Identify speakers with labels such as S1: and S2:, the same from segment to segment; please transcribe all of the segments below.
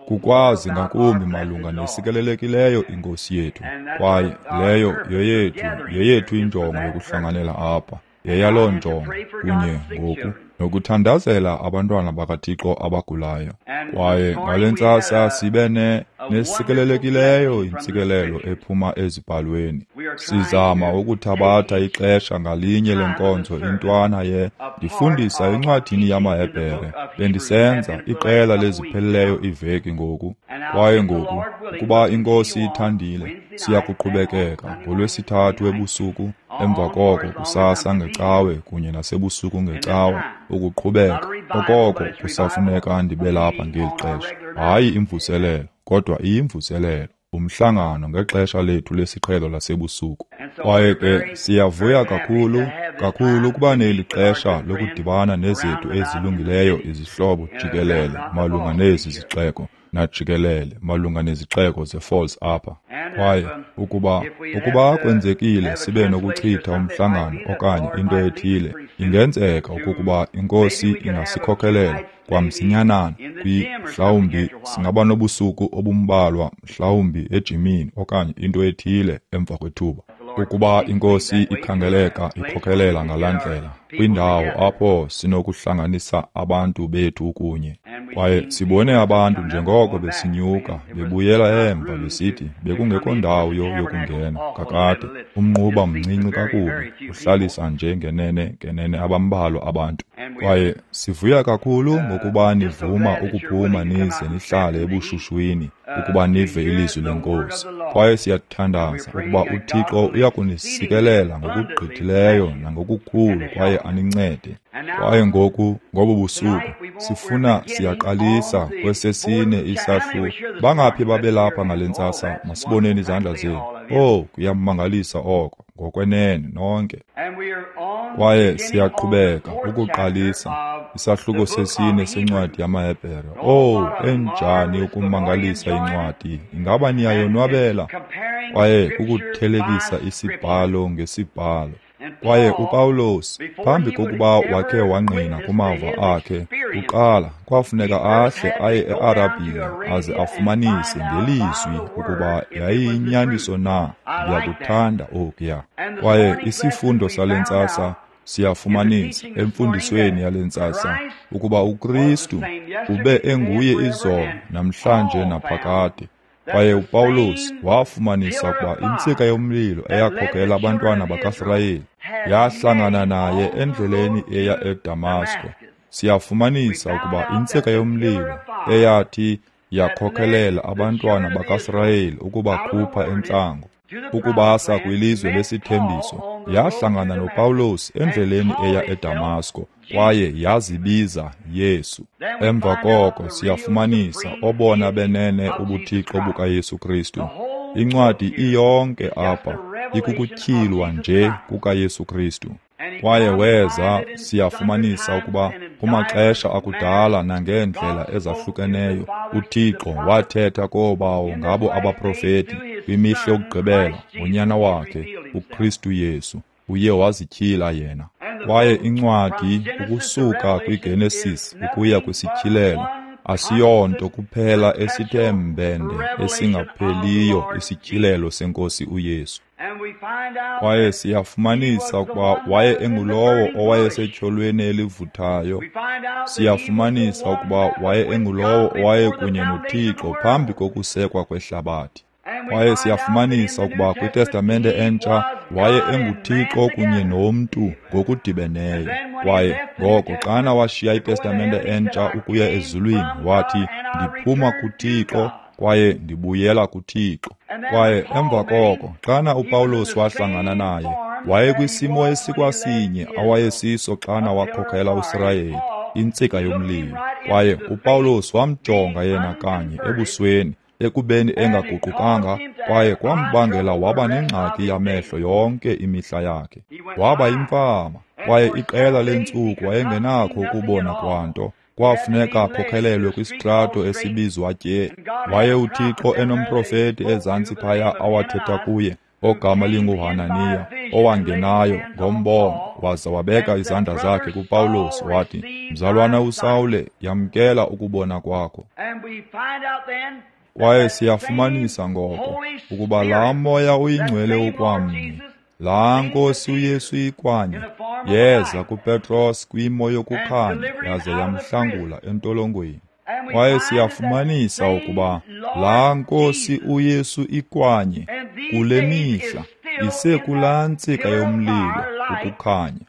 S1: Kukwazi ngakumbi malunga nesikelelekileyo iNkosi yethu, kwaye leyo yeyethu injongo yokuhlanganela apha, yeyaloo njongo kunye ngoku nokuthandazela abantwana bakaThixo abagulayo. Kwaye ngale ntsasa sibe nesikelelekileyo intsikelelo ephuma ezibhalweni. Sizama ukuthabatha ixesha ngalinye lenkonzo intwana ye ndifundisa encwadini yamaHebhere. Bendisenza iqela lezipheleleyo iveki ngoku. Kwaye ngoku, ukuba iNkosi ithandile, siya kuqhubekeka ngoLwesithathu ebusuku, emva koko kusasa ngeCawe kunye nasebusuku ngeCawa, ukuqhubeka okoko kusafuneka ndibe lapha ngeli xesha. Hayi imvuselelo, kodwa iyimvuselelo, umhlangano ngexesha lethu lesiqhelo lasebusuku. Kwaye ke siyavuya kakhulu kakhulu ukuba neli xesha lokudibana nezethu ezilungileyo izihlobo jikelele malunga nezi zixeko najikelele malunga nezixeko zeFalls apha. Kwaye ukuba kwenzekile sibe nokuchitha umhlangano okanye into ethile, ingenzeka okokuba iNkosi ingasikhokelela kwamsinyanana mhlawumbi singaba nobusuku obumbalwa, mhlawumbi ejimini okanye into ethile emva kwethuba. Ukuba iNkosi ikhangeleka ikhokelela ngalaa ndlela, kwindawo apho sinokuhlanganisa abantu bethu kunye. Kwaye sibone abantu njengoko besinyuka bebuyela emva besithi bekungekho ndawo yokungena kakade, umnquba mncinci kakubi, uhlalisa nje ngenene abambalwa abantu. Kwaye sivuya kakhulu ngokuba nivuma ukuphuma nize nihlale ebushushwini ukuba nive ilizwi leNkosi. Kwaye siyathandaza ukuba uThixo uyakunisikelela ngokugqithileyo nangokukhulu kwaye anincede. Kwaye ngoku, ngobu busuku, sifuna siyaqalisa kwesesine isahluko. Bangaphi babelapha ngale ntsasa? Masiboneni izandla zenu. Oh, kuyamangalisa oko, ngokwenene nonke. Kwaye siyaqhubeka ukuqalisa isahluko sesine sencwadi yamaHebhere. Oh, enjani ukumangalisa incwadi! Ingaba niyayonwabela? Kwaye kukuthelekisa isibhalo ngesibhalo. Kwaye uPawulos, phambi kokuba wakhe wangqina kumava akhe, kuqala kwafuneka ahle aye eArabhiya aze afumanise ngelizwi ukuba yayiyinyaniso na. Ndiyakuthanda okuya. Kwaye isifundo sale ntsasa siyafumanisa emfundisweni yale ntsasa ukuba uKristu ube enguye izolo, namhlanje naphakade. Kwaye uPawulos wafumanisa ukuba intsika yomlilo eyakhokela abantwana bakaSirayeli yahlangana naye endleleni eya eDamasko. Siyafumanisa ukuba intsika yomlilo eyathi yakhokelela abantwana bakaSirayeli ukubakhupha entlango ukubasa kwilizwe lesithembiso yahlangana noPawulos endleleni eya eDamasko kwaye yazibiza Yesu. Emva koko siyafumanisa obona benene ubuthixo bukaYesu Kristu. Incwadi iyonke apha ikukutyhilwa nje kukaYesu Kristu. Kwaye weza, siyafumanisa ukuba kumaxesha akudala nangeendlela ezahlukeneyo uThixo wathetha koobawo ngabo abaprofeti kwimihla yokugqibela ngonyana wakhe uKristu Yesu. Uye wazityhila yena. Kwaye incwadi ukusuka kwiGenesis ukuya kwisityhilelo asiyonto kuphela esithe mbende esingapheliyo isityhilelo seNkosi uYesu. Kwaye siyafumanisa ukuba waye engulowo owayesetyholweni elivuthayo. Siyafumanisa ukuba waye engulowo owayekunye noThixo phambi kokusekwa kwehlabathi. Kwaye siyafumanisa ukuba kwiTestamente entsha waye enguThixo kunye nomntu ngokudibeneyo. Kwaye ngoko xana washiya iTestamente entsha ukuya ezulwini, wathi, ndiphuma kuThixo kwaye ndibuyela kuThixo. Kwaye emva koko xana uPawulos wahlangana naye, wayekwisimo esikwasinye awayesiso xana wakhokhela uSirayeli, intsika yomlilo. Kwaye uPawulos wamjonga yena kanye ebusweni, ekubeni engaguqukanga, kwaye kwambangela waba nengxaki yamehlo yonke imihla yakhe. Waba yimfama, kwaye iqela leentsuku wayengenakho ukubona kwanto. Kwafuneka akhokhelelwe kwisitrato esibizwa Tye. Waye uThixo enomprofeti ezantsi phaya awathetha kuye, ogama linguHananiya, owangenayo ngombono waza wabeka izandla zakhe kuPawulos wathi, Mzalwana uSawule, yamkela ukubona kwakho. Kwaye siyafumanisa ngoko ukuba laa Moya uyiNgcwele ukwamnye, laa Nkosi uYesu ikwanye, yeza kuPetros kwimo yokukhanya yaze yamhlangula entolongweni. Kwaye siyafumanisa ukuba laa Nkosi uYesu ikwanye kule mihla isekulaa ntsika yomlilo ukukhanya,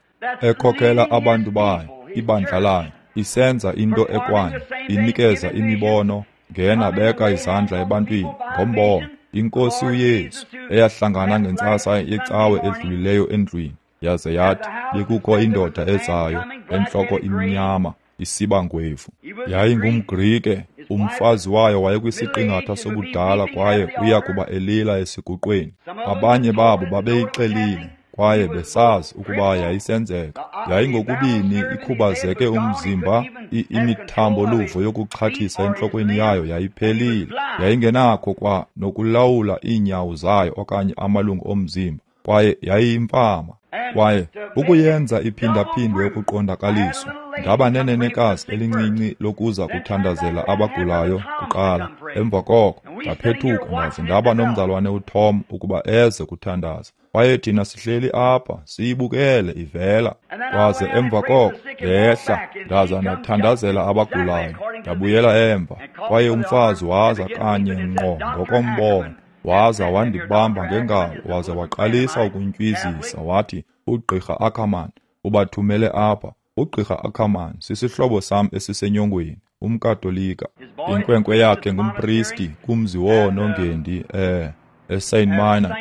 S1: ekhokela abantu bayo, ibandla layo, isenza into ekwanye, inikeza imibono, ngena beka izandla ebantwini ngombono. INkosi uYesu eyahlangana ngentsasa yecawe edlulileyo endlwini, yaze yathi bekukho indoda ezayo entloko imnyama isiba ngwevu. YayingumGrike, umfazi wayo wayekwisiqingatha sobudala kwaye uya kuba elila esiguqweni. Abanye babo babeyixelile kwaye besazi ukuba yayisenzeka. Yayingokubini ikhubazeke umzimba, imithambo-luvo yokuxhathisa entlokweni yayo yayiphelile. Yayingenakho kwa nokulawula iinyawo zayo okanye amalungu omzimba, kwaye yayiyimfama. Kwaye ukuyenza iphindaphindwe ukuqondakaliswa, ndaba nenenekazi elincinci lokuza kuthandazela abagulayo kuqala. Emva koko ndaphethuka ndaze ndaba nomzalwane uTom ukuba eze kuthandaza. Kwaye thina sihleli apha siyibukele ivela. Kwaze emva koko ndehla ndaza ndathandazela abagulayo, ndabuyela emva. Kwaye umfazi waza kanye ngqo ngokombono, waza wandibamba ngengalo waza waqalisa ukuntywizisa wathi, uGqirha Ackerman ubathumele apha. UGqirha Ackerman sisihlobo sam esisenyongweni, umKatolika. Inkwenkwe yakhe ngumpristi kumzi woonongendi eSt. Minor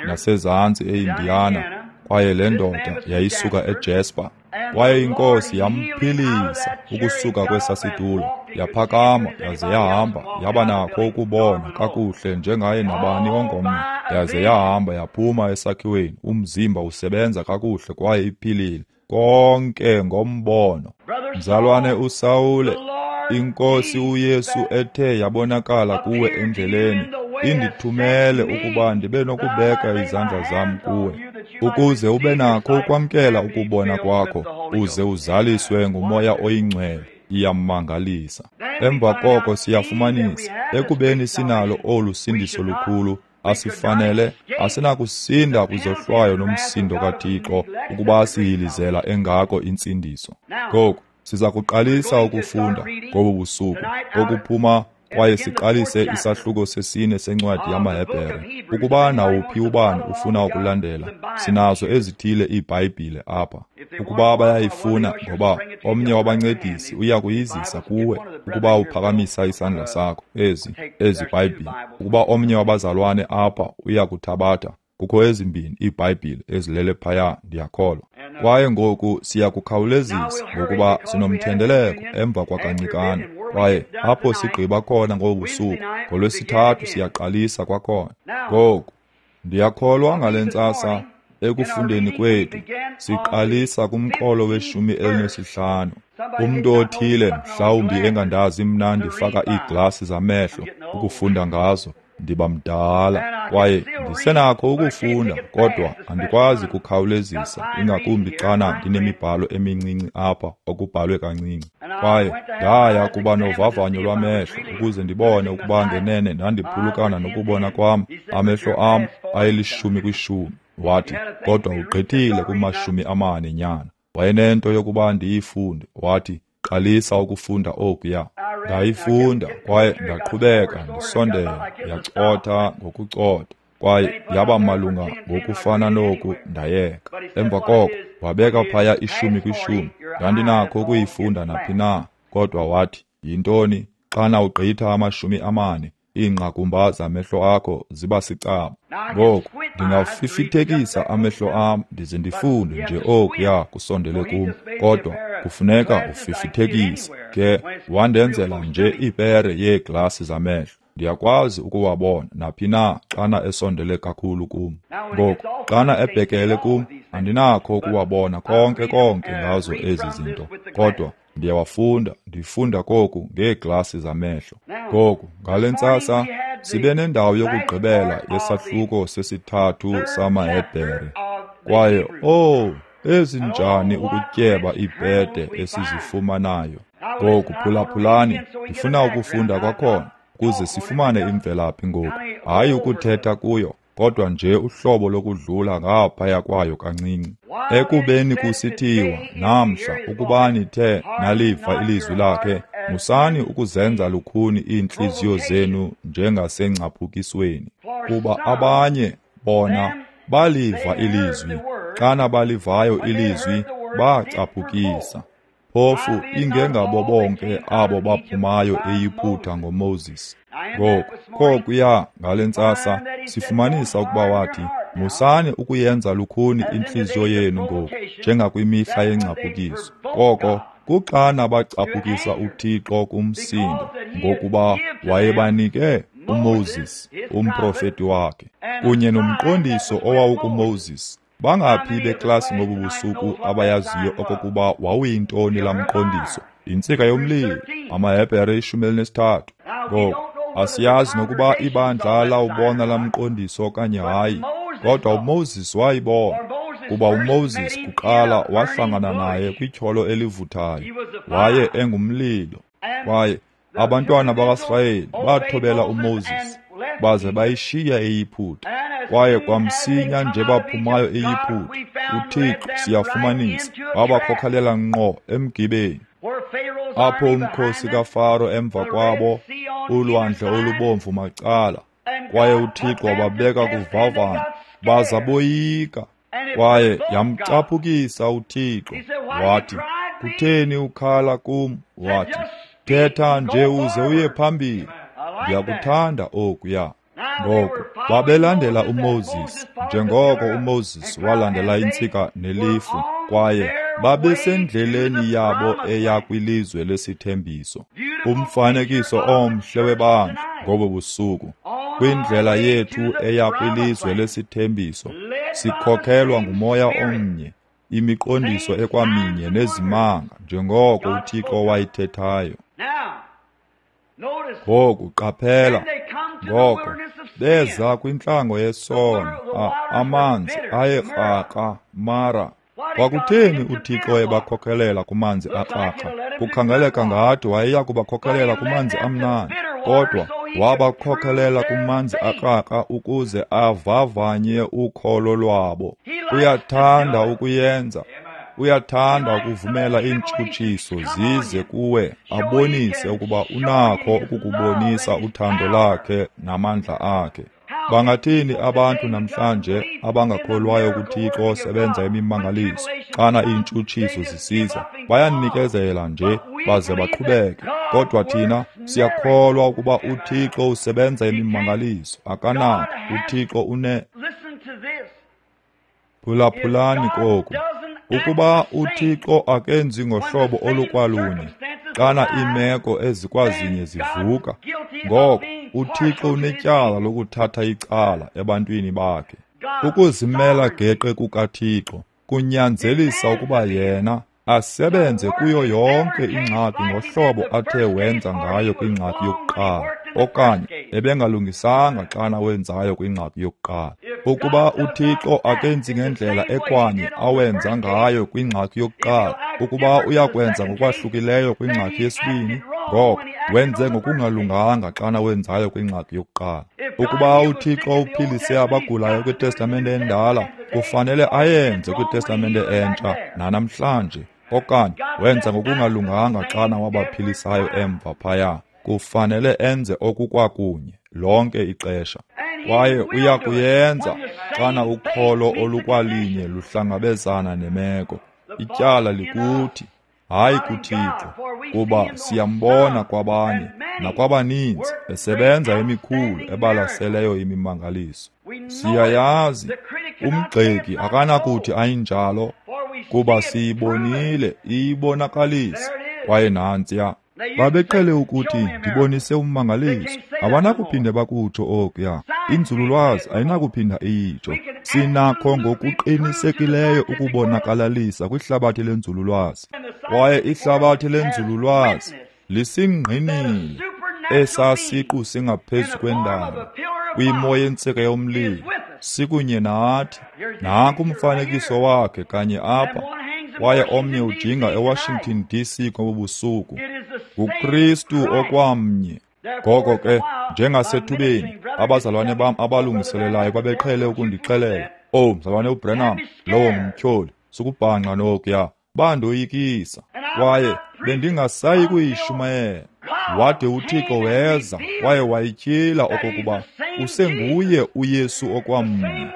S1: nasezantsi eIndiana, kwaye le ndoda yayisuka eJasper. Kwaye iNkosi yamphilisa ukusuka kwesa situlo, yaphakama yaze yahamba, yaba nakho ukubona kakuhle njengaye nabani ongomnye, yaze yahamba yaphuma esakhiweni, umzimba usebenza kakuhle kwaye iphilile, konke ngombono. Mzalwane uSawule, iNkosi uYesu ethe yabonakala kuwe endleleni, indithumele ukuba ndibe nokubeka izandla zam kuwe, ukuze ube nakho ukwamkela ukubona kwakho, uze uzaliswe nguMoya oyiNgcwele. Iyamangalisa. Emva koko siyafumanisa, ekubeni sinalo olu sindiso lukhulu, asifanele, asinakusinda kwizohlwayo nomsindo kaThixo ukuba siyilizela engako intsindiso. Ngoku siza kuqalisa ukufunda ngobu busuku okuphuma kwaye siqalise isahluko sesine sencwadi yamaHebhere. Ukuba nawuphi ubani ufuna ukulandela, sinazo ezithile iiBhayibhile apha. Ukuba bayayifuna, ngoba omnye wabancedisi uya kuyizisa kuwe ukuba uphakamisa isandla sakho, ezi Bhayibhile. Ukuba omnye wabazalwane apha uya kuthabatha, kukho ezimbini iiBhayibhile ezilele phaya, ndiyakholwa. Kwaye ngoku siya kukhawulezisa ngokuba sinomthendeleko emva kwakancikana. Kwaye apho sigqiba khona ngobu busuku, ngoLwesithathu siyaqalisa kwakhona. Ngoku ndiyakholwa ngale ntsasa ekufundeni kwethu siqalisa kumqolo we-15. Umntu othile mhlawumbi engandazi mna ndifaka iiglasi zamehlo ukufunda ngazo, ndiba mdala kwaye ndisenakho ukufunda, kodwa andikwazi kukhawulezisa, ingakumbi xana ndinemibhalo emincinci apha okubhalwe kancinci. Kwaye ndaya kuba novavanyo lwamehlo ukuze ndibone ukuba ngenene ndandiphulukana nokubona kwam. Amehlo am ayelishumi kwishumi. Wathi, kodwa ugqithile kuma-40 nyana. Wayenento yokuba ndiyifunde. Wathi, qalisa ukufunda okuya. Ndayifunda kwaye ndaqhubeka ndisondela, yacotha ngokucotha, kwaye yaba malunga ngokufana noku, ndayeka. Emva koko wabeka phaya 10 kwishumi. Ndandinakho ukuyifunda naphi na, kodwa wathi, yintoni xana ugqitha 40, iingqakumba zamehlo akho ziba sicaba. Ngoku ndingafifithekisa amehlo am ndize ndifunde nje okuya kusondele kum, kodwa kufuneka ufifithekise. Ke wandenzela nje ipere yeeglasi zamehlo, ndiyakwazi ukuwabona naphi na xana esondele kakhulu kum. Ngoku xana ebhekele kum andinakho ukuwabona konke konke ngazo ezi zinto, kodwa ndiyawafunda, ndifunda koku ngeeglasi zamehlo. Ngoku ngale ntsasa sibe nendawo yokugqibela yesahluko sesithathu samaHebhere. Kwaye oh, ezinjani ukutyeba iibhede esizifumanayo. Ngoku phulaphulani, ndifuna ukufunda kwakhona ukuze sifumane imvelaphi ngoku, hayi ukuthetha kuyo, kodwa nje uhlobo lokudlula ngaphaya kwayo kancinci. Ekubeni kusithiwa namhla ukuba nithe naliva ilizwi lakhe, musani ukuzenza lukhuni iintliziyo zenu njengasengcaphukisweni. Kuba abanye bona baliva ilizwi, xana balivayo ilizwi bacaphukisa. Phofu ingengabo bonke abo baphumayo eYiputa ngoMoses. Ngoku kokuya ngale ntsasa sifumanisa ukuba wathi, musani ukuyenza lukhuni intliziyo yenu ngoku njengakwimihla yengcaphukiso. Koko kuxana bacaphukisa uThixo kumsindo, ngokuba wayebanike uMoses, umprofeti wakhe, kunye nomqondiso owawukuMoses. Bangaphi beklasi ngobu busuku abayaziyo okokuba wawuyintoni laa mqondiso? Intsika yomlilo, amaHebhere 13. Ngoku asiyazi nokuba ibandla lawubona laa mqondiso okanye hayi, kodwa uMoses wayibona, kuba uMoses kuqala wahlangana naye kwityholo elivuthayo, waye engumlilo. Kwaye abantwana bakaSirayeli bathobela uMoses baze bayishiya eYiputa. Kwaye kwamsinya nje baphumayo eYiputa, uThixo siyafumanisa wabakhokhelela ngqo emgibeni, apho umkhosi kaFaro emva kwabo, ulwandle olubomvu macala. Kwaye uThixo wababeka kuvavanya, baza boyika. Kwaye yamcaphukisa uThixo, wathi, kutheni ukhala kum? Wathi, thetha nje uze uye phambili. Ndiyakuthanda okuya. Ngoku babelandela uMoses njengoko uMoses walandela intsika nelifu, kwaye babesendleleni yabo eya kwilizwe lesithembiso. Umfanekiso omhle webandla ngobo busuku, kwindlela yethu eya kwilizwe lesithembiso, sikhokhelwa ngumoya omnye, imiqondiso ekwaminye nezimanga njengoko uThixo wayithethayo. Ngoku qaphela, ngoko beza kwintlango yesono, amanzi ayekrakra Mara. Kwakutheni uThixo ebakhokhelela kumanzi akrakra? Kukhangeleka ngathi wayeya kubakhokhelela kumanzi amnandi, kodwa wabakhokhelela kumanzi akrakra ukuze avavanye ukholo lwabo. Uyathanda ukuyenza. Uyathanda ukuvumela iintshutshiso zize kuwe, abonise ukuba unakho ukukubonisa uthando lakhe namandla akhe. Bangathini abantu namhlanje abangakholwayo kuThixo osebenza imimangaliso xana iintshutshiso zisiza? Bayanikezela nje baze baqhubeke. Kodwa thina siyakholwa ukuba uThixo usebenza imimangaliso. Akanako. uThixo une. Phulaphulani koku. Ukuba uThixo akenzi ngohlobo olukwalunye xana iimeko ezikwazinye zivuka, ngoko uThixo unetyala lokuthatha icala ebantwini bakhe. Ukuzimela geqe kukaThixo kunyanzelisa ukuba yena asebenze kuyo yonke ingxaki ngohlobo athe wenza ngayo kwingxaki yokuqala, okanye ebengalungisanga xana wenzayo kwingxaki yokuqala. Ukuba uThixo akenzi ngendlela ekwanye awenza ngayo kwingxaki yokuqala, ukuba uyakwenza ngokwahlukileyo kwingxaki yesibini, ngoko wenze ngokungalunganga xana wenzayo kwingxaki yokuqala. Ukuba uThixo uphilise abagulayo kwiTestamente endala, kufanele ayenze kwiTestamente entsha nanamhlanje, okanye wenza ngokungalunganga xana wabaphilisayo emva phaya. Kufanele enze okukwakunye lonke ixesha. Kwaye uya kuyenza xana ukholo olukwalinye luhlangabezana nemeko. Ityala likuthi, hayi kuThixo, kuba siyambona kwabanye nakwabaninzi esebenza emikhulu ebalaseleyo imimangaliso. Siyayazi umgxeki akanakuthi ayinjalo, kuba siyibonile iyibonakalisa. Kwaye nantsiya. Babeqhele ukuthi ndibonise ummangaliso. Abanakuphinde bakutsho okuya. Inzululwazi ayinakuphinda iyitsho. Sinakho ngokuqinisekileyo ukubonakalalisa kwihlabathi lenzululwazi. Kwaye ihlabathi lenzululwazi lisingqinile esasiqu singaphezu kwendalo kwimo yentsika yomlilo Sikunye nathi. Nanku umfanekiso wakhe kanye apha, kwaye omnye ujinga eWashington DC ngobu busuku. NguKristu okwamnye. Ngoko ke, njengasethubeni, abazalwane bam abalungiselelayo babeqhele ukundixelela, "Oh, mzalwane uBranham, lowo ngumtyholi, sukubhanxa nokuya." Bandoyikisa, kwaye bendingasayi kuyishumayela. Wade uThixo weza kwaye wayityhila okokuba usenguye uYesu okwamnye,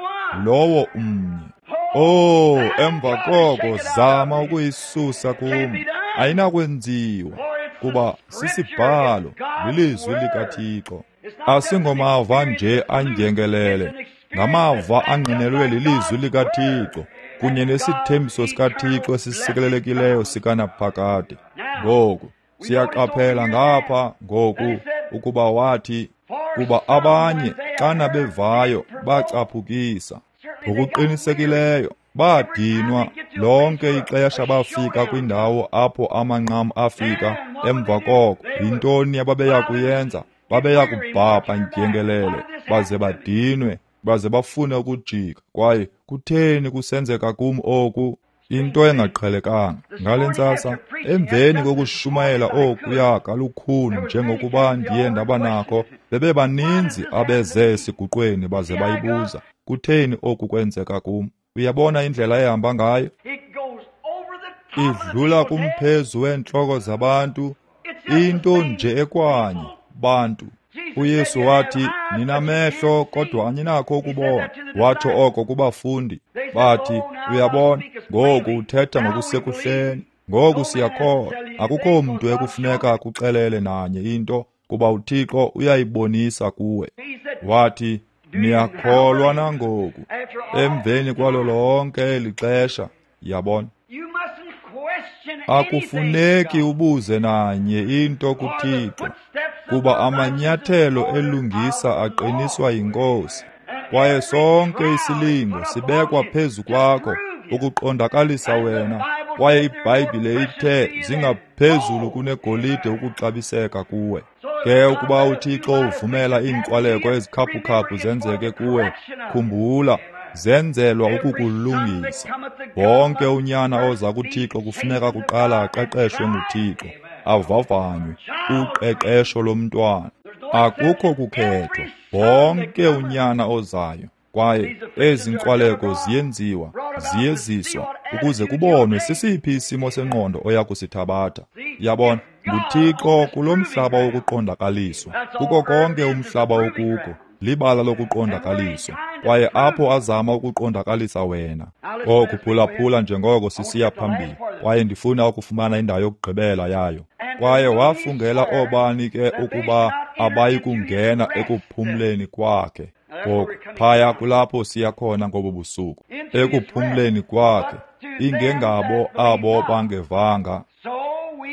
S1: lowo umnye. Oh, emva koko zama ukuyisusa kum, ayinakwenziwa, kuba sisibhalo, lilizwi likaThixo. Asingomava nje andyengelele, ngamava angqinelwe lilizwi likaThixo kunye nesithembiso sikaThixo esisikelelekileyo sikanaphakade. Ngoku siyaqaphela ngapha ngoku ukuba wathi, kuba abanye xana bevayo bacaphukisa. Ngokuqinisekileyo badinwa lonke ixesha bafika kwindawo apho amanqam afika. Emva koko yintoni ababeya kuyenza? Babeya kubhabha ndyengelele baze badinwe, baze bafune ukujika. Kwaye kutheni kusenzeka kum oku? Into engaqhelekanga. Ngale ntsasa, emveni kokushumayela okuya kalukhuni njengokuba ndiye ndaba nakho, bebebaninzi abeze esiguqweni baze bayibuza, kutheni oku kwenzeka kum? Uyabona indlela ehamba ngayo? Idlula kumphezu weentloko zabantu, into nje ekwanye, bantu. uYesu wathi, ninamehlo kodwa aninakho ukubona. Watsho oko kubafundi. Bathi, uyabona, ngoku uthetha ngokusekuhleni, ngoku siyakholwa. Akukho mntu ekufuneka akuxelele nanye into, kuba uThixo uyayibonisa kuwe. Wathi, niyakholwa nangoku, emveni kwalo lonke eli xesha. Yabona, akufuneki ubuze nanye into kuThixo, kuba amanyathelo elungisa aqiniswa yiNkosi, kwaye sonke isilingo sibekwa phezu kwakho ukuqondakalisa wena. Kwaye iBhayibhile ithe zingaphezulu kunegolide ukuxabiseka kuwe. Ke ukuba uThixo uvumela iinkwaleko ezikhaphukhaphu zenzeke kuwe, khumbula, zenzelwa ukukulungisa. Wonke unyana oza kuThixo kufuneka kuqala aqeqeshwe nguThixo, avavanywe, uqeqesho lomntwana. Akukho kukhethwa, wonke unyana ozayo. Kwaye ezi nkwaleko ziyenziwa, ziyeziswa, ukuze kubonwe sisiphi isimo sengqondo oya kusithabatha. Yabona, nguThixo kulo mhlaba wokuqondakaliswa, kuko konke umhlaba okuko, libala lokuqondakaliswa. Kwaye apho azama ukuqondakalisa wena. Oku phulaphula njengoko sisiya phambili, kwaye ndifuna ukufumana indawo yokugqibela yayo. Kwaye wafungela oobani ke ukuba abayi kungena ekuphumleni kwakhe. Ngoku phaya kulapho siya khona ngobu busuku, ekuphumleni kwakhe, ingengabo abo bangevanga.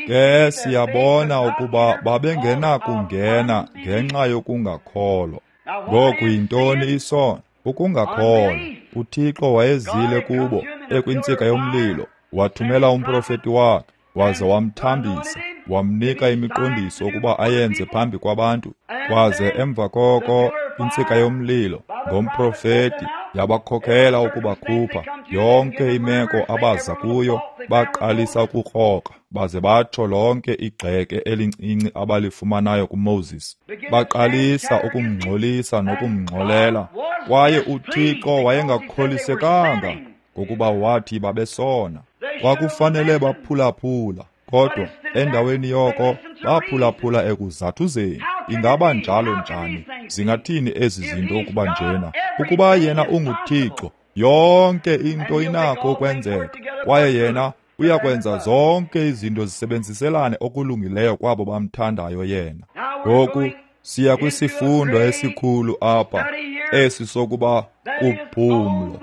S1: Ke siyabona ukuba babengenakungena ngenxa yokungakholwa. Ngoku yintoni isono? Ukungakholwa. uThixo wayezile kubo ekwintsika yomlilo, wathumela umprofeti wakhe, waze wamthambisa, wamnika imiqondiso ukuba ayenze phambi kwabantu. Kwaze emva koko intsika yomlilo ngomprofeti yabakhokhela ukubakhupha. Yonke imeko abaza kuyo baqalisa ukurhoqa, baze batsho lonke igxeke elincinci abalifumanayo kuMoses. Baqalisa ukumngxolisa nokumngxolela, kwaye uThixo wayengakholisekanga ngokuba wathi babesona. Kwakufanele baphulaphula, kodwa endaweni yoko baphulaphula ekuzathuzeni. Ingaba njalo njani? Zingathini ezi zinto ukuba njena? Ukuba yena unguThixo, yonke into inakho ukwenzeka, kwaye yena uyakwenza zonke izinto zisebenziselane okulungileyo kwabo bamthandayo yena. Ngoku siya kwisifundo esikhulu apha, esi sokuba kuphumlo,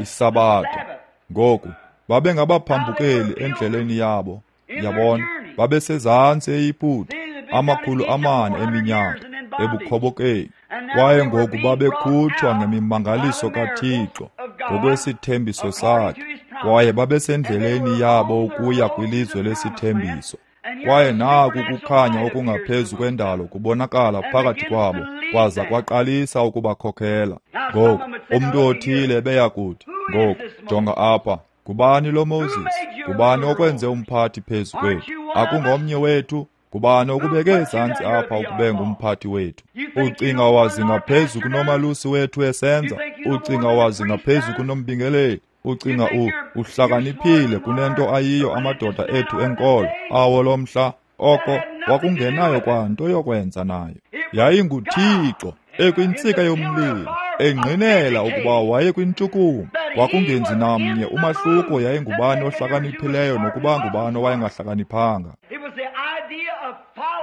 S1: isabatha. Ngoku babengabaphambukeli endleleni yabo, yabona, babesezantsi eYiputa 400 eminyaka ebukhobokeni, kwaye ngoku babekhutshwa ngemimangaliso kaThixo ngokwesithembiso sakhe, kwaye babesendleleni yabo ukuya kwilizwe lesithembiso. Kwaye naku kukhanya okungaphezu kwendalo kubonakala phakathi kwabo, kwaza kwaqalisa ukubakhokhela. Ngoku umntu othile ebeya kuthi, ngoku jonga apha, ngubani lo Moses? Ngubani okwenze umphathi phezu kwethu? Akungomnye wethu? Ngubani okubeke ezantsi apha ukube ngumphathi wethu? Ucinga wazi ngaphezu kunomalusi wethu esenza? Ucinga wazi ngaphezu kunombingeleli? Ucinga uhlakaniphile kunento ayiyo amadoda ethu enkolo awo lomhla? Oko wakungenayo kwanto yokwenza nayo. YayinguThixo ekwintsika yomlilo, engqinela ukuba wayekwintshukumo. Kwakungenzi namnye umahluko yayingubani ohlakaniphileyo nokuba ngubani owayengahlakaniphanga.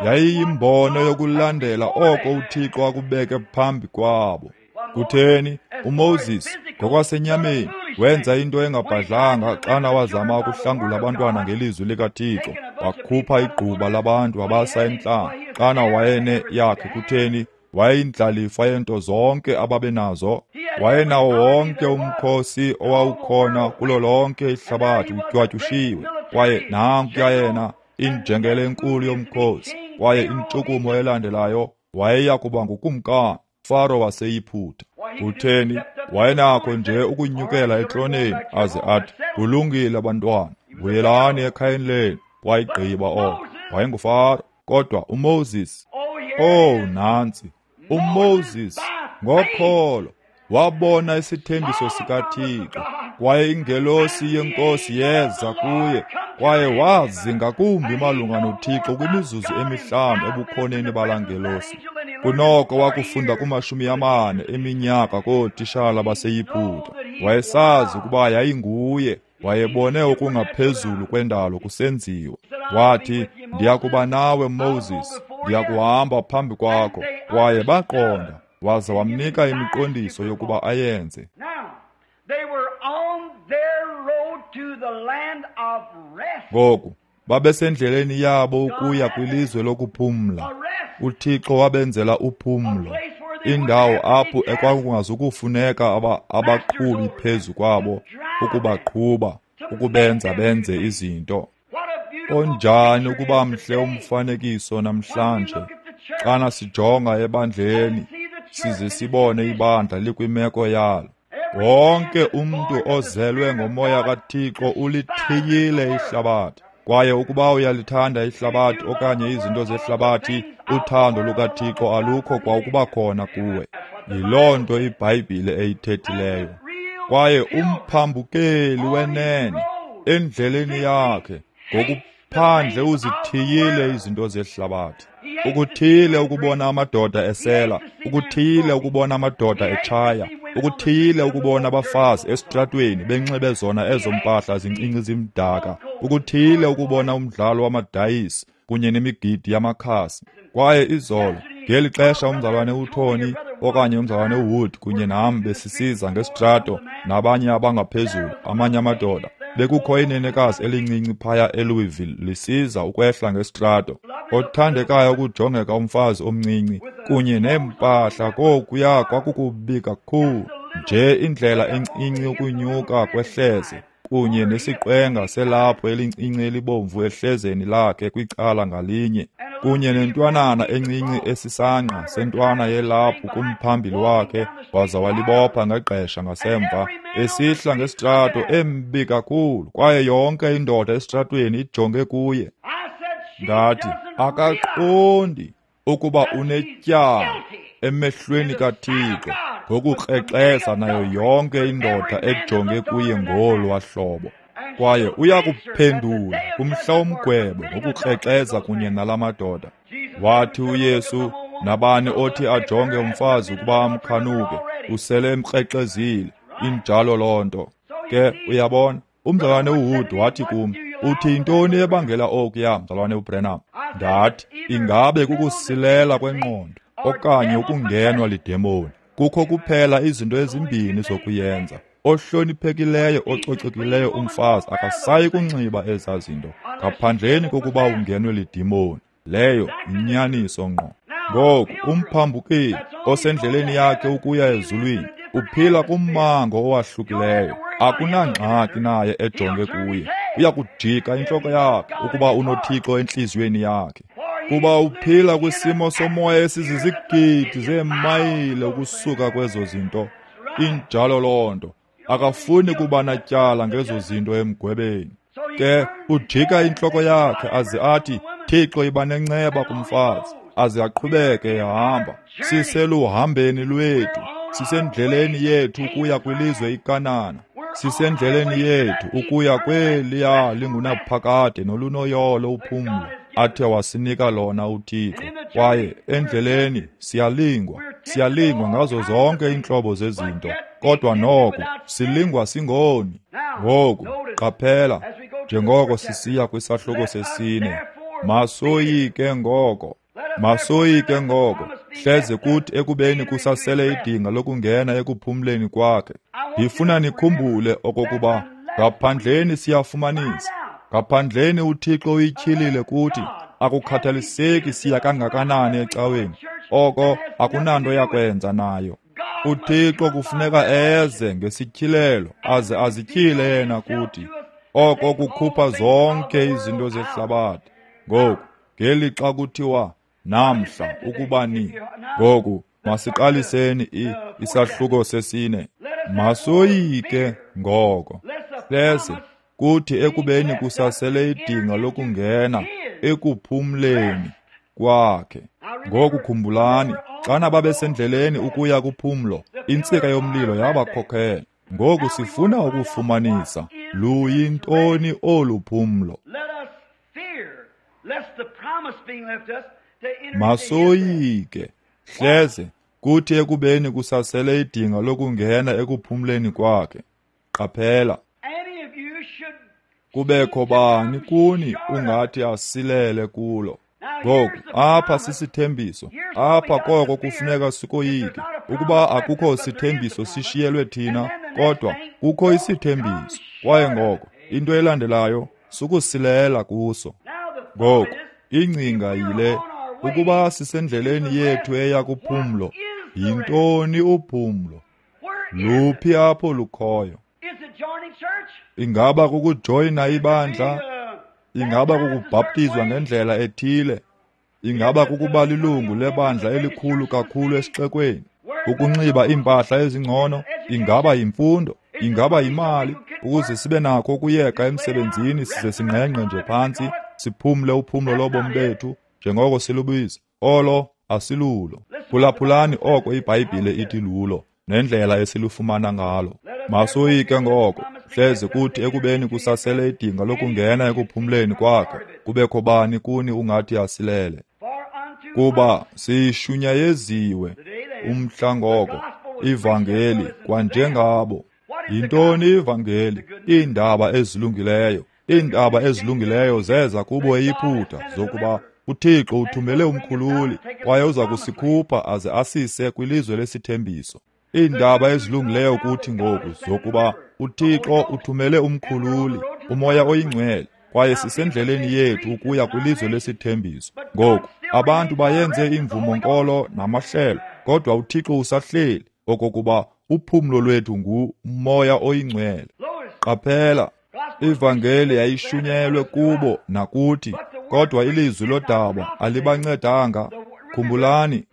S1: Yayiyimbono yokulandela oko uThixo akubeke phambi kwabo. Kutheni uMoses ngokwasenyameni wenza into engabhadlanga xana wazama ukuhlangula abantwana ngelizwi likaThixo, wakhupha igquba labantu wabasa entlango. Xana wayene yakhe, kutheni wayeyindlalifa yento zonke ababenazo. Wayenawo wonke umkhosi owawukhona kulo lonke ihlabathi utywatyushiwe. Kwaye nankuya yena, injengele enkulu yomkhosi. Kwaye intshukumo elandelayo wayeya kuba ngukumkani, Faro waseYiphutha. Kutheni wayenakho nje ukunyukela etroneni aze athi, kulungile bantwana, buyelani ekhayeni lenu. Wayigqiba oko. WayenguFaro. Kodwa uMoses, oh nantsi, uMoses ngokholo wabona isithembiso sikaThixo, kwaye ingelosi yenkosi yeza kuye, kwaye wazi ngakumbi malunga noThixo kwimizuzu emihlanu ebukhoneni balaa ngelosi kunoko wakufunda kuma-40 eminyaka kootishala baseYiphutha. Wayesazi ukuba yayinguye. Wayebone okungaphezulu kwendalo kusenziwa. Wathi, ndiyakuba nawe Moses, ndiyakuhamba phambi kwakho. Kwaye baqonda, waza wamnika imiqondiso yokuba ayenze. Ngoku babesendleleni yabo ukuya kwilizwe lokuphumla. uThixo wabenzela uphumlo, indawo apho ekwakungazukufuneka abaqhubi phezu kwabo ukubaqhuba, ukubenza benze izinto. Onjani ukuba mhle umfanekiso namhlanje xana sijonga ebandleni size sibone ibandla likwimeko yalo. Wonke umntu ozelwe ngomoya kaThixo ulithiyile ihlabathi. Kwaye ukuba uyalithanda ihlabathi okanye izinto zehlabathi, uthando lukaThixo alukho kwa ukuba khona kuwe. Yiloo nto iBhayibhile eyithethileyo. Kwaye umphambukeli wenene endleleni yakhe ngokuphandle uzithiyile izinto zehlabathi. Ukuthiyile ukubona amadoda esela, ukuthiyile ukubona amadoda etshaya, ukuthiyile ukubona abafazi esitratweni benxibe zona ezo mpahla zincinci zimdaka, ukuthiyile ukubona umdlalo wamadayisi kunye nemigidi yamakhasi. Kwaye izolo ngeli xesha umzalwane uTony okanye umzalwane uWood kunye nam besisiza ngesitrato nabanye abangaphezulu, amanye amadoda, bekukho inenekazi elincinci phaya eLouisville lisiza ukwehla ngesitrato, othandekayo ukujongeka umfazi omncinci kunye neempahla. Kokuya kwakukubi kakhulu nje, indlela encinci ukunyuka kwehleze kunye nesiqwenga selaphu elincinci elibomvu ehlezeni lakhe kwicala ngalinye, kunye nentwanana encinci esisangqa sentwana yelaphu kumphambili wakhe, waza walibopha ngegqesha ngasemva, esihla ngesitrato embi kakhulu, kwaye yonke indoda esitratweni ijonge kuye. Ndathi, akaqondi ukuba unetyala emehlweni kaThixo ngokukrexeza nayo yonke indoda ejonge kuye ngolwa hlobo. Kwaye uyakuphendula kumhla womgwebo ngokukrexeza kunye nalamadoda. Wathi uYesu, nabani othi ajonge umfazi ukuba amkhanuke, usele emkrexezile. Injalo loo nto. Ke uyabona, umzalwane uWood wathi kum, uthi yintoni ebangela okuya, mzalwane uBrenham? Ndathi, ingabe kukusilela kwengqondo okanye ukungenwa lidemoni. Kukho kuphela izinto ezimbini zokuyenza. Ohloniphekileyo ococekileyo umfazi akasayi kunxiba ezaa zinto ngaphandleni kokuba ungenwe lidimoni. Leyo yinyaniso ngqo. Ngoku umphambukeli osendleleni yakhe ukuya ezulwini uphila kummango owahlukileyo. Akunangxaki naye ejonge kuye. Uyakujika intloko yakhe ukuba unoThixo entliziyweni yakhe. Kuba uphila kwisimo somoya esizizigidi zeemayile ukusuka kwezo zinto. Injalo loo nto. Akafuni kuba natyala ngezo zinto emgwebeni. Ke ujika intloko yakhe aze athi, Thixo iba nenceba kumfazi, aze aqhubeke ehamba. Siseluhambeni lwethu, sisendleleni yethu ukuya kwilizwe iKanana. Sisendleleni yethu ukuya kweliya lingunaphakade nolunoyolo uphumlo athe wasinika lona uThixo. Kwaye endleleni siyalingwa, siyalingwa ngazo zonke iintlobo zezinto, kodwa noko silingwa singoni. Ngoku qaphela, njengoko sisiya kwisahluko sesine, masoyike ngoko, masoyike ngoko, hleze kuthi ekubeni kusasele idinga lokungena ekuphumleni kwakhe. Ndifuna nikhumbule okokuba ngaphandleni siyafumanisa, ngaphandleni uThixo uyityhilile kuthi. Akukhathaliseki siya kangakanani ecaweni, oko akunanto yakwenza nayo. uThixo kufuneka eze ngesityhilelo aze azityhile yena kuthi, oko kukhupha zonke izinto zehlabathi. Ngoku ngelixa kuthiwa namhla ukuba ni, ngoku masiqaliseni isahluko sesine. Masoyike ngoko, hleze kuthi ekubeni kusasele idinga lokungena ekuphumleni kwakhe. Ngoku khumbulani, xana babesendleleni ukuya kuphumlo, intsika yomlilo yabakhokhela. Ngoku sifuna ukufumanisa luyintoni olu phumlo. Masoyike, hleze kuthi ekubeni kusasele idinga lokungena ekuphumleni kwakhe. Qaphela, kubekho bani kuni ungathi asilele kulo. Ngoku apha sisithembiso, apha koko kufuneka sikoyike. Ukuba akukho sithembiso sishiyelwe thina, kodwa kukho isithembiso. Kwaye ngoko into elandelayo sukusilela kuso. Ngoku ingcinga yile, ukuba sisendleleni yethu eya kuphumlo, yintoni uphumlo? Luphi apho lukhoyo? Ingaba kukujoyina ibandla? Ingaba kukubhaptizwa ngendlela ethile? Ingaba kukuba lilungu lebandla elikhulu kakhulu esixekweni? Ukunxiba iimpahla ezingcono? Ingaba yimfundo? Ingaba yimali? Ukuze sibe nakho ukuyeka emsebenzini size singqengqe nje phantsi, siphumle uphumlo lobomi bethu njengoko silubiza. Olo asilulo. Phulaphulani oko iBhayibhile ithi lulo nendlela esilufumana ngalo. Masoyike ngoko, hleze kuthi ekubeni kusasele idinga lokungena ekuphumleni kwakhe, kubekho bani kuni ungathi asilele. Kuba siyishunyayeziwe umhla ngoko ivangeli kwanjengabo. Yintoni ivangeli? Iindaba ezilungileyo. Iindaba ezilungileyo zeza kubo eYiputa, zokuba uThixo uthumele umkhululi kwaye uza kusikhupha aze asise kwilizwe lesithembiso. Iindaba ezilungileyo kuthi ngoku zokuba uThixo uthumele umkhululi, uMoya oyiNgcwele, kwaye sisendleleni yethu ukuya kwilizwe lesithembiso. Ngoku abantu bayenze imvumo-nkolo namahlelo, kodwa uThixo usahleli okokuba uphumlo lwethu nguMoya oyiNgcwele. Qaphela, ivangeli yayishunyelwe kubo nakuthi, kodwa ilizwi lodaba alibancedanga. Khumbulani,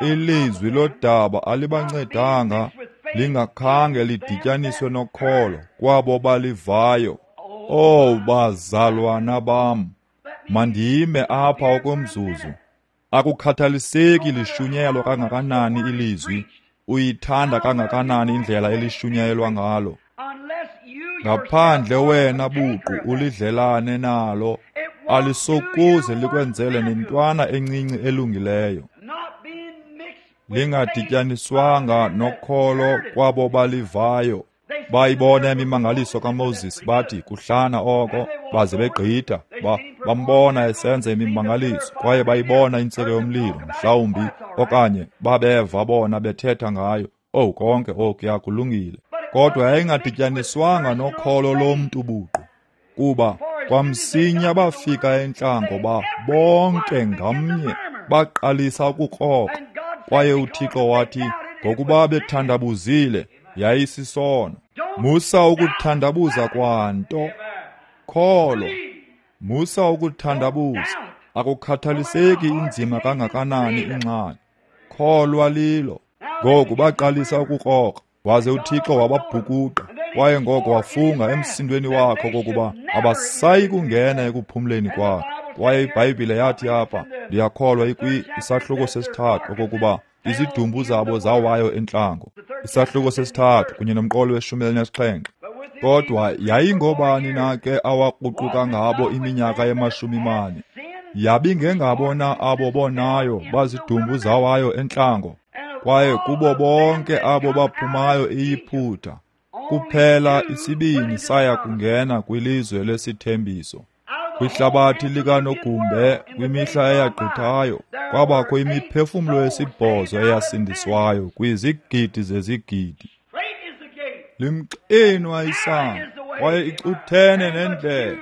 S1: ilizwi lodaba alibancedanga lingakhange lidityaniswe nokholo kwabo balivayo. Oh, bazalwana bam, mandime apha okomzuzu. Akukhathaliseki lishunyelwa kangakanani ilizwi, uyithanda kangakanani indlela elishunyelwa ngalo, ngaphandle wena buqu ulidlelane nalo, alisokuze likwenzele nentwana encinci elungileyo. Lingadityaniswanga nokholo kwabo balivayo. Bayibona imimangaliso kaMoses, bathi kuhlana oko, baze begqitha. Bambona esenza imimangaliso, kwaye bayibona intsika yomlilo, mhlawumbi, okanye babeva bona bethetha ngayo. Owu, konke okuya kulungile. Kodwa yayingadityaniswanga nokholo lomntu buqu, kuba kwamsinya bafika entlango bonke ngamnye baqalisa ukukrokra. Kwaye uThixo wathi, ngokuba bethandabuzile, yayisisono. Musa ukuthandabuza kwanto. Kholwa. Musa ukuthandabuza. Akukhathaliseki inzima kangakanani ingxaki. Kholwa lilo. Ngoku baqalisa ukukrokra, waze uThixo wababhukuqa, kwaye ngoko wafunga emsindweni wakhe okokuba abasayi kungena ekuphumleni kwakhe. Kwaye iBhayibhile yathi apha, ndiyakholwa isahluko sesithathu, okokuba izidumbu zabo zawayo entlango. Isahluko sesithathu kunye nomqolo we-17. Kodwa yayingobani na ke awakruquka ngabo iminyaka ye-40? Yabingengabo na abo bonayo bazidumbu zawayo entlango? Kwaye kubo bonke abo baphumayo eYiputa, kuphela isibini saya kungena kwilizwe lesithembiso. Kwihlabathi likanogumbe kwimihla eyagqithayo, kwabakho imiphefumlo esibhozo eyasindiswayo kwizigidi zezigidi. Limxinwa isango, kwaye icuthene nendlela,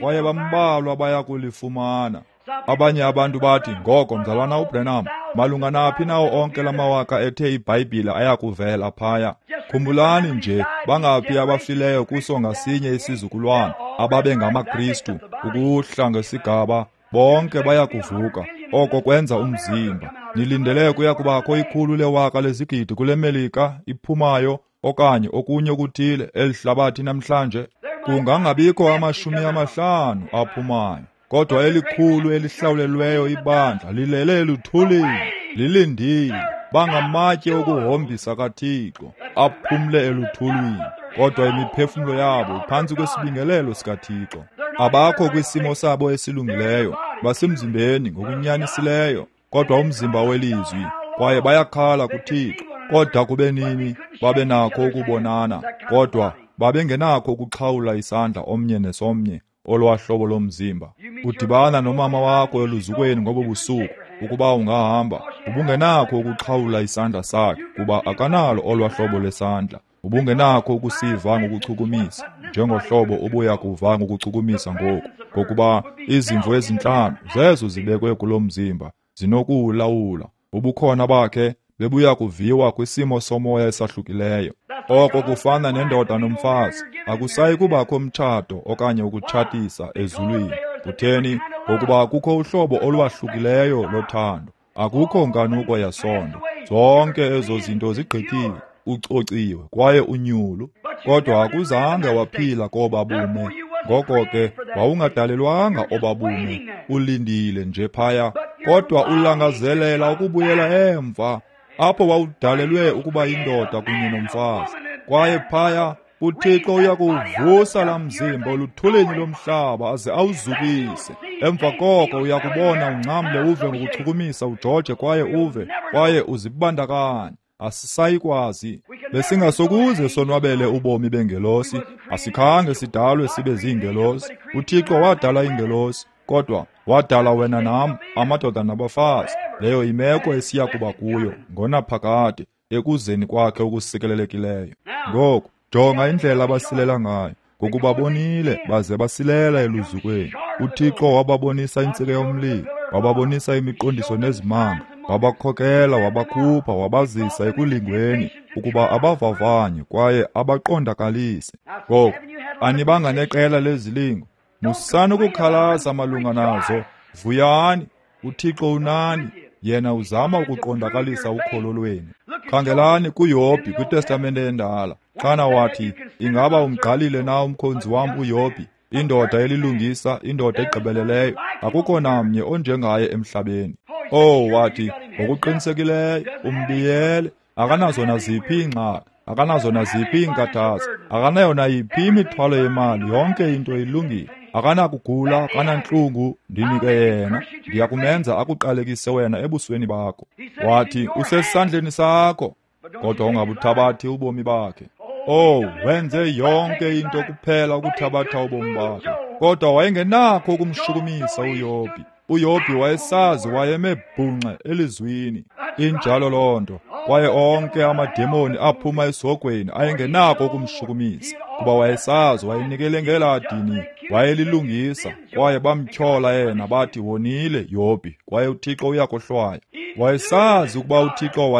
S1: kwaye bambalwa baya kulifumana. Abanye abantu bathi, ngoko mzalwana uBranham, malunga naphi nawo onke lamawaka ethe iBhayibhile ayakuvela phaya? Khumbulani nje, bangaphi abafileyo kuso ngasinye isizukulwana ababe ngamaKristu ukuhla ngesigaba, bonke bayakuvuka. Oko kwenza umzimba. Nilindele kuya kubakho 100 lewaka lezigidi kule Melika iphumayo okanye okunye okuthile elihlabathi namhlanje. Kungangabikho 50 aphumayo. Kodwa elikhulu elihlawulelweyo ibandla lilele eluthulini, lilindile. Bangamatye okuhombisa kaThixo, aphumle eluthulini. Kodwa imiphefumlo yabo iphantsi kwesibingelelo sikaThixo. Abakho kwisimo sabo esilungileyo, basemzimbeni ngokunyanisileyo, kodwa umzimba welizwi, kwaye bayakhala kuThixo. Kodwa kube nini babe nakho ukubonana, kodwa babengenakho ukuxhawula isandla omnye nesomnye olwahlobo lomzimba. Udibana nomama wakho eluzukweni ngobo busuku, ukuba ungahamba, ubungenakho ukuxhawula isandla sakhe, kuba akanalo olwahlobo lwesandla. Ubungenakho ukusiva ngokuchukumisa, njengohlobo ubuya kuva ngokuchukumisa ngoku, ngokuba izimvo ezintlanu zezo zibekwe kulo mzimba zinokuwulawula. Ubukhona bakhe bebuya kuviwa kwisimo somoya esahlukileyo. Oko kufana nendoda nomfazi. Akusayi kubakho mtshato okanye ukutshatisa ezulwini. Kutheni? Ngokuba kukho uhlobo olwahlukileyo lothando. Akukho nkanuko yasondo. Zonke ezo zinto zigqithile, ucociwe kwaye unyulu. Kodwa akuzange waphila koba bume. Ngoko ke wawungadalelwanga oba bume, ulindile nje phaya. Kodwa ulangazelela ukubuyela emva apho wawudalelwe ukuba yindoda kunye nomfazi. Kwaye phaya uThixo uyakuvusa laa mzimba oluthulini lomhlaba aze awuzukise. Emva koko uyakubona ungcamle uve ngokuchukumisa ujoje kwaye uve kwaye uzibandakanye. Asisayikwazi. Besingasokuze sonwabele ubomi bengelosi. Asikhange sidalwe sibe ziingelosi. uThixo wadala iingelosi, kodwa wadala wena nam, amadoda nabafazi. Leyo imeko esiya kuba kuyo ngonaphakade ekuzeni kwakhe okusikelelekileyo. Ngoku jonga indlela abasilela ngayo, ngokuba bonile baze basilela eluzukweni. uThixo wababonisa intsika yomlilo, wababonisa imiqondiso nezimanga, wabakhokela, wabakhupha, wabazisa ekulingweni ukuba abavavanye kwaye abaqondakalise. Ngoku anibanga neqela lezilingo, musani ukukhalaza malunga nazo. Vuyani, uThixo unani. Yena uzama ukuqondakalisa ukholo lwenu. Khangelani kuYobhi kwiTestamente endala, xana wathi, ingaba umgqalile na umkhonzi wam uYobhi, indoda elilungisa, indoda egqibeleleyo, akukho namnye onjengaye emhlabeni. Oh, wathi, ngokuqinisekileyo umbiyele, akanazo naziphi iingxaki, akanazo naziphi iinkathazo, akanayo nayiphi imithwalo yemali, yonke into ilungile. Akanakugula, akanantlungu, ndinike yena, ndiyakumenza akuqalekise wena ebusweni bakho. Wathi, usesandleni sakho, kodwa ungabuthabathi ubomi bakhe. Oh, wenze yonke into kuphela ukuthabatha ubomi bakhe. Kodwa wayengenakho ukumshukumisa uYobhi. uYobhi wayesazi wayeme bhunxe elizwini. Injalo loo nto. Kwaye onke amademoni aphuma esihogweni ayengenako ukumshukumisa, kuba wayesazi wayenikele ngelaa dini, wayelilungisa. Kwaye bamtyhola yena bathi wonile Yobhi, kwaye uThixo uyakohlwaya. Wayesazi ukuba uThixo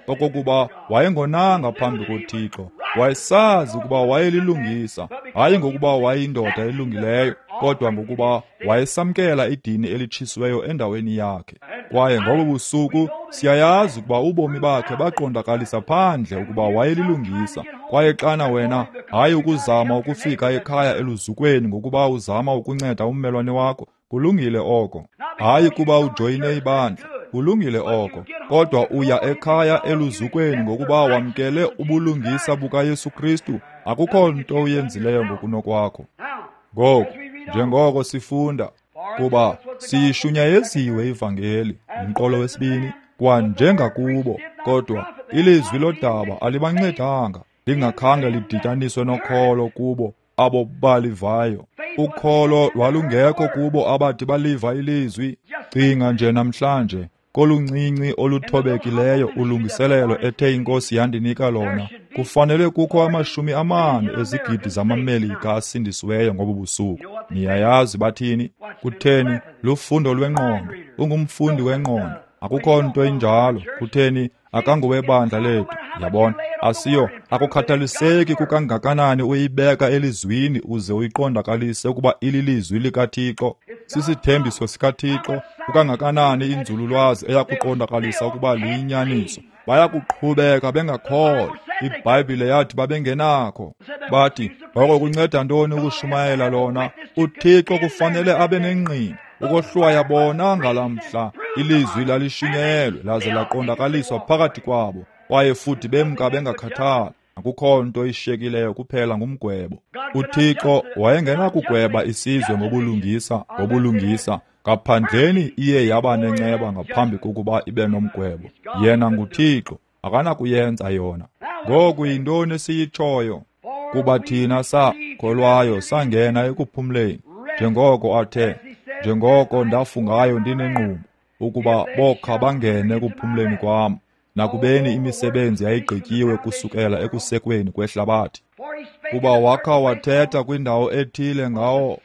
S1: okokuba wayengonanga phambi koThixo. Wayesazi ukuba wayelilungisa, hayi ngokuba wayeyindoda elungileyo, kodwa ngokuba wayesamkela idini elitshisiweyo endaweni yakhe. Kwaye ngobo busuku siyayazi ukuba ubomi bakhe baqondakalisa phandle ukuba wayelilungisa. Kwaye xana wena, hayi ukuzama ukufika ekhaya eluzukweni ngokuba uzama ukunceda ummelwane wakho, kulungile oko. Hayi kuba ujoyine ibandla, kulungile oko, kodwa uya ekhaya eluzukweni ngokuba wamkele ubulungisa bukaYesu Kristu. Akukho nto uyenzileyo ngokunokwakho. Ngoku, njengoko sifunda, kuba siyishunyayeziwe ivangeli, umqolo wesibini, kwanjengakubo, kodwa ilizwi lodaba alibancedanga, lingakhange lidityaniswe nokholo kubo abo balivayo. Ukholo lwalungekho kubo abathi baliva ilizwi. Cinga nje namhlanje koluncinci oluthobekileyo ulungiselelo ethe iNkosi yandinika lona, kufanele kukho 40 ezigidi zamaMelika asindisiweyo ngobu busuku. Niyayazi bathini? Kutheni? Lufundo lwengqondo. Ungumfundi wengqondo. Akukho nto injalo. Kutheni? Akangowebandla lethu. Yabona, asiyo. Akukhathaliseki kukangakanani uyibeka elizwini uze uyiqondakalise ukuba ililizwi likaThixo, sisithembiso sikaThixo, kukangakanani inzululwazi eyakuqondakalisa ukuba liyinyaniso. Bayakuqhubeka bengakholwa. IBhayibhile yathi babengenakho. Bathi, ngoko kunceda ntoni ukushumayela lona? UThixo kufanele abe nengqina ukohlwaya bona ngalamhla. Ilizwi lalishunyelwe laze laqondakaliswa phakathi kwabo, kwaye futhi bemka bengakhathali. Akukho nto ishiyekileyo kuphela ngumgwebo. UThixo wayengenakugweba isizwe ngobulungisa, ngaphandleni iye yaba nenceba ngaphambi kokuba ibe nomgwebo. Yena nguThixo, akanakuyenza yona. Ngoku yintoni esiyitshoyo? Kuba thina sakholwayo sangena ekuphumleni, njengoko athe, njengoko ndafungayo ndinengqumbo, ukuba bokha bangene ekuphumleni kwam, nakubeni imisebenzi yayigqityiwe kusukela ekusekweni kwehlabathi. Kuba wakha wathetha kwindawo ethile ngawo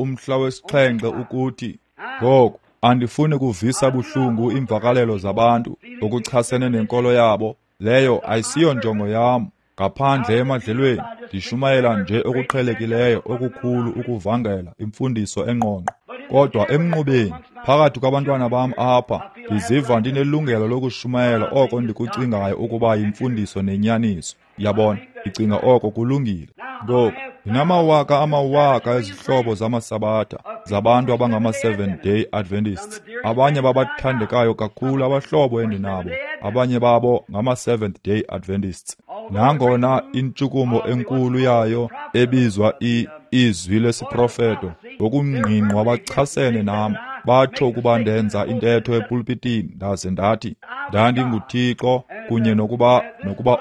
S1: umhla wesixhenxe ukuthi, ngoku andifuni kuvisa buhlungu iimvakalelo zabantu ngokuchasene nenkolo yabo, leyo ayisiyo njongo yam. Ngaphandle emadlelweni ndishumayela nje okuqhelekileyo okukhulu ukuvangela imfundiso engqongqo, kodwa emnqubeni phakathi kwabantwana bam apha ndiziva ndinelungelo lokushumayela oko ndikucingayo ukuba yimfundiso nenyaniso. Yabona, ndicinga oko kulungile. Ngoku ndinamawaka amawaka ezihlobo zamasabatha zabantu abangama-Seventh-day Adventists. Abanye babathandekayo kakhulu abahlobo endinabo, abanye babo ngama-Seventh-day Adventists. Nangona intshukumo enkulu yayo ebizwa izwi lesiprofeto, ngokungqingqwa bachasene nam, batsho ukuba ndenza intetho epulpitini ndaze ndathi ndandinguThixo, kunye nokuba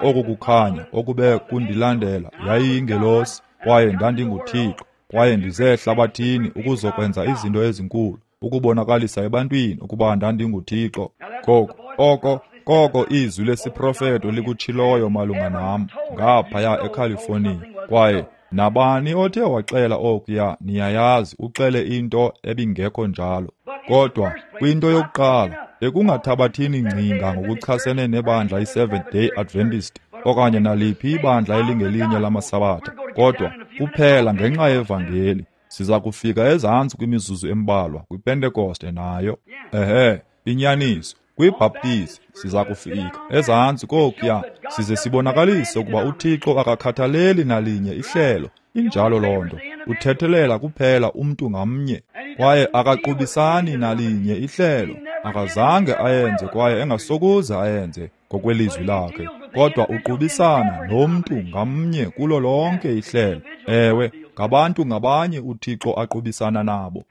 S1: oku kukhanya okube kundilandela yayiyingelosi, kwaye ndandinguThixo, kwaye ndize ehlabathini ukuzokwenza izinto ezinkulu, ukubonakalisa ebantwini ukuba ndandinguThixo. Ngoku oko izwi lesiprofeto likutshiloyo malunga nam ngaphaya eCalifornia. Kwaye nabani othe waxela okuya, niyayazi, uxele into ebingekho njalo. Kodwa kwinto yokuqala, bekungathabathini ngcinga ngokuchasene nebandla i-Seventh-day Adventist okanye naliphi ibandla elingelinye lamasabatha, kodwa kuphela ngenxa yevangeli. Siza kufika ezantsi kwimizuzu embalwa kwiPentekoste nayo. Ehe, inyaniso. KwiBhaptizi siza kufika ezantsi kokuya, size sibonakalise ukuba uThixo akakhathaleli nalinye ihlelo. Injalo loo nto. Uthethelela kuphela umntu ngamnye, kwaye akaqubisani nalinye ihlelo. Akazange ayenze kwaye engasokuze ayenze ngokwelizwi lakhe, kodwa uqubisana nomntu ngamnye kulo lonke ihlelo. Ewe, ngabantu ngabanye uThixo aqubisana nabo.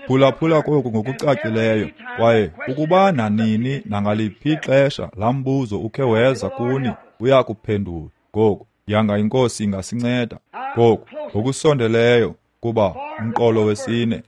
S1: Phulaphula koku ngokucacileyo, kwaye ukuba nanini nangaliphi ixesha laa mbuzo ukhe weza kuni, uyakuphendula. Ngoku, yanga iNkosi ingasinceda. Ngoku, ngokusondeleyo, kuba umqolo wesine,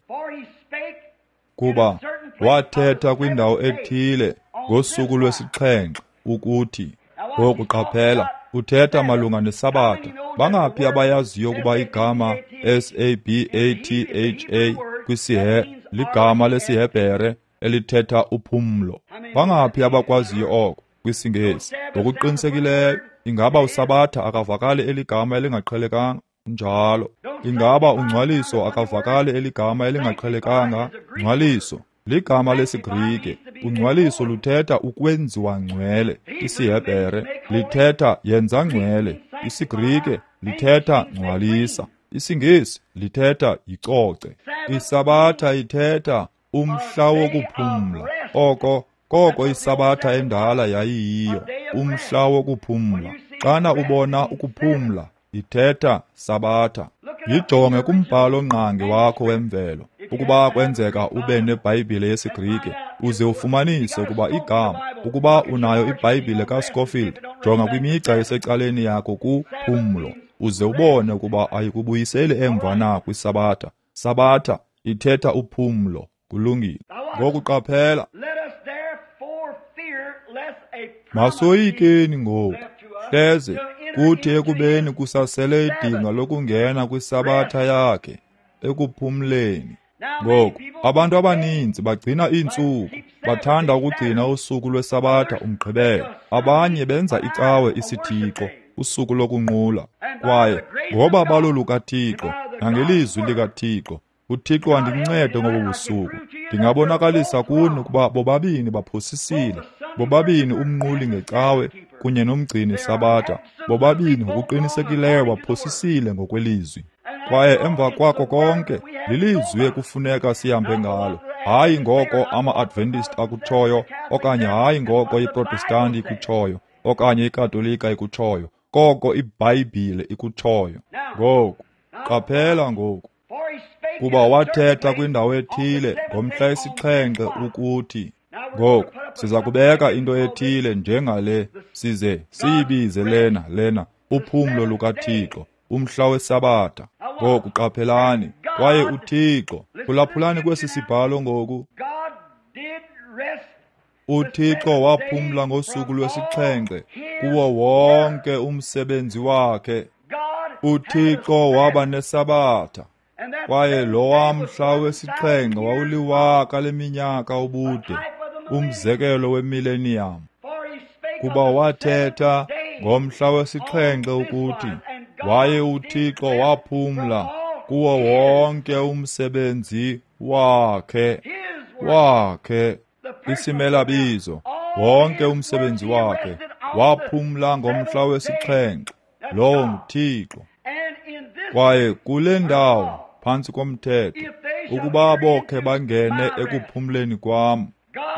S1: kuba wathetha kwindawo ethile ngosuku lwesixhenxe ukuthi, ngoku qaphela, uthetha malunga nesabatha. Bangaphi abayaziyo ukuba igama SABATHA kwisihe ligama lesiHebhere elithetha uphumlo? Bangaphi abakwaziyo oko kwisiNgesi? Ngokuqinisekileyo. Ingaba uSabatha akavakali eligama elingaqhelekanga? Njalo. Ingaba ungcwaliso akavakali eligama elingaqhelekanga? Ngcwaliso ligama lesiGrike. Ungcwaliso luthetha ukwenziwa ngcwele. IsiHebhere lithetha yenza ngcwele. IsiGrike lithetha ngcwalisa. IsiNgesi lithetha yicoce. ISabatha ithetha umhla wokuphumla. Oko koko iSabatha endala yayiyiyo, umhla wokuphumla. Xana ubona ukuphumla, ithetha Sabatha. Yijonge kumbhalo ngqangi wakho wemvelo, ukuba kwenzeka ube neBhayibhile yesiGrike, uze ufumanise ukuba igama, ukuba unayo iBhayibhile kaScofield, jonga kwimigca esecaleni yakho kuphumlo, uze ubone ukuba ayikubuyiseli emva na kwiSabatha. Sabatha ithetha uphumlo. Kulungile. Ngoku qaphela. Masoyikeni ngoku, hleze kuthi ekubeni kusasele idinga lokungena kwiSabatha yakhe ekuphumleni. Ngoku abantu abaninzi bagcina iintsuku, bathanda ukugcina usuku lweSabatha uMgqibelo. Abanye benza icawe isithixo, usuku lokunqula. Kwaye ngoba balolukaThixo nangelizwi likaThixo, uThixo andincede ngobu busuku. Ndingabonakalisa kuni ukuba bobabini baphosisile, bobabini umnquli ngecawe kunye nomgcini Sabatha, bobabini ngokuqinisekileyo baphosisile ngokwelizwi. Kwaye emva kwako konke, lilizwi ekufuneka sihambe ngalo, hayi ngoko ama-Adventist akutshoyo, okanye hayi ngoko iProtestanti ikutshoyo, okanye iKatolika ikutshoyo, koko iBhayibhile ikutshoyo. Ngoku qaphela ngoku, kuba wathetha kwindawo ethile ngomhla wesixhenxe ukuthi, ngoku siza kubeka into ethile njengale, size siyibize lena uphumlo lukaThixo, umhla weSabatha. Ngoku qaphelani, kwaye uThixo, phulaphulani kwesi sibhalo ngoku, uThixo waphumla ngosuku lwesixhenxe kuwo wonke umsebenzi wakhe. uThixo waba neSabatha, kwaye lowa mhla wesixhenxe wawuliwaka leminyaka ubude, umzekelo wemillennium. Kuba wathetha ngomhla wesixhenxe ukuthi waye uThixo waphumla kuwo wonke umsebenzi wakhe, isimelabizo, wonke umsebenzi wakhe, waphumla ngomhla wesixhenxe. Lowo nguThixo. Kwaye kule ndawo phantsi komthetho, ukuba bokhe bangene ekuphumleni kwam,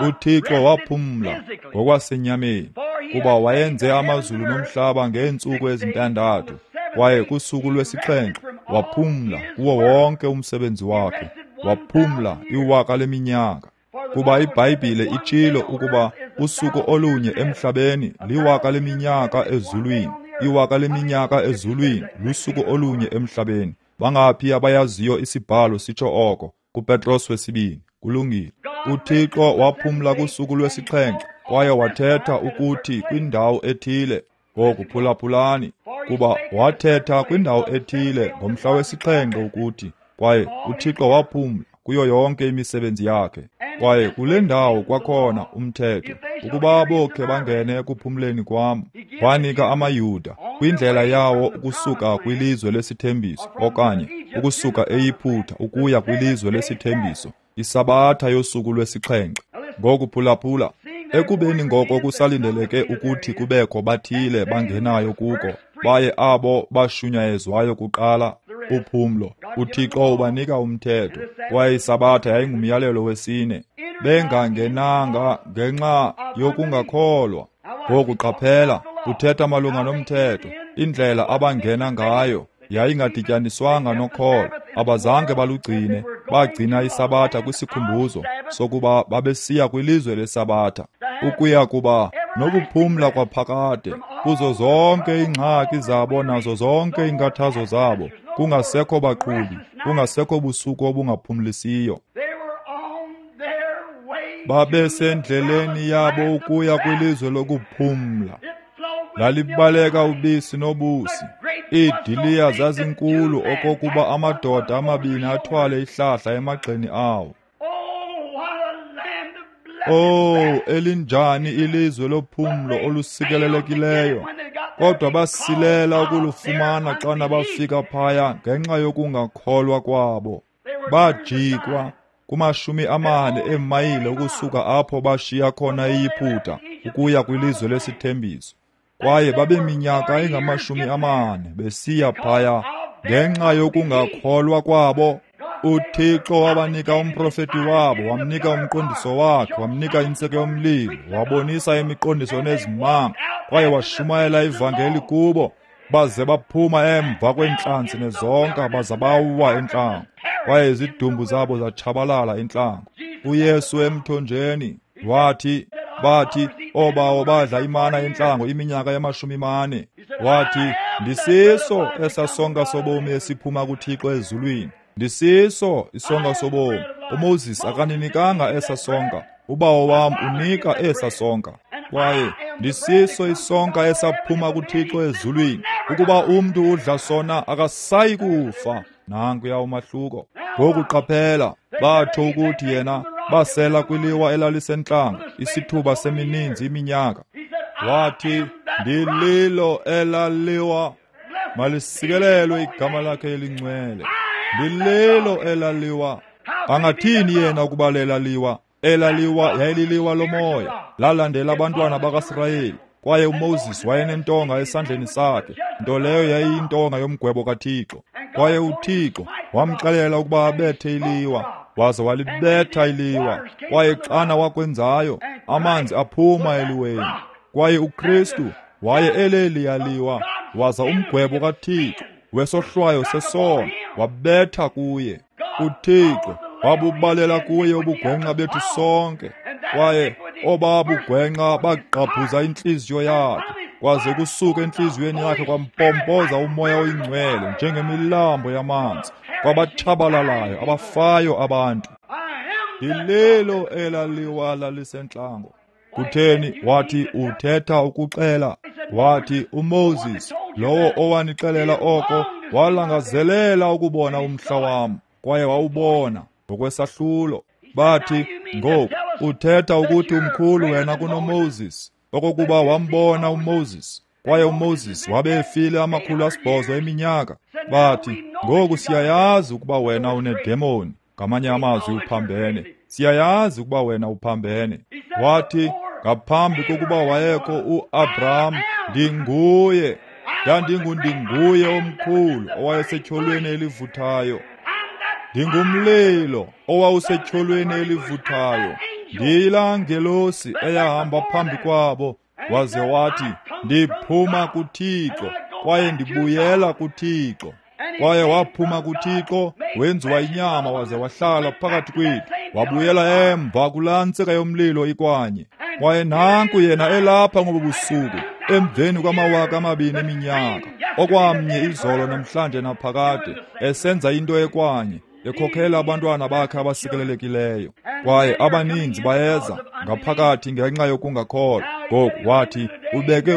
S1: uThixo waphumla ngokwasenyameni, kuba wayenze amazulu nomhlaba ngeentsuku ezintandathu, kwaye kusuku lwesixhenxe waphumla kuwo wonke umsebenzi wakhe, waphumla iwaka leminyaka. Kuba iBhayibhile itshilo ukuba usuku olunye emhlabeni liwaka leminyaka ezulwini, iwaka leminyaka ezulwini lusuku olunye emhlabeni. Bangaphi abayaziyo isibhalo sitsho oko kuPetros wesibini? Kulungile. uThixo waphumla kusuku lwesixhenxe, kwaye wathetha ukuthi kwindawo ethile. Ngoku phulaphulani, kuba wathetha kwindawo ethile ngomhla wesixhenxe ukuthi, kwaye uThixo waphumla kuyo yonke imisebenzi yakhe. Kwaye kule ndawo kwakhona umthetho, ukuba bokhe bangene ekuphumleni kwam, wanika amaYuda kwindlela yawo ukusuka kwilizwe lesithembiso, okanye ukusuka eYiphutha ukuya kwilizwe lesithembiso, iSabatha yosuku lwesixhenxe. Ngoku phulaphula, ekubeni ngoko kusalindeleke ukuthi kubekho bathile bangenayo kuko, baye abo bashunyayezwayo kuqala uphumlo, uThixo ubanika umthetho, kwaye iSabatha yayingumyalelo wesine, bengangenanga ngenxa yokungakholwa. Ngoku qaphela, uthetha malunga nomthetho, indlela abangena ngayo yayingadityaniswanga nokholo, abazange balugcine, bagcina iSabatha kwisikhumbuzo sokuba babesiya kwilizwe leSabatha, ukuya kuba nokuphumla kwaphakade kuzo zonke iingxaki zabo nazo zonke iinkathazo zabo, kungasekho baqhubi, kungasekho busuku obungaphumlisiyo. Babesendleleni yabo ukuya kwilizwe lokuphumla. Lalibaleka ubisi nobusi. Iidiliya zazinkulu okokuba amadoda amabini athwale ihlahla emagxeni awo. Oh, elinjani ilizwe lophumlo olusikelelekileyo! Kodwa basilela ukulufumana xana bafika phaya ngenxa yokungakholwa kwabo. Bajikwa kuma-40 eemayile ukusuka apho bashiya khona iYiputa ukuya kwilizwe lesithembiso. Kwaye babeminyaka engama-40 besiya phaya ngenxa yokungakholwa kwabo. UThixo wabanika umprofeti wabo, wamnika umqondiso wakhe, wamnika intsika yomlilo, wabonisa imiqondiso nezimanga, kwaye washumayela ivangeli kubo. Baze baphuma emva kweentlanzi nezonka, baza bawa entlango, kwaye izidumbu zabo zatshabalala entlango. UYesu emthonjeni wathi, bathi oobawo badla imana entlango iminyaka yama-40. Wathi, ndisiso esasonka sobomi esiphuma kuThixo ezulwini. Ndisiso isonka sobomi. uMoses akaninikanga esa sonka, ubawo wam unika esa sonka. Kwaye ndisiso isonka esaphuma kuThixo ezulwini. Ukuba umntu udla sona akasayi kufa. Nankuya umahluko. Ngoku qaphela, batsho ukuthi yena basela kwiliwa elalisentlango isithuba semininzi iminyaka. Wathi, ndililo elaliwa, malisikelelwe igama lakhe elingcwele. Ndililo elaliwa. Angathini yena ukuba lelaliwa? Elaliwa yayililiwa lomoya, lalandela abantwana bakaSirayeli. Kwaye uMoses wayenentonga esandleni sakhe, nto leyo yayiyintonga yomgwebo kaThixo. Kwaye uThixo wamxelela ukuba abethe iliwa, waze walibetha iliwa. Kwaye xana wakwenzayo, amanzi aphuma eliweni. Kwaye uKristu waye eleliyaliwa, waza umgwebo kaThixo wesohlwayo sesono wabetha kuye. uThixo wabubalela kuye ubugwenxa bethu sonke, kwaye obabugwenxa bagqabhuza intliziyo yakhe, kwaze kusuka entliziyweni yakhe kwampompoza umoya oyingcwele njengemilambo yamanzi kwabatshabalalayo abafayo abantu. Ndililo elaliwa lalisentlango. Kutheni? Wathi, uthetha ukuxela. Wathi, uMoses lowo owanixelela oko walangazelela ukubona umhla wam, kwaye wawubona ngokwesahlulo. Bathi, ngoku uthetha ukuthi umkhulu wena kunoMoses, okokuba wambona uMoses, kwaye uMoses wabe efile 800 eminyaka. Bathi, ngoku siyayazi ukuba wena unedemoni, ngamanye amazwi uphambene. Siyayazi ukuba wena uphambene. Wathi, ngaphambi kokuba wayekho uAbraham, ndinguye. Ndandingundinguye omkhulu owayesetyholweni elivuthayo. Ndingumlilo owawusetyholweni elivuthayo. Ndiyilaa ngelosi eyahamba phambi kwabo, waze wathi, ndiphuma kuThixo kwaye ndibuyela kuThixo. Kwaye waphuma kuThixo, wenziwa inyama waze wahlala phakathi kwethu, wabuyela emva kulaa ntsika yomlilo ikwanye. Kwaye nanku yena elapha ngobu busuku, emveni kwama-2000 eminyaka, okwamnye izolo namhlanje naphakade, esenza into ekwanye, ekhokhela abantwana bakhe abasikelelekileyo. Kwaye abaninzi bayeza ngaphakathi ngenxa yokungakholwa. Ngoku wathi, ubeke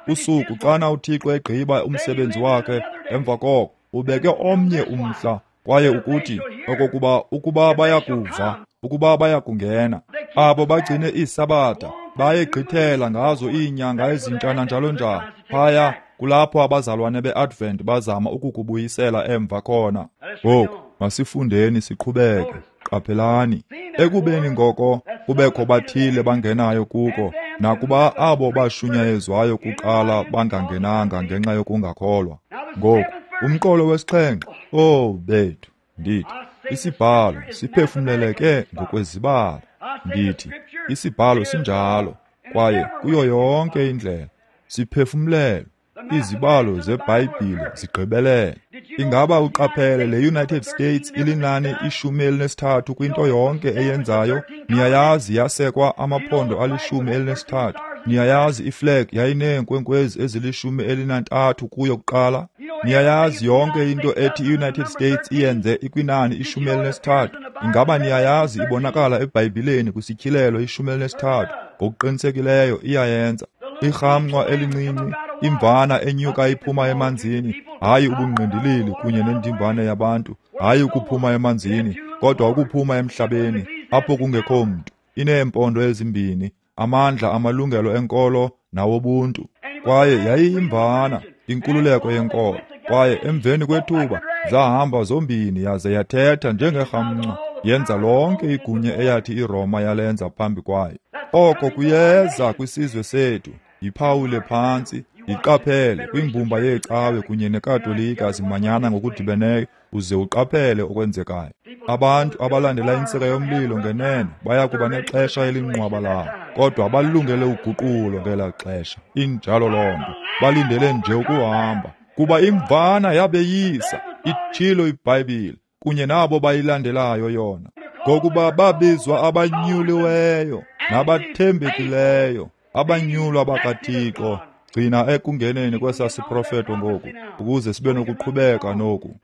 S1: usuku xana uThixo egqiba umsebenzi wakhe, emva koko ubeke omnye umhla, kwaye ukuthi okokuba ukuba bayakuva, ukuba bayakungena, abo bagcine iisabatha bayegqithela ngazo iinyanga ezintsha njalo njalo. Phaya kulapho abazalwane beAdvent bazama ukukubuyisela emva khona. Ngoku masifundeni siqhubeke. Qaphelani, ekubeni ngoko kubekho bathile bangenayo kuko, nakuba abo bashunyayezwayo kuqala bangangenanga ngenxa yokungakholwa. Ngoku umqolo wesixhenxe, oh bethu, ndithi isibhalo siphefumleleke ngokwezibalo. Ndithi isibhalo sinjalo, kwaye kuyo yonke indlela siphefumlelwe. Izibalo zeBhayibhile zigqibelele. Ingaba uqaphele le United States ilinani 13 kwinto yonke eyenzayo? Niyayazi yasekwa amaphondo ali-13. Niyayazi iflag yayineenkwenkwezi ezili-13 kuyo kuqala. Niyayazi yonke into ethi i-United States iyenze ikwinani 13. Ingaba niyayazi ibonakala eBhayibhileni kwisityhilelo 13? Ngokuqinisekileyo iyayenza. Irhamncwa elincinci, imvana enyuka iphuma emanzini, hayi ubungqindilili kunye nendimbane yabantu, hayi ukuphuma emanzini, kodwa ukuphuma emhlabeni apho kungekho mntu. Ineempondo ezimbini, amandla amalungelo enkolo nawobuntu. Kwaye yayiyiMvana, inkululeko yenkolo. Kwaye emveni kwethuba zahamba zombini yaze yathetha njengerhamncwa, yenza lonke igunya eyathi iRoma yalenza phambi kwayo. Oko kuyeza kwisizwe sethu. Yiphawule phantsi, yiqaphele kwimbumba yeecawe kunye neKatolika zimanyana ngokudibeneyo, uze uqaphele okwenzekayo. Abantu abalandela intsika yomlilo ngenene baya kuba nexesha elinqwabalalo, kodwa balungele uguqulo ngelaa xesha. Injalo loo nto, balindele nje ukuhamba, kuba iMvana yabeyisa, itshilo iBhayibhile, kunye nabo bayilandelayo yona, ngokuba babizwa abanyuliweyo nabathembekileyo, abanyulwa bakaThixo. Gcina ekungeneni kwesaa siprofeto ngoku, ukuze sibe nokuqhubeka noku.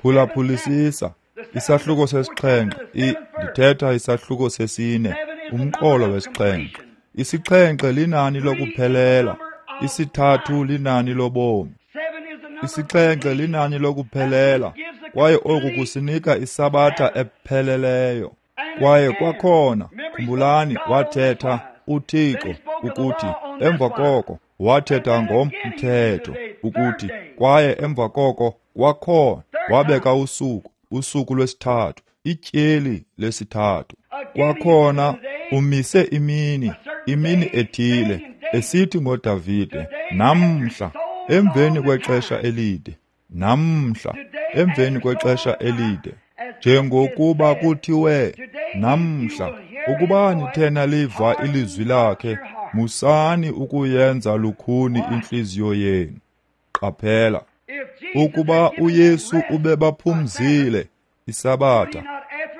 S1: Phulaphulisisa isahluko sesixhenxe, ndithetha isahluko sesine, umqolo wesixhenxe. Isixhenxe linani lokuphelela, isithathu linani lobomi. Isixhenxe linani lokuphelela, kwaye oku kusinika isabatha epheleleyo. Kwaye kwakhona, khumbulani, wathetha uThixo ukuthi emva koko wathetha ngomthetho ukuthi, kwaye emva koko kwakhona wabeka usuku, usuku lwesithathu, ityeli lesithathu. Kwakhona umise imini, imini ethile, esithi ngoDavide, namhla emveni kwexesha elide, namhla emveni kwexesha elide, njengokuba kuthiwe namhla, ukuba nithe naliva ilizwi lakhe, musani ukuyenza lukhuni intliziyo yenu. Qaphela, ukuba uYesu ubebaphumzile isabatha,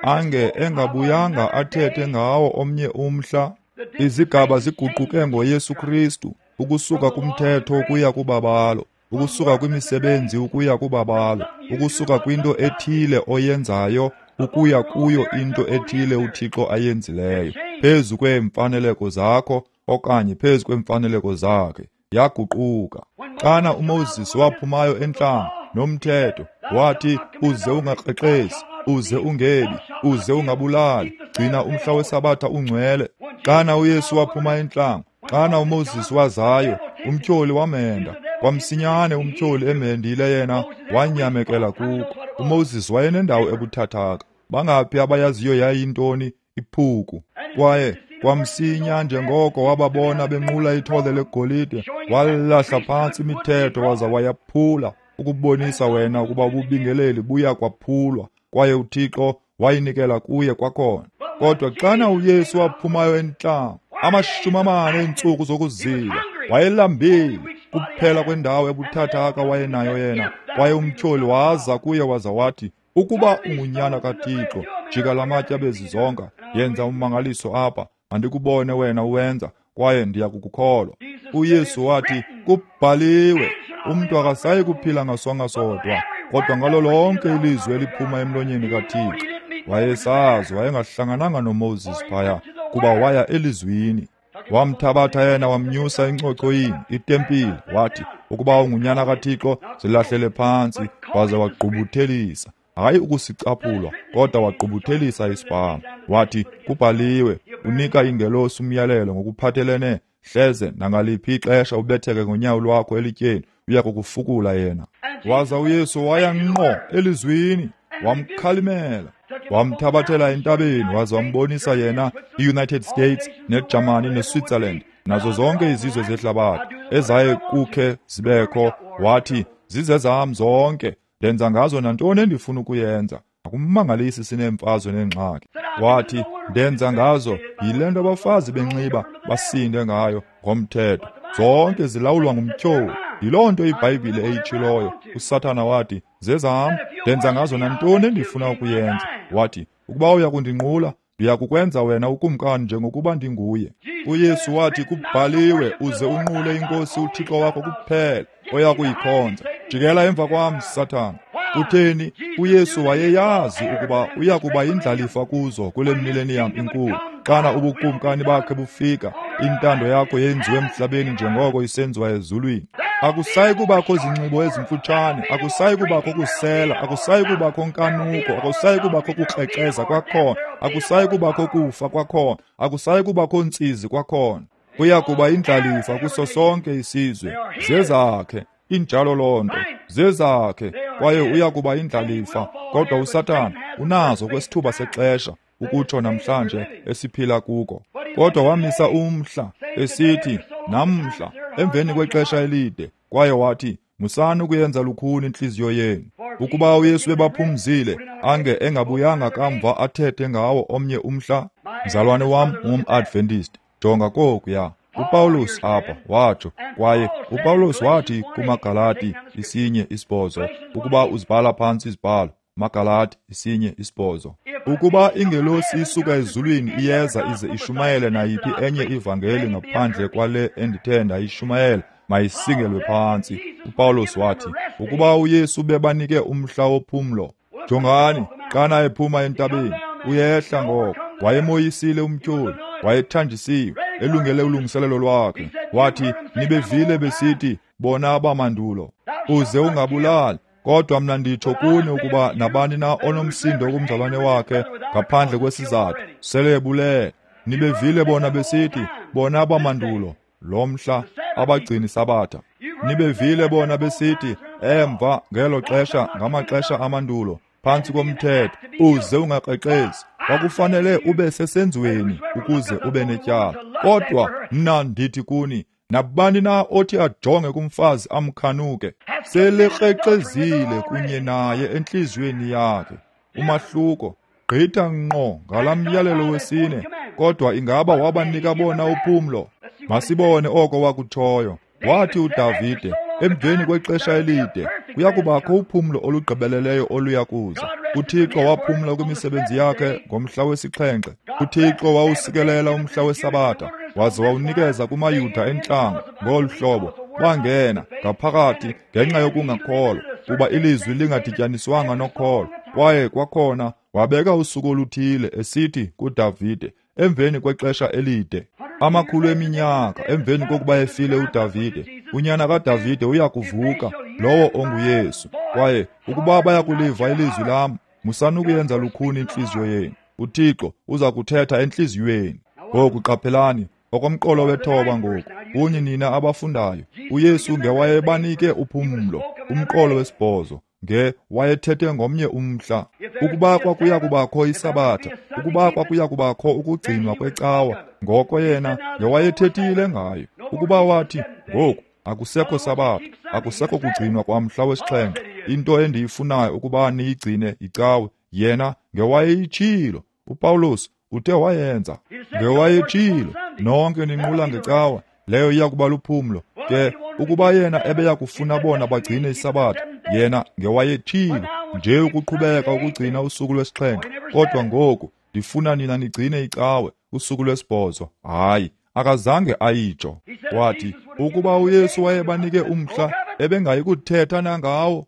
S1: ange engabuyanga athethe ngawo omnye umhla. Izigaba ziguquke ngoYesu Kristu, ukusuka kumthetho ukuya kubabalo, ukusuka kwimisebenzi ukuya kubabalo, ukusuka kwinto ethile oyenzayo ukuya kuyo into ethile uThixo ayenzileyo, phezu kweemfaneleko zakho okanye phezu kweemfaneleko zakhe. Yaguquka. Xana uMoses waphumayo entlango nomthetho, wathi uze ungakrexezi, uze ungebi, uze ungabulali, gcina umhla wesabatha ungcwele. Xana uYesu waphuma entlango, xana uMoses wazayo, umtyholi wamhenda. Kwamsinyane umtyholi emhendile yena, wanyamekela kuko. uMoses wayenendawo ebuthathaka. Bangaphi abayaziyo yayintoni? Iphuku. Kwaye kwamsinya njengoko wababona benqula ithole legolide, walahla phantsi imithetho waza wayaphula, ukubonisa wena ukuba ububingeleli buya kwaphulwa, kwaye uThixo wayinikela kuye kwakhona. Kodwa xana uYesu waphumayo entlango, 40 eentsuku zokuzila, wayelambile, kuphela kwendawo ebuthathaka wayenayo yena. Kwaye umtyholi waza kuye waza wathi, ukuba ungunyana kaThixo, jika lamatye abe zizonka, yenza ummangaliso apha, mandikubone wena uwenza, kwaye ndiya kukukholwa. uYesu wathi, kubhaliwe, umntu akasayi kuphila ngasonka sodwa, kodwa ngalo lonke ilizwi eliphuma emlonyeni kaThixo. Wayesazi wayengahlangananga noMoses phaya, kuba waya elizwini. Wamthabatha yena wamnyusa encochoyini, itempile, wathi, ukuba ungunyana kaThixo, zilahlele phantsi, waze wagqubuthelisa. Hayi ukusicaphulwa, kodwa wagqubuthelisa isibhalo. Wathi, kubhaliwe, unika ingelosi umyalelo ngokuphathelene, hleze nangaliphi ixesha ubetheke ngonyawo lwakho elityeni, uya kukufukula yena. Waza uYesu waya ngqo elizwini, wamkhalimela, wamthabathela entabeni, waza wambonisa yena i-United States neGermany neSwitzerland nazo zonke izizwe zehlabathi ezaye kukhe zibekho. Wathi, zizezam zonke, ndenza ngazo nantoni endifuna ukuyenza. Akumangalisi sineemfazwe neengxaki. Wathi, ndenza ngazo yile nto abafazi benxiba basinde ngayo ngomthetho. Zonke zilawulwa ngumtyholi. Yiloo nto iBhayibhile eyitshiloyo. uSathana wathi, zezam, ndenza ngazo nantoni endifuna ukuyenza. Wathi, ukuba uya kundinqula, ndiya kukwenza wena ukumkani njengokuba ndinguye. uYesu wathi, kubhaliwe, uze unqule iNkosi uThixo wakho kuphela, oya kuyikhonza. Jikela emva kwam, Sathana. Kutheni? uYesu wayeyazi ukuba uya kuba yindlalifa kuzo kule millennium inkulu. Xana ubukumkani bakhe bufika, intando yakho yenziwe emhlabeni njengoko isenziwa ezulwini. Akusayi kubakho zinxibo ezimfutshane, akusayi kubakho kusela, akusayi kubakho nkanuko, akusayi kubakho kukrexeza kwakhona, akusayi kubakho kufa kwakhona, akusayi kubakho ntsizi kwakhona. Uya kuba indlalifa kuso sonke isizwe. Zezakhe, injalo loo nto, zezakhe, kwaye uya kuba indlalifa. Kodwa uSathana unazo kwesithuba sexesha, ukutsho namhlanje esiphila kuko. Kodwa wamisa umhla, esithi, namhla, emveni kwexesha elide, kwaye wathi, musani ukuyenza lukhuni intliziyo yenu. Ukuba uYesu ebaphumzile, ange engabuyanga kamva athethe ngawo omnye umhla. Mzalwane wam ungum-Adventist, jonga kokuya. uPawulos apha watsho, kwaye uPawulos wathi kumaGalati 1:8, ukuba uzibhala phantsi izibhalo, Magalati 1:8, ukuba ingelosi isuka ezulwini iyeza ize ishumayele nayiphi enye ivangeli ngaphandle kwale endithe ndayishumayela, mayisingelwe phantsi. uPawulos wathi, ukuba uYesu bebanike umhla wophumlo. Jongani, xana ephuma entabeni, uyehla ngoko, wayemoyisile umtyholi, wayethanjisiwe, elungele ulungiselelo lwakhe. Wathi, nibevile besithi, bona abamandulo, uze ungabulali. Kodwa mna nditsho kuni ukuba nabani na onomsindo kumzalwane wakhe ngaphandle kwesizathu, sele ebulele. Nibevile bona besithi, bona abamandulo, lo mhla abagcini sabatha. Nibevile bona besithi, emva ngelo xesha, ngamaxesha amandulo, phantsi komthetho, uze ungakrexezi. Kwakufanele ube sesenzweni ukuze ube netyala. Kodwa mna ndithi kuni, nabani na othi ajonge kumfazi amkhanuke, selekrexezile kunye naye entliziyweni yakhe. Umahluko gqitha ngqo ngala myalelo wesine. Kodwa ingaba wabanika bona uphumlo? Masibone oko wakutshoyo. Wathi uDavide, emveni kwexesha elide, kuya kubakho uphumlo olugqibeleleyo oluya kuza. uThixo waphumla kwimisebenzi yakhe ngomhla wesixhenxe. uThixo wawusikelela umhla weSabatha, waze wawunikeza kumaYuda entlanga ngolu hlobo. Bangena ngaphakathi ngenxa yokungakholwa, kuba ilizwi lingadityaniswanga nokholo. Kwaye kwakhona wabeka usuku oluthile, esithi kuDavide, emveni kwexesha elide, amakhulu eminyaka emveni kokuba efile uDavide, unyana kaDavide uya kuvuka, lowo onguYesu. Kwaye ukuba bayakuliva ilizwi lam, musani ukuyenza lukhuni intliziyo yenu. uThixo uza kuthetha entliziyweni. Ngoku qaphelani, okomqolo wethoba ngoku, kunye nina abafundayo, uYesu ngewayebanike uphumlo. Umqolo wesibhozo nge wayethethe ngomnye umhla. Ukuba kwakuya kubakho isabatha, ukuba kwakuya kubakho ukugcinwa kwecawa, ngoko yena ngewayethethile ngayo. Ukuba wathi, ngoku akusekho sabatha, akusekho kugcinwa kwamhla wesixhenxe, into endiyifunayo ukuba niyigcine icawe, yena ngewayeyitshilo. uPawulos uthe wayenza, ngewayetshilo, nonke ninqula ngecawa, leyo iya kuba luphumlo. Ke ukuba yena ebeya kufuna bona bagcine isabatha, yena ngewayetshilo nje ukuqhubeka ukugcina usuku lwesixhenxe. Kodwa ngoku ndifuna nina nigcine icawe, usuku lwesibhozo. Hayi, akazange ayitsho. Wathi ukuba uYesu wayebanike umhla, ebengayi kuthetha nangawo.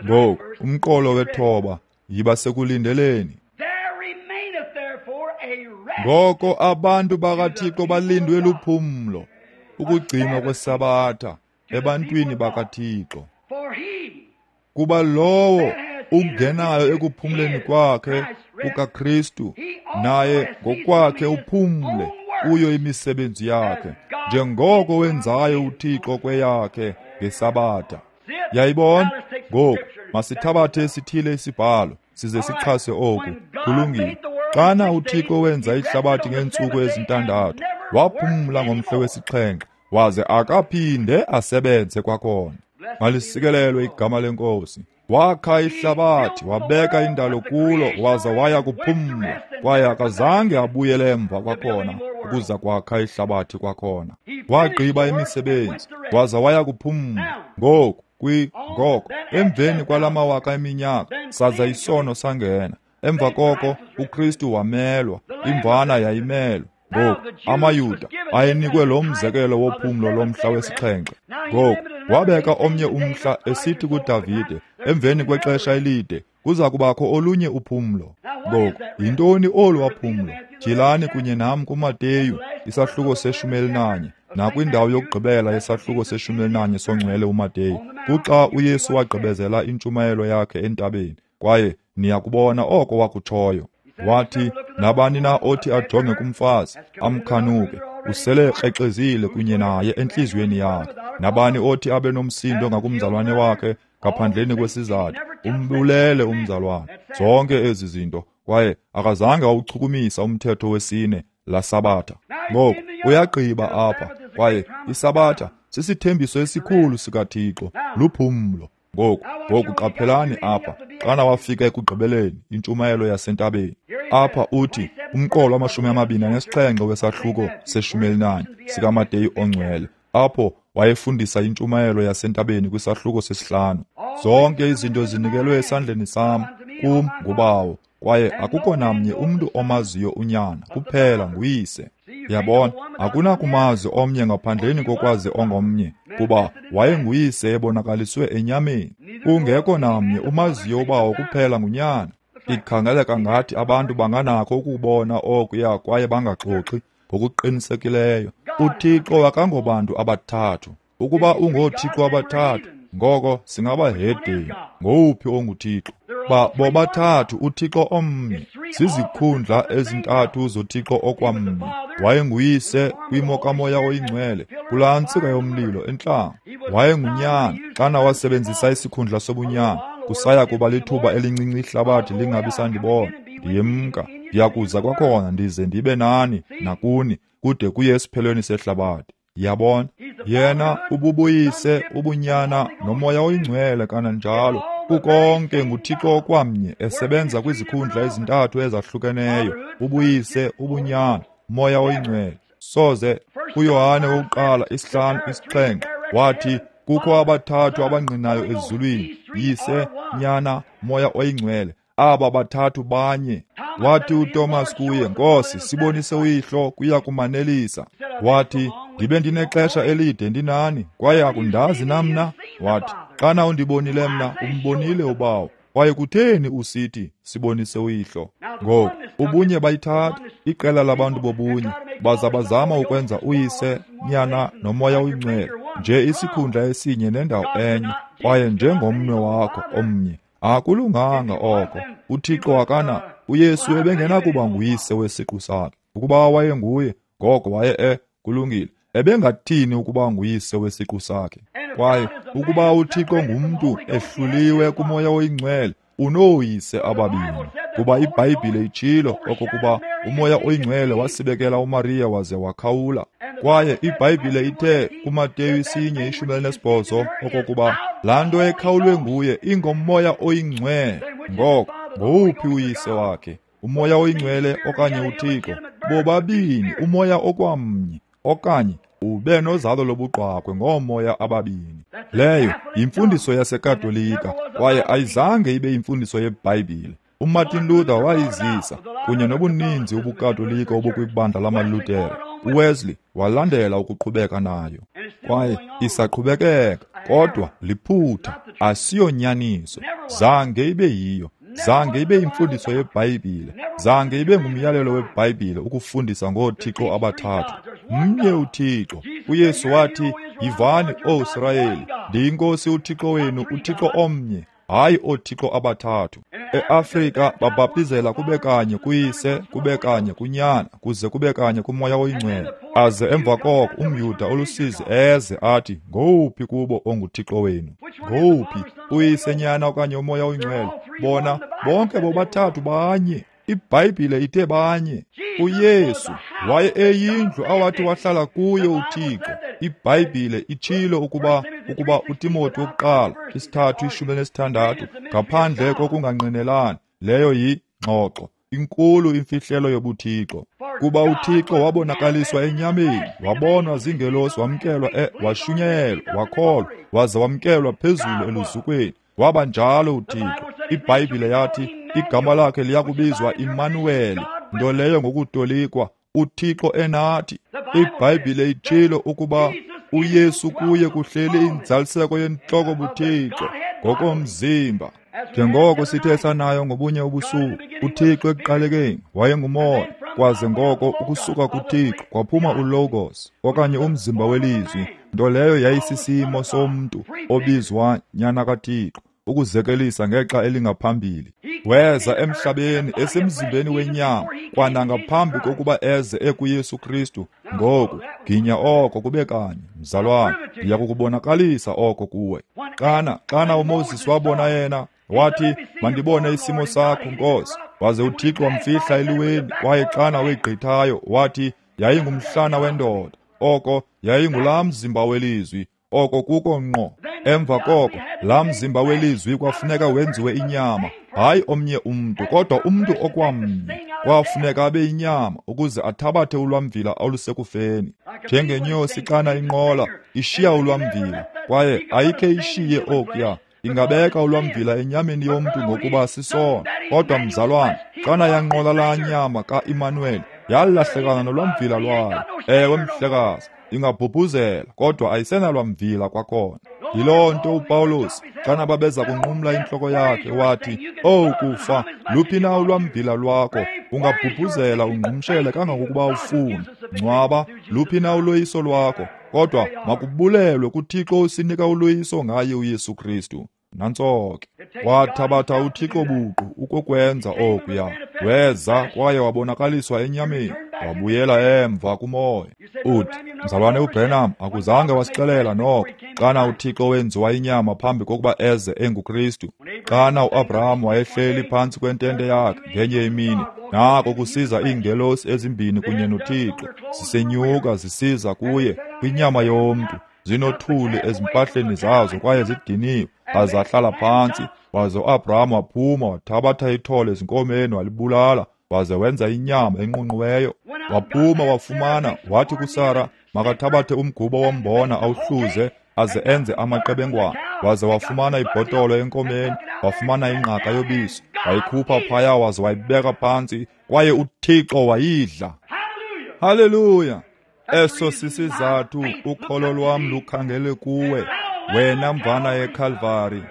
S1: Ngoku umqolo wethoba, yiba sekulindeleni. Ngoko abantu bakaThixo balindwe luphumlo, ukugcinwa kwesabatha ebantwini bakaThixo. Kuba lowo ungenayo ekuphumleni kwakhe kukaKristu, naye ngokwakhe uphumle kuyo imisebenzi yakhe, njengoko wenzayo uThixo kweyakhe ngesabatha. Yayibona? Ngoku masithabathe esithile isibhalo size sixhase oku. Kulungile. Xana uThixo wenza ihlabathi ngeentsuku ezintandathu, waphumla ngomhla wesixhenxe, waze akaphinde asebenze kwakhona. Malisikelelwe igama leNkosi. Wakha ihlabathi, wabeka indalo kulo, waza waya kuphumla, kwaye akazange abuyele emva kwakhona ukuza kwakha ihlabathi kwakhona. Wagqiba imisebenzi, waza waya kuphumla. Ngoku ngoko emveni kwalamawaka eminyaka, saza isono sangena. Emva koko uKristu wamelwa, imvana yayimelwa. Ngoku amaYuda ayenikwe lo mzekelo wophumlo lomhla wesixhenxe. Ngoku wabeka omnye umhla, esithi kuDavide, emveni kwexesha elide kuza kubakho olunye uphumlo. Ngoku yintoni olu waphumlo? Tyhilani kunye nam kuMateyu isahluko se-11, nakwindawo yokugqibela yesahluko se-11 songcwele uMateyu, kuxa uYesu wagqibezela intshumayelo yakhe entabeni, kwaye niyakubona oko wakutshoyo. Wathi, nabani na othi ajonge kumfazi amkhanuke, usele ekrexezile kunye naye entliziyweni yakhe. Nabani othi abe nomsindo ngakumzalwane wakhe ngaphandleni kwesizathu, umbulele umzalwane. Zonke ezi zinto, kwaye akazange wawuchukumisa umthetho wesine la Sabatha. Ngoku uyagqiba apha, kwaye iSabatha sisithembiso esikhulu sikaThixo, luphumlo. Ngoku qaphelani apha, xana wafika ekugqibeleni intshumayelo yasentabeni. Apha uthi umqolo wama-27 wesahluko se-14 sikaMateyu ongcwele, apho wayefundisa intshumayelo yasentabeni kwisahluko sesihlanu. Zonke izinto zinikelwe esandleni sam, kum nguBawo, kwaye akukho namnye umntu omaziyo uNyana, kuphela nguyise. Yabona, akunakumazi omnye ngaphandleni kokwazi ongomnye, kuba wayenguyise ebonakaliswe enyameni. Kungekho namnye umaziyo uBawo kuphela nguNyana. Ikhangeleka ngathi abantu banganakho ukubona okuya kwaye bangaxoxi ngokuqinisekileyo. UThixo akangobantu abathathu. Ukuba ungoThixo abathathu, ngoko singabahedeni. Ngowuphi onguThixo? Bobathathu uThixo omnye. Zizikhundla ezintathu zoThixo okwamnye. Wayenguyise kwimo kaMoya oyiNgcwele kulaa ntsika yomlilo entlango. Wayengunyana xana wasebenzisa isikhundla sobunyana. Kusaya kuba lithuba elincinci ihlabathi lingabi sandibona. Ndiyemka, ndiyakuza kwakhona ndize ndibe nani nakuni kude kuye esiphelweni sehlabathi. Yabona, yena ububuyise, ubunyana noMoya oyiNgcwele kananjalo. Kukonke nguThixo okwamnye esebenza kwizikhundla ezintathu ezahlukeneyo, ubuyise, ubunyana, Moya oyiNgcwele. Soze kuYohane wokuqala 5:7 wathi kukho abathathu abangqinayo ezulwini, Yise, Nyana, Moya oyiNgcwele. Aba bathathu banye. Wathi uTomas kuye, Nkosi, sibonise uyihlo, kuya kumanelisa. Wathi, ndibe ndinexesha elide ndinani, kwaye akundazi na mna? Wathi, xana undibonile mna, umbonile uBawo. Kwaye kutheni usithi, sibonise uyihlo? Ngoku, ubunye bayithatha, iqela labantu bobunye, baza bazama ukwenza uyise, Nyana, noMoya oyiNgcwele nje isikhundla esinye nendawo enye, kwaye njengomnwe wakho omnye. Akulunganga oko. UThixo akana, uYesu ebengenakuba nguyise wesiqu sakhe. Ukuba wayenguye, ngoko waye kulungile. Ebengathini ukuba nguyise wesiqu sakhe? Kwaye ukuba uThixo ngumntu ehluliwe kuMoya oyiNgcwele, unooyise ababini. Kuba iBhayibhile itshilo okokuba uMoya oyiNgcwele wasibekela uMariya waze wakhawula. Kwaye iBhayibhile ithe kuMateyu 1:18 okokuba laa nto ekhawulwe nguye ingoMoya oyiNgcwele. Ngoko ngowuphi uyise wakhe? uMoya oyiNgcwele okanye uThixo? Bobabini uMoya okwamnye, okanye ube nozalo lobuqwakwe ngoomoya ababini. Leyo yimfundiso yaseKatolika, kwaye ayizange ibe yimfundiso yeBhayibhile. uMartin Luther wayizisa kunye nobuninzi ubuKatolika obukwibandla lamaLuthere. uWesley walandela ukuqhubeka nayo, kwaye isaqhubekeka, kodwa liphutha, asiyonyaniso. Zange ibe yiyo, zange ibe yimfundiso yeBhayibhile, zange ibe ngumyalelo weBhayibhile ukufundisa ngoothixo abathathu. Mnye uThixo. uYesu wathi, yivani, O Sirayeli, ndiyinkosi uThixo wenu, uThixo omnye, hayi oothixo abathathu. EAfrika babhaptizela kube kanye kuYise, kube kanye kuNyana, kuze kube kanye kuMoya oyiNgcwele. Aze emva koko umYuda olusizi eze athi, ngowuphi kubo onguThixo wenu? Ngowuphi, uYise, Nyana okanye uMoya oyiNgcwele? Bona bonke bobathathu banye. iBhayibhile ithe banye. uYesu waye eyindlu awathi wahlala kuyo uThixo. iBhayibhile itshilo ukuba uTimothy wokuqala 3:16 ngaphandle kokungangqinelani, leyo yingxoxo inkulu imfihlelo yobuThixo. Kuba uThixo wabonakaliswa enyameni, wabonwa zingelosi, wamkelwa washunyayelwa, wakholwa, waza wamkelwa phezulu eluzukweni. Waba njalo uThixo. iBhayibhile yathi igama lakhe liyakubizwa Immanueli, nto leyo ngokutolikwa uThixo enathi. iBhayibhile itshilo ukuba uYesu kuye kuhleli inzaliseko yentloko buThixo ngokomzimba. Njengoko sithe sanayo ngobunye ubusuku, uThixo ekuqalekeni wayengumoya, kwaze ngoko ukusuka kuThixo kwaphuma uLogos okanye umzimba welizwi, nto leyo yayisisimo somntu obizwa Nyana kaThixo, ukuzekelisa ngexa elingaphambili. Weza emhlabeni esemzimbeni wenyama kwanangaphambi kokuba eze ekuYesu Kristu. Ngoku ginya oko kube kanye, mzalwane, ndiya kukubonakalisa oko kuwe. Xana uMoses wabona yena, wathi, mandibone isimo sakho, Nkosi. Waze uThixo wamfihla eliweni, kwaye xana wegqithayo wathi yayingumhlana wendoda. Oko yayingulaa mzimba welizwi. Oko kuko ngqo. Emva koko laa mzimba welizwi kwafuneka wenziwe inyama, hayi omnye umntu, kodwa umntu okwamnye. Kwafuneka abe inyama ukuze athabathe ulwamvila olusekufeni. Njengenyosi xana inqola ishiya ulwamvila, kwaye ayikhe ishiye okuya. Ingabeka ulwamvila enyameni yomntu ngokuba sisona. Kodwa mzalwane, xana yanqola laa nyama ka-Immanuel, yalahlekana nolwamvila lwayo. Ewe mhlekazi, ingabhubhuzela, kodwa ayisenalwamvila kwakhona. Yiloo nto uPawulos, xana babeza kunqumla intloko yakhe, wathi, "Owu kufa, luphi na ulwamvila lwakho? Ungabhubhuzela ungqumshele kangangokuba ufuna. Ngcwaba, luphi na uloyiso lwakho? Kodwa makubulelwe kuThixo usinika uloyiso ngaye uYesu Kristu." Nantso ke. Wathabatha uThixo buqu ukukwenza okuya. Weza kwaye wabonakaliswa enyameni, wabuyela emva kumoya. Uthi, mzalwane uBrenham, akuzange wasixelela noko xana uThixo wenziwa inyama phambi kokuba eze enguKristu. Xana uAbraham wayehleli phantsi kwentente yakhe ngenye imini, nako kusiza iingelosi ezimbini kunye noThixo, zisenyuka zisiza kuye kwinyama yomntu, zinothuli ezimpahleni zazo kwaye zidiniwe. Azahlala phantsi, waze uAbraham waphuma wathabatha ithole ezinkomeni walibulala, waze wenza inyama enqunqiweyo. Waphuma wafumana, wathi kuSara makathabathe umgubo wombona awuhluze aze enze amaqebengwana. Waze wafumana ibhotolo enkomeni, wafumana ingqaka yobisi, wayikhupha phaya waze wayibeka phantsi, kwaye uThixo wayidla. Haleluya! Eso sisizathu ukholo lwam lukhangele kuwe, wena mvana yeKalvari.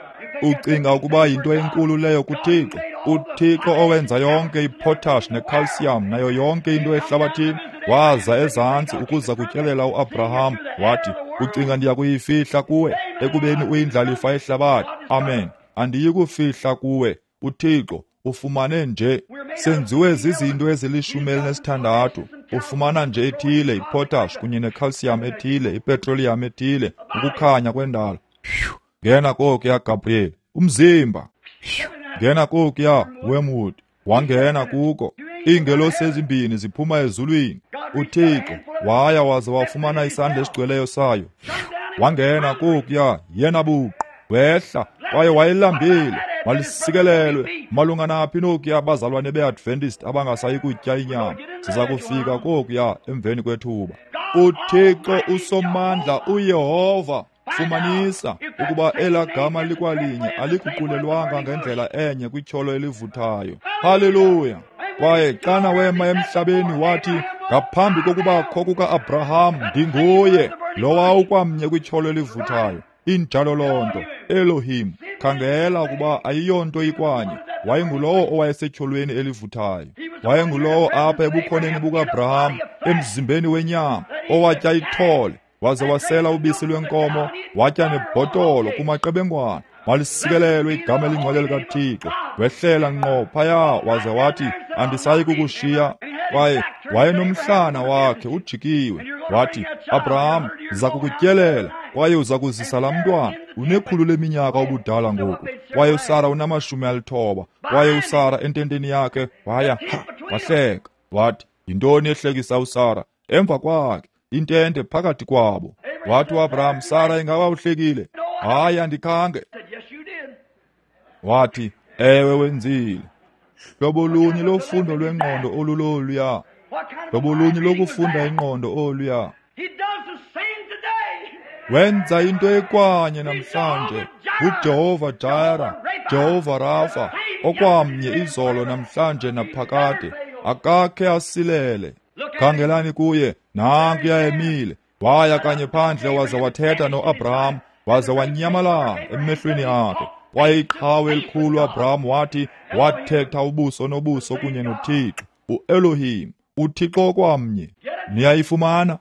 S1: Ucinga ukuba yinto enkulu leyo kuThixo? uThixo owenza yonke ipotash necalcium nayo yonke into ehlabathini, waza ezantsi ukuza kutyelela uAbraham, wathi, ucinga ndiya kuyifihla kuwe ekubeni uyindlalifa yehlabathi? Amen. Andiyi kufihla kuwe. uThixo ufumane nje, senziwe zizinto ezili-16. Ufumana nje ethile ipotash kunye necalcium ethile, ipetroleum ethile, ukukhanya kwendalo. Ngena kokuya, Gabriel, umzimba. Ngena kokuya, Wormwood. Wangena kuko. Iingelosi ezimbini ziphuma ezulwini. uThixo waya waze wafumana isandla esigcweleyo sayo. Wangena kokuya, yena buqu. Wehla kwaye wayelambile. Malisikelelwe malunga naphi nokuya bazalwane beAdventist abangasayi kutya inyama. Siza kufika kokuya emveni kwethuba. uThixo usomandla uYehova, fumanisa ukuba elaa gama likwalinye aliguqulelwanga ngendlela enye kwityholo elivuthayo. Haleluya! Kwaye xana wema emhlabeni wathi, ngaphambi kokubakho kuka-Abraham ndinguye, lowa ukwamnye kwityholo elivuthayo. Injalo loo nto. Elohim, khangela ukuba ayiyonto ikwanye. Wayengulowo owayesetyholweni elivuthayo. Wayengulowo apha ebukhoneni buka-Abraham emzimbeni wenyama, owatya ithole, waze wasela ubisi lwenkomo, watya nebhotolo kumaqebengwana. Malisikelelwe igama elingcwele likaThixo. Wehlela ngqo phaya waze wathi, andisayi kukushiya. Kwaye wayenomhlana wakhe ujikiwe. Wathi, Abraham, ndiza kukutyelela kwaye uza kuzisa laa mntwana. Unekhulu leminyaka ubudala ngoku, kwaye uSara unama-90. Kwaye uSara ententeni yakhe waya, wahleka. Wathi, yintoni ehlekisa uSara? Emva kwakhe, intente phakathi kwabo. Wathi uAbraham, Sara, ingaba uhlekile? Hayi, andikhange. Wathi, ewe, wenzile. Hlobo lunye lofundo lwengqondo oluloluya. Hlobo lunye lokufunda ingqondo oluya. Wenza into ekwanye namhlanje. UJehova Jireh, Jehova Rafa, okwamnye izolo namhlanje naphakade. Akakhe asilele. Khangelani kuye, nankuya emile. Waya kanye phandle waze wathetha noAbraham, waze wanyamalala emehlweni akhe. Kwaye iqhawe elikhulu uAbraham wathi wathetha ubuso nobuso kunye noThixo, uElohim, uThixo okwamnye. Niyayifumana?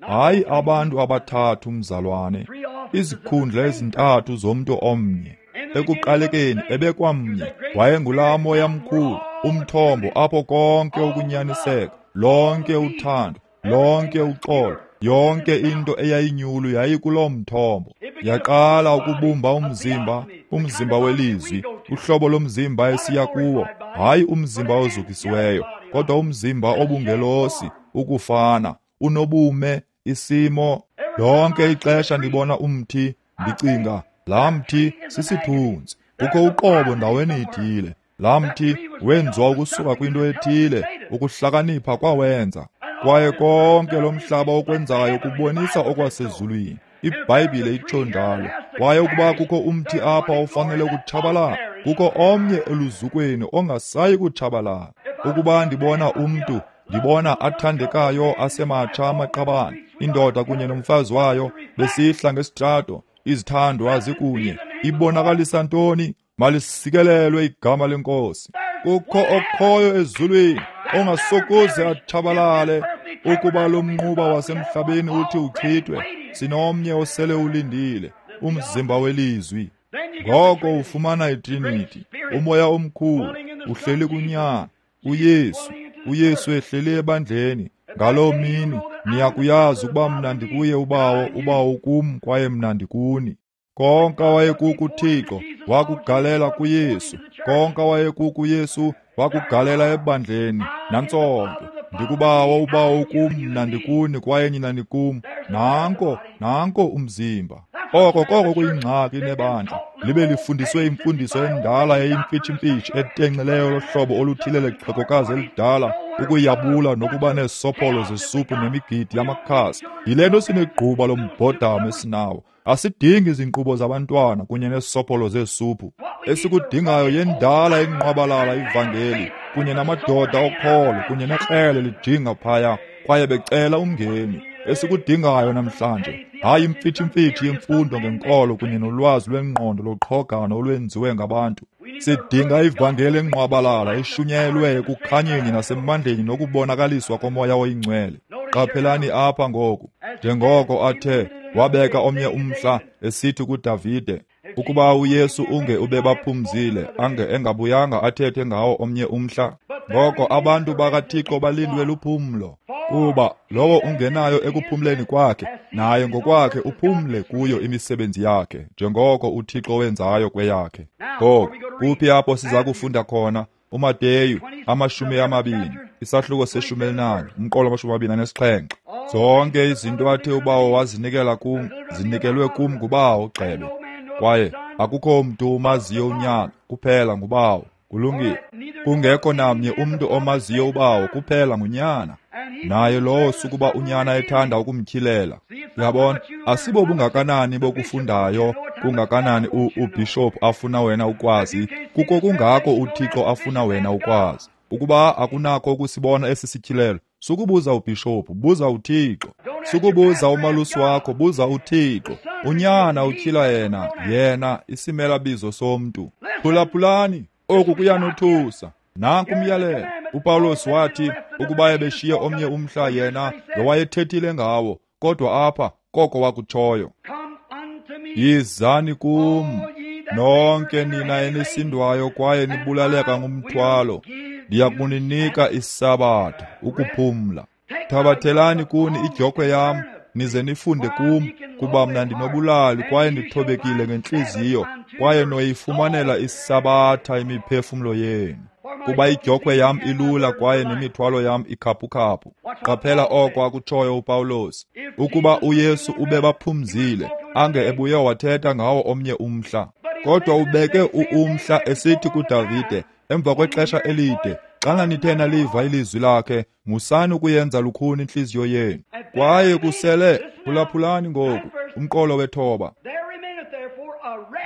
S1: Hayi abantu abathathu, mzalwane, izikhundla ezintathu zomntu omnye. Ekuqalekeni ebekwamnye, wayengulaa Moya mkhulu, umthombo apho konke ukunyaniseka, lonke uthando, lonke uxolo, yonke into eyayinyulu yayikuloo mthombo. Yaqala ukubumba umzimba, umzimba welizwi, uhlobo lomzimba esiya kuwo, hayi umzimba ozukisiweyo, kodwa umzimba obungelosi, ukufana, unobume, isimo. Lonke ixesha ndibona umthi, ndicinga, laa mthi sisithunzi, kukho uqobo ndaweni ithile. Laa mthi wenziwa ukusuka kwinto ethile, ukuhlakanipha kwawenza. Kwaye konke lo mhlaba okwenzayo kubonisa okwasezulwini. IBhayibhile itsho njalo. Kwaye ukuba kukho umthi apha ofanele ukutshabalala, kukho omnye eluzukweni ongasayi kutshabalala. Ukuba ndibona umntu, ndibona athandekayo asematsha amaqabane, indoda kunye nomfazi wayo besihla ngesitrato, izithandwa zikunye, ibonakalisa ntoni? Malisikelelwe igama lenkosi. Kukho okhoyo ezulwini ongasokuze atshabalale. Ukuba lo mnquba wasemhlabeni uthi uchithwe, sinomnye osele ulindile, umzimba welizwi. Ngoko ufumana iTrinity, umoya omkhulu uhleli kuNyana, uYesu, uYesu ehleli ebandleni. Ngaloo mini niyakuyazi ukuba mna ndikuye uBawo, uBawo kum kwaye mna ndikuni. Konke wayekukuThixo wakugalela kuYesu, konke wayekukuYesu wakugalela ebandleni. Nantsonke, ndikuBawo, uBawo kum, mna ndikuni kwaye nina nikum. Nanko, nanko umzimba. Oko koko kuyingxaki nebandla, libe lifundiswe imfundiso endala eyimfitshimfitshi etenxileyo lohlobo oluthile lexhegokazi elidala, ukuyabula nokuba neesopholo zesuphu nemigidi yamakhasi. Yile nto sinegquba lombhodamo esinawo. Asidingi izinkqubo zabantwana kunye neesopholo zeesuphu. Esikudingayo yendala inqwabalala ivangeli kunye namadoda okholo kunye nekrele lijinga phaya kwaye becela umngeni. Esikudingayo namhlanje hayi imfitshimfitshi yemfundo ngenkolo kunye nolwazi lwengqondo loqhogano olwenziwe ngabantu. Sidinga ivangeli enqwabalala eshunyayelwe ekukhanyeni nasemandleni nokubonakaliswa komoya oyingcwele. Qaphelani apha ngoku, njengoko athe wabeka omnye umhla esithi kuDavide, ukuba uYesu unge ubebaphumzile, ange engabuyanga athethe ngawo omnye umhla. Ngoko abantu bakaThixo balindwe luphumlo, kuba lowo ungenayo ekuphumleni kwakhe, naye ngokwakhe uphumle kuyo imisebenzi yakhe, njengoko uThixo wenzayo kweyakhe. Ngoku kuphi apho siza kufunda khona? uMateyu 20, isahluko se-14, umqolo 27. Zonke izinto athe uBawo wazinikela kum, zinikelwe kum nguBawo gxebe. Kwaye akukho mntu umaziyo uNyana, kuphela nguBawo. Kulungile. Kungekho namnye umntu omaziyo uBawo, kuphela nguNyana. Naye lowo sukuba uNyana ethanda ukumtyhilela. Uyabona, asibo bungakanani bokufundayo, kungakanani ubhishophu afuna wena ukwazi, kuko kungako uThixo afuna wena ukwazi. Ukuba akunakho ukusibona esi sityhilelo, sukubuza ubhishophu, buza uThixo. Sukubuza umalusi wakho, buza uThixo. uNyana utyhila yena, yena isimelabizo somntu. Phulaphulani, oku kuyanothusa. Nanku umyalelo. uPawulos wathi ukuba ebeshiye omnye umhla yena ngowayethethile ngawo, kodwa apha koko wakutshoyo. Yizani kum nonke nina enisindwayo kwaye nibulaleka ngumthwalo, ndiya kuninika isabatha, ukuphumla. Thabathelani kuni idyokhwe yam, nize nifunde kum, kuba mna ndinobulali kwaye ndithobekile ngentliziyo, kwaye noyifumanela isabatha imiphefumlo yenu. Kuba idyokhwe yam ilula kwaye nemithwalo yam ikhaphukhaphu. Qaphela oko akutshoyo uPawulos. Ukuba uYesu ubebaphumzile, ange ebuye wathetha ngawo omnye umhla. Kodwa ubeke umhla esithi kuDavide, emva kwexesha elide, xana nithe naliva ilizwi lakhe, musani ukuyenza lukhuni intliziyo yenu. Kwaye kusele, phulaphulani ngoku, umqolo wethoba.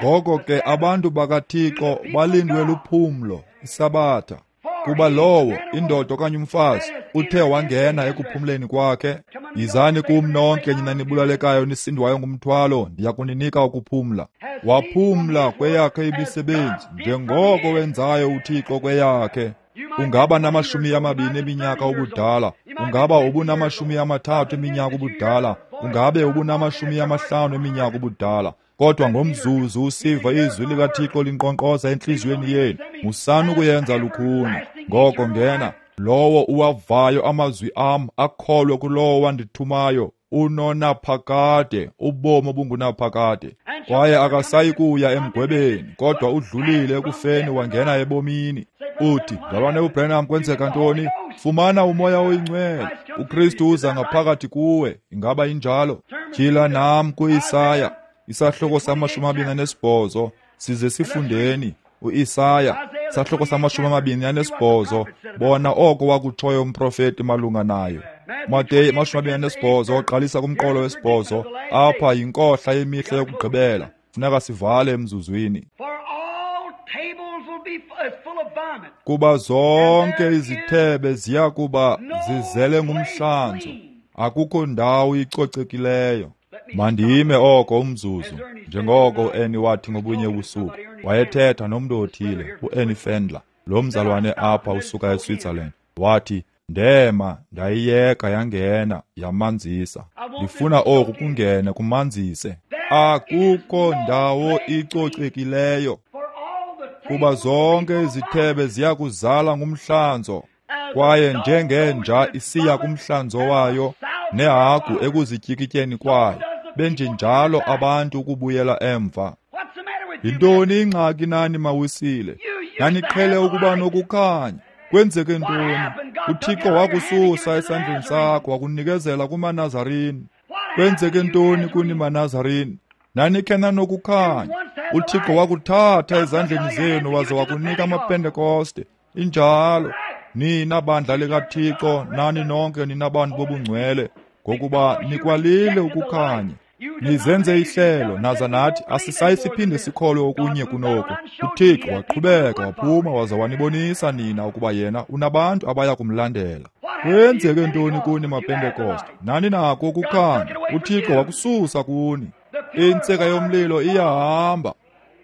S1: Ngoko ke abantu bakaThixo balindwe luphumlo, isabatha. Kuba lowo, indoda okanye umfazi, uthe wangena ekuphumleni kwakhe, yizani kum nonke nina nibulalekayo nisindwayo ngumthwalo, ndiya kuninika ukuphumla. Waphumla kweyakhe imisebenzi, njengoko wenzayo uThixo kweyakhe. Ungaba nama-20 eminyaka ubudala, ungaba ubunama-30 eminyaka ubudala, ungabe ubunama-50 eminyaka ubudala. Kodwa ngomzuzu usiva izwi likaThixo linkqonkqoza entliziyweni yenu, musani ukuyenza lukhuni. Ngoko ngena. Lowo uwavayo amazwi am akholwe kulowo wandithumayo unonaphakade, ubomi obungunaphakade. Kwaye akasayi kuya emgwebeni, kodwa udlulile ekufeni wangena ebomini. Uthi, mzalwane uBranham, kwenzeka ntoni? Fumana uMoya oyiNgcwele. uKristu uza ngaphakathi kuwe. Ingaba injalo? Tyhila nam kuIsaya, isahluko sama-28, size sifundeni. uIsaya, isahluko sama-28, bona oko wakutshoyo umprofeti malunga nayo. Mateyu 28, qalisa kumqolo wesibhozo. Apha yinkohla yemihla yokugqibela. Funeka sivale emzuzwini. Kuba zonke izithebe ziya kuba zizele ngumhlanzo, akukho ndawo icocekileyo. Mandime oko umzuzu, njengoko uAnnie wathi ngobunye ubusuku. Wayethetha nomntu othile, uAnnie Fendler, lo mzalwane apha usuka eSwitzerland. Wathi, ndema ndayiyeka yangena yamanzisa. Ndifuna oku kungene kumanzise. Akukho ndawo icocekileyo, kuba zonke izithebe ziya kuzala ngumhlanzo. Kwaye njengenja isiya kumhlanzo wayo, nehagu ekuzityikityeni kwayo, benjenjalo abantu ukubuyela emva. Yintoni ingxaki nani mawisile? Naniqhele ukuba nokukhanya. Kwenzeke ntoni? uThixo wakususa esandleni sakho wakunikezela kumaNazarini. Kwenzeke ntoni kuni maNazarini? Nanikhe nanokukhanya. uThixo wakuthatha ezandleni zenu waze wakunika amaPentekoste. Injalo. Nina bandla likaThixo, nani nonke nina bantu bobungcwele, ngokuba nikwalile ukukhanya. Nizenze ihlelo naza nathi asisayi siphinde sikholwe okunye kunoku. uThixo waqhubeka waphuma waza wanibonisa nina ukuba yena unabantu abaya kumlandela. Kwenzeke ntoni kuni maPentekoste? Nani nako ukukhanya. uThixo wakususa kuni. Intsika yomlilo iyahamba.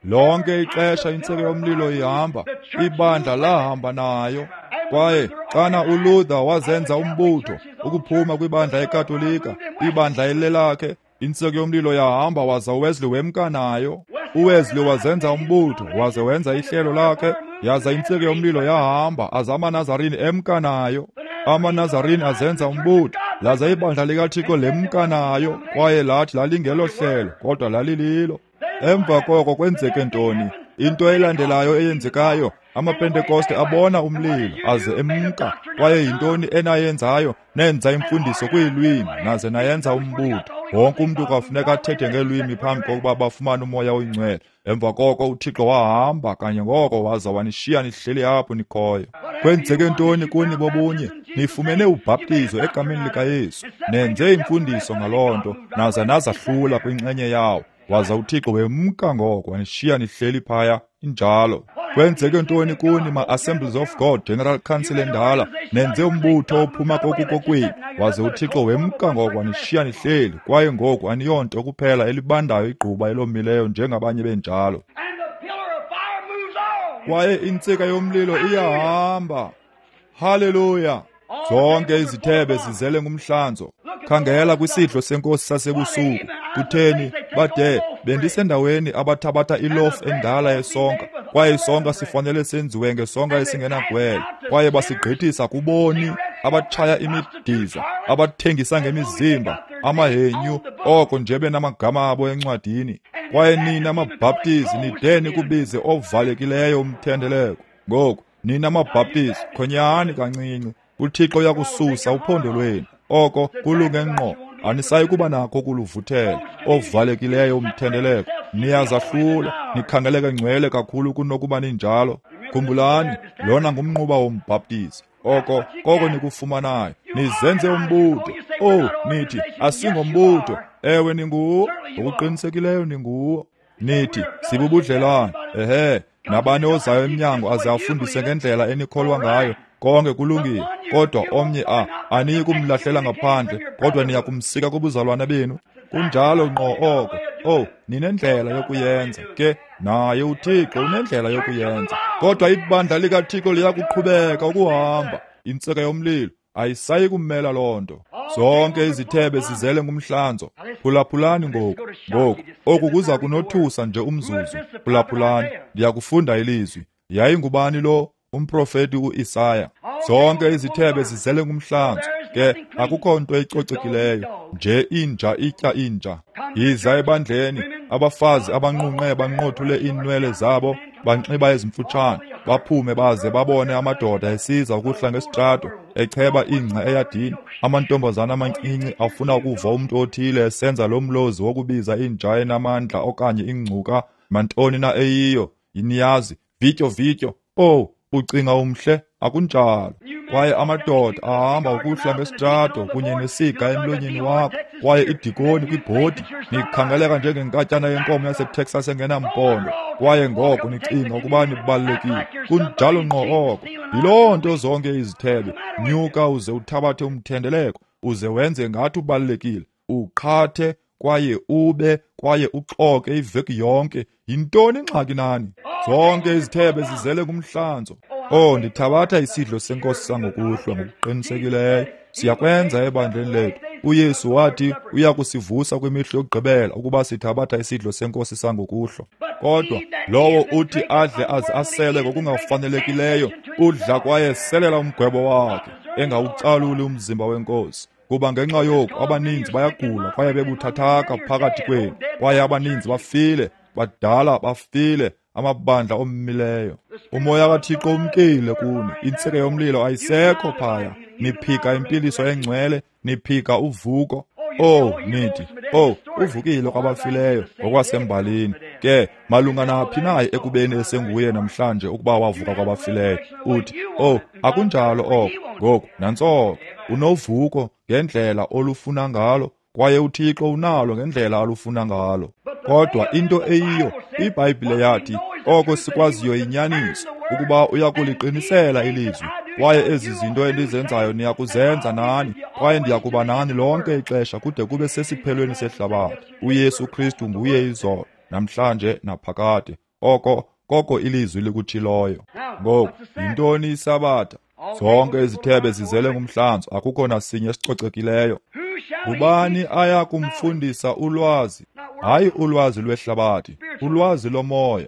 S1: Lonke ixesha intsika yomlilo ihamba, ibandla lahamba nayo. Kwaye xana uLuther wazenza umbutho ukuphuma kwibandla eKatolika, ibandla elelakhe, intsika yomlilo yahamba waza uWesley wemka nayo. uWesley wazenza umbutho waze wenza ihlelo lakhe, yaza intsika yomlilo yahamba aza amaNazarini emka nayo. AmaNazarini azenza umbutho, laza ibandla likaThixo lemka nayo, kwaye lathi lalingelo hlelo, kodwa lalililo. Emva koko kwenzeke ntoni? Into elandelayo eyenzekayo, amaPentekoste abona umlilo aze emka. Kwaye yintoni enayenzayo? Nenza imfundiso kwiilwimi naze nayenza umbutho. Wonke umntu kwafuneka athethe ngeelwimi phambi kokuba bafumane uMoya oyiNgcwele. Emva koko uThixo wahamba kanye ngoko waza wanishiya nihleli apho nikhoyo. Kwenzeke ntoni kuni bobunye? Nifumene ubhaptizo egameni likaYesu, nenze imfundiso ngaloo nto, naza nazahlula kwinxenye yawo. Waza uThixo wemka ngoko wanishiya nihleli phaya. Injalo. Kwenzeke ntoni kuni ma-Assemblies of God General Council endala? Nenze umbutho ophuma kokukokwenu, waze uThixo wemka ngoko wanishiya nihleli. Kwaye ngoku aniyonto kuphela elibandayo igquba elomileyo njengabanye benjalo. Kwaye intsika yomlilo iyahamba. Haleluya! Zonke izithebe zizele ngumhlanzo. Khangela kwisidlo senkosi sasebusuku. Kutheni bade bendisendaweni abathabatha ilofu endala yesonka, kwaye isonka sifanele senziwe ngesonka esingenagwele, kwaye basigqithisa kuboni abatshaya imidiza, abathengisa ngemizimba, amahenyu, oko nje benamagama abo encwadini. Kwaye nina maBhaptizi nide nikubize ovalekileyo umthendeleko. Ngoku nina maBhaptizi khonyani kancinci. uThixo uyakususa uphondo lwenu. Oko kulunge ngqo. Anisayi kuba nakho kuluvuthela ovalekileyo umthendeleko. Niyazahlula, nikhangeleke ngcwele kakhulu kunokuba ninjalo. Khumbulani, lona ngumnquba wombhaptizi. Oko koko nikufumanayo. Nizenze umbutho. Oh, nithi asingombutho. Ewe, ninguwo. Ngokuqinisekileyo ninguwo. Nithi sibubudlelwane. Ehe, nabani ozayo emnyango aze afundise ngendlela enikholwa ngayo. Konke kulungile, kodwa omnye aniyi kumlahlela ngaphandle, kodwa niya kumsika kubuzalwana benu. Kunjalo ngqo oko. Oh, ninendlela yokuyenza ke, naye uThixo unendlela yokuyenza. Kodwa ibandla likaThixo liyakuqhubeka ukuhamba. Intsika yomlilo Ayisayi kumela loo nto. Zonke izithebe zizele ngumhlanzo. Phulaphulani ngoku. Ngoku oku kuza kunothusa nje umzuzu. Phulaphulani, ndiyakufunda ilizwi. Yayingubani lo? Umprofeti uIsaya. Zonke izithebe zizele ngumhlanzo. Ke akukho nto icocekileyo, nje inja itya inja. Yiza ebandleni, abafazi abanqunqe banqothule iinwele zabo, banxiba ezimfutshane, baphume baze babone amadoda esiza ukuhla ngesitrato, echeba ingca eyadini. Amantombazana amancinci afuna ukuva umntu othile esenza lo mlozi wokubiza inja enamandla okanye ingcuka, mantoni na eyiyo, niyazi, vityo vityo. Oh, ucinga umhle, akunjalo. Kwaye amadoda ahamba ukuhla ngesitrato kunye nesiga emlonyeni wakho, kwaye idikoni kwibhodi, nikhangeleka njengenkatyana yenkomo yaseTexas engenampondo, kwaye ngoko nicinga ukuba nibalulekile. Kunjalo ngqo oko. Yiloo nto zonke izithebe. Nyuka uze uthabathe umthendeleko, uze wenze ngathi ubalulekile, uqhathe kwaye ube kwaye uxoke iveki yonke. Yintoni ingxaki nani? Zonke izithebe zizele ngumhlanzo. Oh, ndithabatha isidlo senkosi sangokuhlwa ngokuqinisekileyo. Siyakwenza ebandleni lethu. uYesu wathi uya kusivusa kwimihla yokugqibela ukuba sithabatha isidlo senkosi sangokuhlwa. Kodwa lowo uthi adle aze asele ngokungafanelekileyo, udla kwaye selela umgwebo wakhe, engawucaluli umzimba wenkosi. Kuba ngenxa yoku abaninzi bayagula kwaye bebuthathaka phakathi kwenu, kwaye abaninzi bafile, badala bafile, amabandla ommileyo. Umoya kaThixo umkile kuni, intsika yomlilo ayisekho phaya. Niphika impiliso engcwele, niphika uvuko. Oh, nithi, oh, uvukile kwabafileyo ngokwasembalini. Ke malunga naphi naye ekubeni esenguye namhlanje ukuba wavuka kwabafileyo? Uthi, oh, akunjalo oko. Ngoku nantsoko, unovuko ngendlela olufuna ngalo, kwaye uThixo unalo ngendlela alufuna ngalo. Kodwa into eyiyo, iBhayibhile yathi, oko sikwaziyo yinyaniso, ukuba uyakuliqinisela ilizwi, kwaye ezi zinto endizenzayo niyakuzenza nani, kwaye ndiyakuba nani lonke ixesha kude kube sesiphelweni sehlabathi. uYesu Kristu nguye izolo, namhlanje naphakade. Oko koko ilizwi likutshiloyo. Ngoku yintoni isabatha? Zonke izithebe zizele ngumhlanzo, akukho nasinye esicocekileyo. Ngubani aya kumfundisa ulwazi? Hayi ulwazi lwehlabathi, ulwazi lomoya.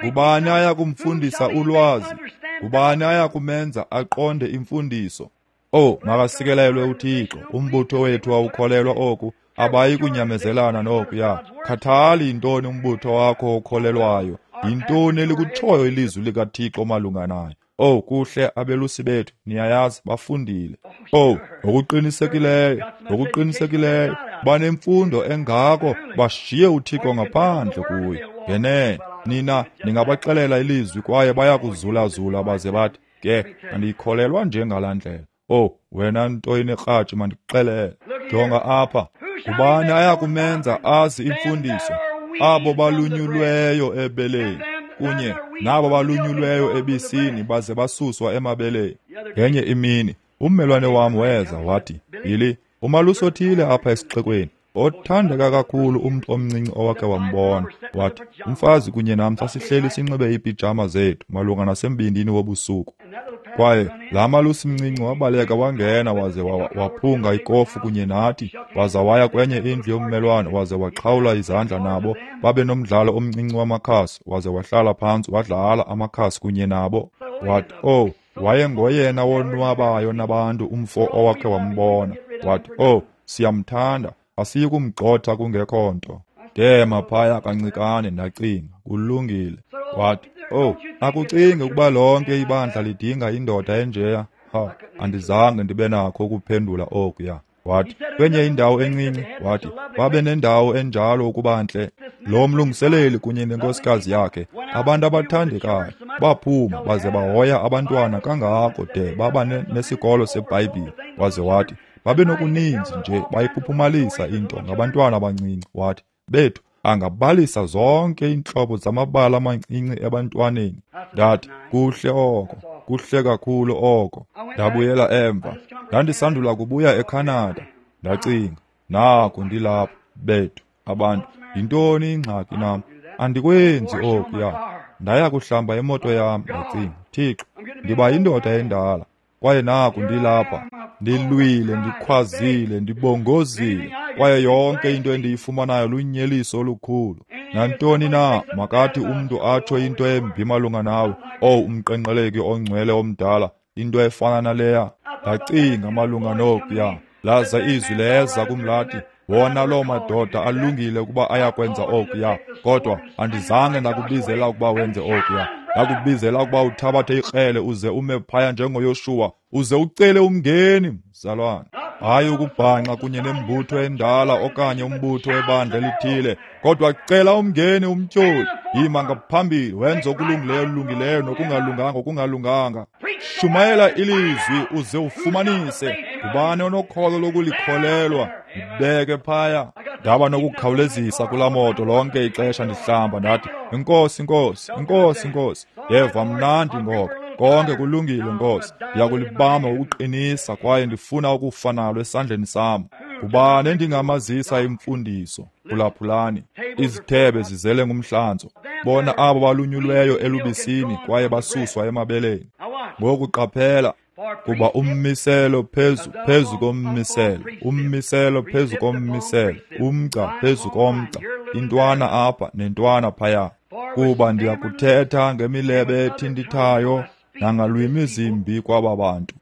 S1: Ngubani aya kumfundisa ulwazi? Ngubani aya kumenza aqonde imfundiso? Oh, makasikelelwe uThixo. Umbutho wethu awukholelwa oku, abayi kunyamezelana nokuya. Khathali yintoni umbutho wakho okholelwayo, yintoni elikutshoyo ilizwi likaThixo malunga nayo. Oh, kuhle abelusi bethu, niyayazi, bafundile. Oh, ngokuqinisekileyo, ngokuqinisekileyo, banemfundo engako, bashiye uThixo ngaphandle kuyo. Ngenene, nina ningabaxelela ilizwi kwaye bayakuzulazula baze bathi, ke andiyikholelwa nje ngalaa ndlela. Oh, wena nto inekratshi, mandikuxelele. Jonga apha, ngubani aya kumenza azi imfundiso? Abo balunyulweyo ebeleni, kunye nabo balunyulweyo ebisini baze basuswa emabeleni. Ngenye imini ummelwane wam weza wathi, Billy, umalusi othile apha esixekweni, othandeka kakhulu umntu omncinci owakhe wambona, wathi, umfazi kunye nam sasihleli sinxibe iipijama zethu malunga nasembindini wobusuku. Kwaye laa malusi mncinci wabaleka wangena waze waphunga ikofu kunye nathi, waza waya kwenye indlu yommelwane waze waxhawula izandla nabo, babe nomdlalo omncinci wamakhasi, waze wahlala phantsi wadlala amakhasi kunye nabo. Wathi, oh, wayengoyena wonwabayo nabantu umfo owakhe wambona. Wathi, oh, siyamthanda, asiyi kumgxotha kungekho nto. Ndema phaya kancikane ndacinga, kulungile. Wathi, oh, akucingi ukuba lonke ibandla lidinga indoda enjeya? Ha, andizange ndibe nakho ukuphendula okuya. Wathi, kwenye indawo encinci, wathi, babe nendawo enjalo ukuba ntle. Lo mlungiseleli kunye nenkosikazi yakhe, abantu abathandekayo, baphuma baze bahoya abantwana kangako de baba nesikolo seBhayibhile. Waze wathi, babe nokuninzi nje bayiphuphumalisa into ngabantwana abancinci. Wathi, bethu angabalisa zonke iintlobo zamabala amancinci ebantwaneni. Ndathi, kuhle oko, kuhle kakhulu oko. Ndabuyela emva, ndandisandula kubuya eCanada. Ndacinga, naku ndilapha, bethu abantu, yintoni ingxaki nam? Andikwenzi okuya. Ndaya kuhlamba imoto yam, ndacinga, Thixo, ndiba yindoda endala, kwaye naku ndilapha. Ndilwile, ndikhwazile, ndibongozile, kwaye yonke into endiyifumanayo lunyeliso olukhulu. Nantoni na, makathi umntu atsho into embi malunga nawe, owu umqenqeleki ongcwele omdala, into efana naleya. Ndacinga malunga nokuya, laza izwi leza kum lathi, wona loo madoda alungile ukuba ayakwenza okuya, kodwa andizange ndakubizela ukuba wenze okuya. Ndakubizela ukuba uthabathe ikrele uze ume phaya njengoYoshuwa, uze ucele umngeni, mzalwane. Hayi ukubhanxa kunye nembutho endala okanye umbutho webandla elithile, kodwa cela umngeni umtyholi. Yima ngaphambili, wenze okulungileyo olungileyo nokungalunganga okungalunganga. Shumayela ilizwi uze ufumanise ngubani onokholo lokulikholelwa. Ndibeke phaya. Ndaba nokukhawulezisa kulaa moto lonke ixesha ndihlamba, ndathi, Inkosi, Nkosi, Inkosi, Nkosi. Ndeva mnandi ngoko. Konke kulungile, Nkosi. Ndiyakulibamba ngokuqinisa kwaye ndifuna ukufa nalo esandleni sam. Ngubani endingamazisa imfundiso? Phulaphulani. Izithebe zizele ngumhlanzo. Bona abo balunyulweyo elubisini kwaye basuswa emabeleni. Ngoku qaphela, kuba ummiselo phezu kommiselo, ummiselo phezu kommiselo, umgca phezu komgca, intwana apha nentwana phaya. Kuba ndiyakuthetha ngemilebe ethintithayo nangalwimi zimbi kwaba bantu.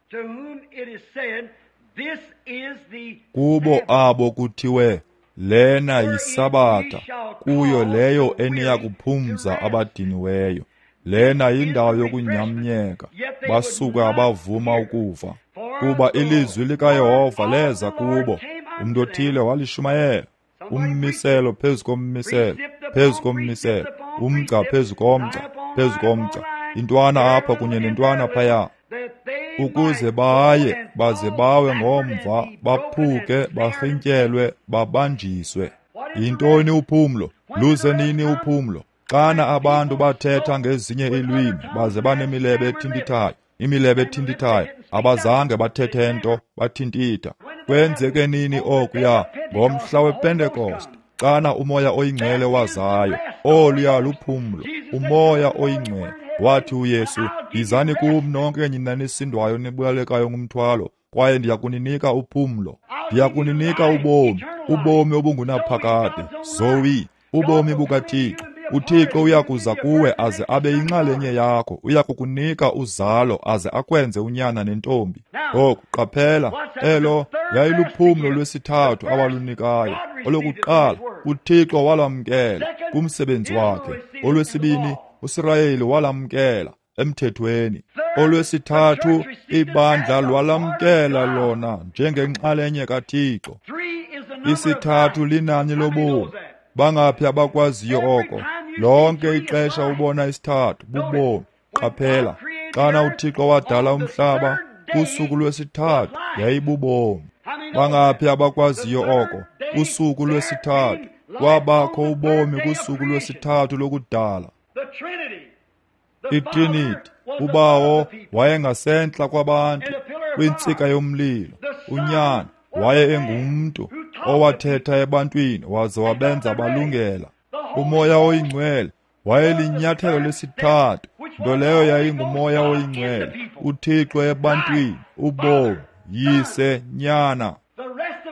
S1: Kubo abo kuthiwe, lena yisabatha, kuyo leyo eniya kuphumza abadiniweyo. Lena yindawo yokunyamnyeka, basuka abavuma ukuva. Kuba ilizwi likaYehova leza kubo, umntu othile walishumayela. Ummiselo phezu kommiselo, phezu kommiselo, umgca phezu komgca, phezu komgca, intwana apha kunye nentwana phaya, ukuze baye baze bawe ngomva, baphuke, barhintyelwe, babanjiswe. Yintoni uphumlo? Luze nini uphumlo? Xana abantu bathetha ngezinye iilwimi baze banemilebe ethintithayo, imilebe ethintithayo, abazange bathethe nto, bathintitha. Kwenzeke nini okuya? Ngomhla wePentekoste, xana uMoya oyiNgcwele wazayo. Oluya luphumlo, uMoya oyiNgcwele. Wathi uYesu, yizani kum nonke nina nisindwayo nibulalekayo ngumthwalo, kwaye ndiyakuninika uphumlo. Ndiyakuninika ubomi, ubomi obungunaphakade, Zoe, ubomi bukaThixo. uThixo uyakuza kuwe aze abe yinxalenye yakho, uyakukunika uzalo aze akwenze unyana nentombi. Ngoku qaphela, elo yayiluphumlo lwesithathu awalunikayo. Olokuqala, uThixo walamkela kumsebenzi wakhe. Olwesibini, uSirayeli walamkela emthethweni. Olwesithathu, ibandla lwalamkela lona njengenxalenye kaThixo. Isithathu linani lobomi. Bangaphi abakwaziyo oko? Lonke ixesha ubona isithathu, bubomi. Qaphela, xana uThixo wadala umhlaba, usuku lwesithathu yayibubomi. Bangaphi abakwaziyo oko? Usuku lwesithathu kwabakho ubomi kusuku lwesithathu lokudala. ITrinity, uBawo wayengasentla kwabantu kwintsika yomlilo. uNyana waye engumntu owathetha ebantwini waze wabenza balungela. uMoya oyiNgcwele wayelinyathelo lesithathu, nto leyo yayinguMoya oyiNgcwele, uThixo ebantwini, ubomi, Yise, Nyana.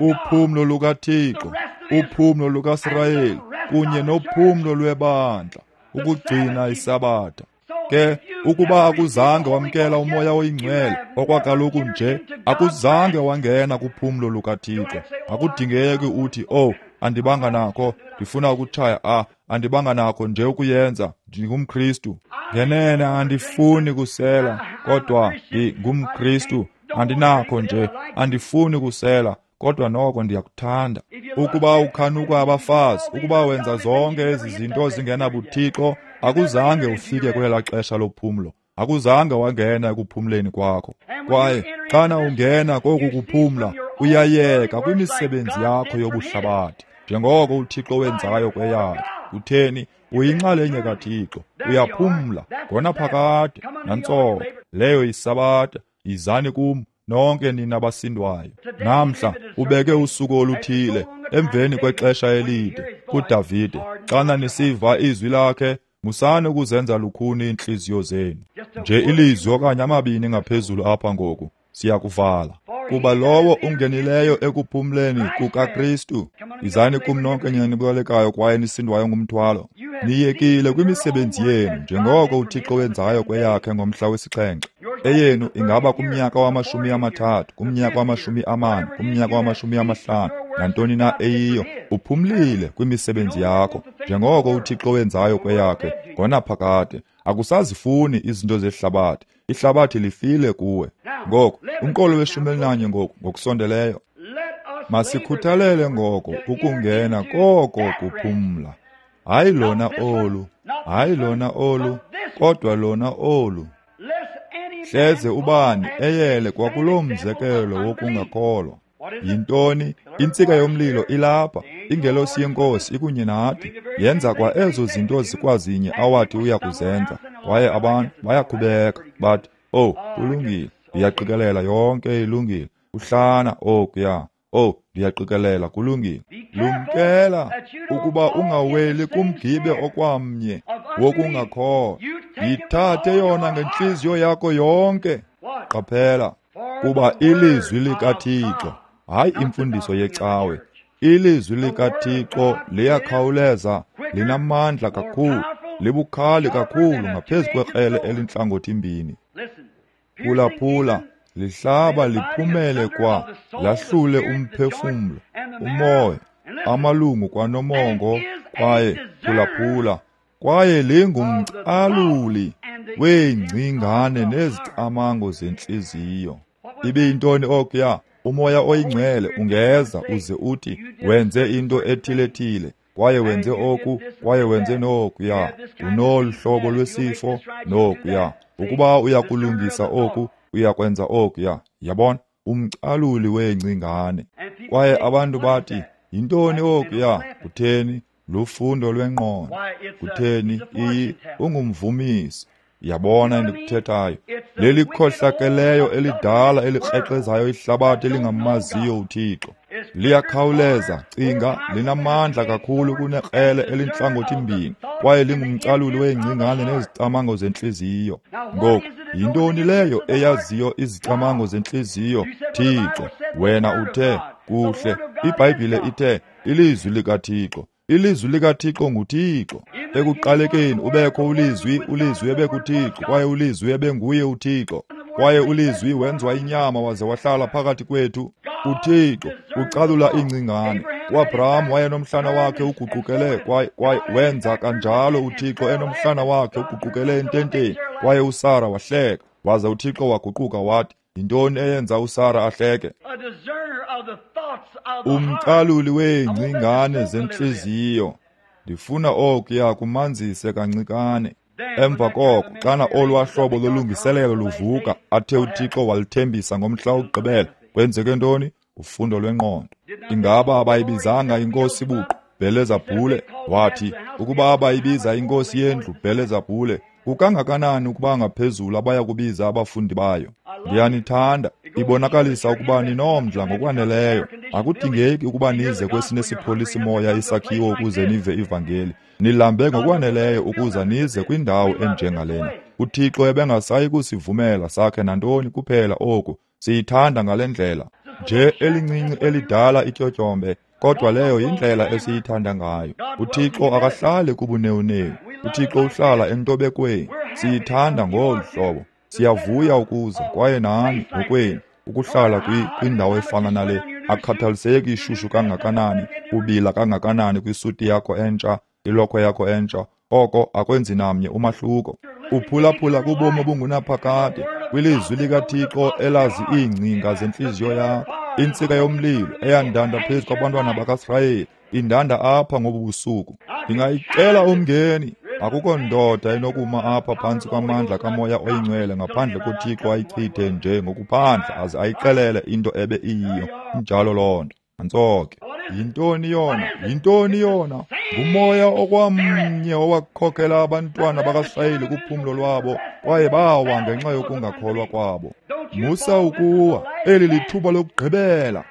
S1: Uphumlo lukaThixo, uphumlo lukaSirayeli kunye nophumlo lwebandla, ukugcina isabatha. Ke ukuba akuzange wamkela uMoya oyiNgcwele okwakaloku nje, akuzange wangena kuphumlo lukaThixo. Akudingeki uthi, oh, andibanga nakho, ndifuna ukutshaya, andibanga nakho nje ukuyenza, ndingumKristu. Ngenene andifuni kusela, kodwa ndingumKristu. Andinakho nje, andifuni kusela, kodwa noko ndiyakuthanda. Ukuba ukhanuka abafazi, ukuba wenza zonke ezi zinto zingenabuthixo, akuzange ufike kwelaa xesha lophumlo, akuzange wangena ekuphumleni kwakho. Kwaye xana ungena koku kuphumla, uyayeka kwimisebenzi yakho yobuhlabathi, njengoko uThixo wenzayo kweyakhe. Utheni? Uyinxalenye kaThixo, uyaphumla ngonaphakade. Nantsoko leyo yisabatha. Yizani kum nonke nina basindwayo. Namhla ubeke usuku oluthile emveni kwexesha elide kuDavide. Xana nisiva izwi lakhe, musani ukuzenza lukhuni iintliziyo zenu. Nje ilizwi okanye amabini ngaphezulu apha ngoku, siyakuvala. Kuba lowo ungenileyo ekuphumleni kukaKristu, izani kum nonke nina nibolekayo kwaye nisindwayo ngumthwalo. Niyekile kwimisebenzi yenu njengoko uThixo wenzayo kweyakhe ngomhla wesixhenxe. Eyenu ingaba kumnyaka wama-30, kumnyaka wama-40, kumnyaka wama-50, nantoni na eyiyo, uphumlile kwimisebenzi yakho njengoko uThixo wenzayo kweyakhe ngonaphakade. Akusazifuni izinto zehlabathi, ihlabathi lifile kuwe. Ngoku umqolo we-11 ngoku ngokusondeleyo. Masikhuthalele ngoko ukungena koko kuphumla. Hayi lona olu, hayi lona olu, kodwa lona olu. Hleze ubani eyele kwakuloo mzekelo wokungakholwa. Yintoni? Intsika yomlilo ilapha, ingelosi yeNkosi ikunye nathi, yenza kwa ezo zinto zikwazinye awathi uya kuzenza. Kwaye abantu bayakhubeka bathi, "Oh, kulungile, ndiyaqikelela yonke ilungile." Uhlana okuya, "Oh, ndiyaqikelela kulungile." Lumkela ukuba ungaweli kumgibe okwamnye wokungakholwa. Yithathe yona ngentliziyo yakho yonke. Qaphela, kuba ilizwi likaThixo, hayi imfundiso yecawe, ilizwi likaThixo liyakhawuleza, linamandla kakhulu, libukhali kakhulu ngaphezu kwekrele elintlangothi mbini. Phulaphula, lihlaba liphumele kwa lahlule umphefumlo, umoya, amalungu kwanomongo, kwaye phulaphula, kwaye lingumcaluli weengcingane nezicamango zentliziyo. Ibe yintoni okuya? Umoya oyingcwele ungeza uze uthi wenze into ethile-thile, kwaye wenze oku, kwaye wenze nokuya, unolu hlobo lwesifo nokuya. Ukuba uyakulungisa oku, uyakwenza okuya. Yabona? Umcaluli weengcingane. Kwaye abantu bathi, yintoni okuya? Kutheni? Lufundo lwengqondo. Kutheni? Ungumvumisi. Yabona endikuthethayo? Lelikhohlakeleyo elidala elikrexezayo ihlabathi elingamaziyo uThixo. Liyakhawuleza, cinga, linamandla kakhulu kunekrele elintlangothi mbini, kwaye lingumcaluli weengcingane nezicamango zentliziyo. Ngoku, yintoni leyo eyaziyo izicamango zentliziyo? Thixo, wena uthe, kuhle, iBhayibhile ithe, ilizwi likaThixo. Ilizwi likaThixo nguThixo. Ekuqalekeni ubekho ulizwi, ulizwi ebekuThixo, kwaye ulizwi ebenguye uThixo. Kwaye ulizwi wenziwa inyama waze wahlala phakathi kwethu. uThixo ucalula iingcingane. uAbraham wayenomhlana wakhe uguqukele, kwaye wenza kanjalo uThixo enomhlana wakhe uguqukele ententeni, kwaye uSara wahleka. Waze uThixo waguquka wathi, yintoni eyenza uSara ahleke? Umcaluli weengcingane zentliziyo. Ndifuna okuya kumanzise kancikane. Emva koko, xana olwa hlobo lolungiselelo luvuka, athe uThixo walithembisa ngomhla wokugqibela, kwenzeke ntoni? Ufundo lwengqondo. Ingaba abayibizanga inkosi buqu Bhelezabhule? Wathi, ukuba abayibiza inkosi yendlu Bhelezabhule, kukangakanani ukuba ngaphezulu abaya kubiza abafundi bayo? Ndiyanithanda. Ibonakalisa ukuba ninomdla ngokwaneleyo. Akudingeki ukuba nize kwesine sipholisi moya isakhiwo ukuze nive ivangeli. Nilambe ngokwaneleyo ukuza nize kwindawo enjengalena. uThixo ebengasayi kusivumela sakhe nantoni kuphela oku. Siyithanda ngale ndlela. Nje elincinci elidala ityotyombe, kodwa leyo yindlela esiyithanda ngayo. uThixo akahlali kubunewunewu. uThixo uhlala entobekweni. Siyithanda ngolu hlobo. Siyavuya ukuza, kwaye nani ngokwenu ukuhlala kwindawo efana nale. Akukhathaliseki ishushu kangakanani, ubila kangakanani kwisuti yakho entsha, ilokhwe yakho entsha, oko akwenzi namnye umahluko. Uphulaphula kubomi obungunaphakade, kwilizwi likaThixo elazi iingcinga zentliziyo yakho. Intsika yomlilo eyandanda phezu kwabantwana bakaSirayeli indanda apha ngobu busuku. Ndingayicela umngeni. Akukho ndoda enokuma apha phantsi kwamandla kaMoya oyiNgcwele ngaphandle koThixo ayichithe nje ngokuphandle aze ayixelele into ebe iyiyo. Injalo loo nto. Nantso ke. Yintoni yona? Yintoni yona? Ngumoya okwamnye owakhokela abantwana bakaSirayeli kuphumlo lwabo, kwaye bawa ngenxa yokungakholwa kwabo. Musa ukuwa, eli lithuba lokugqibela.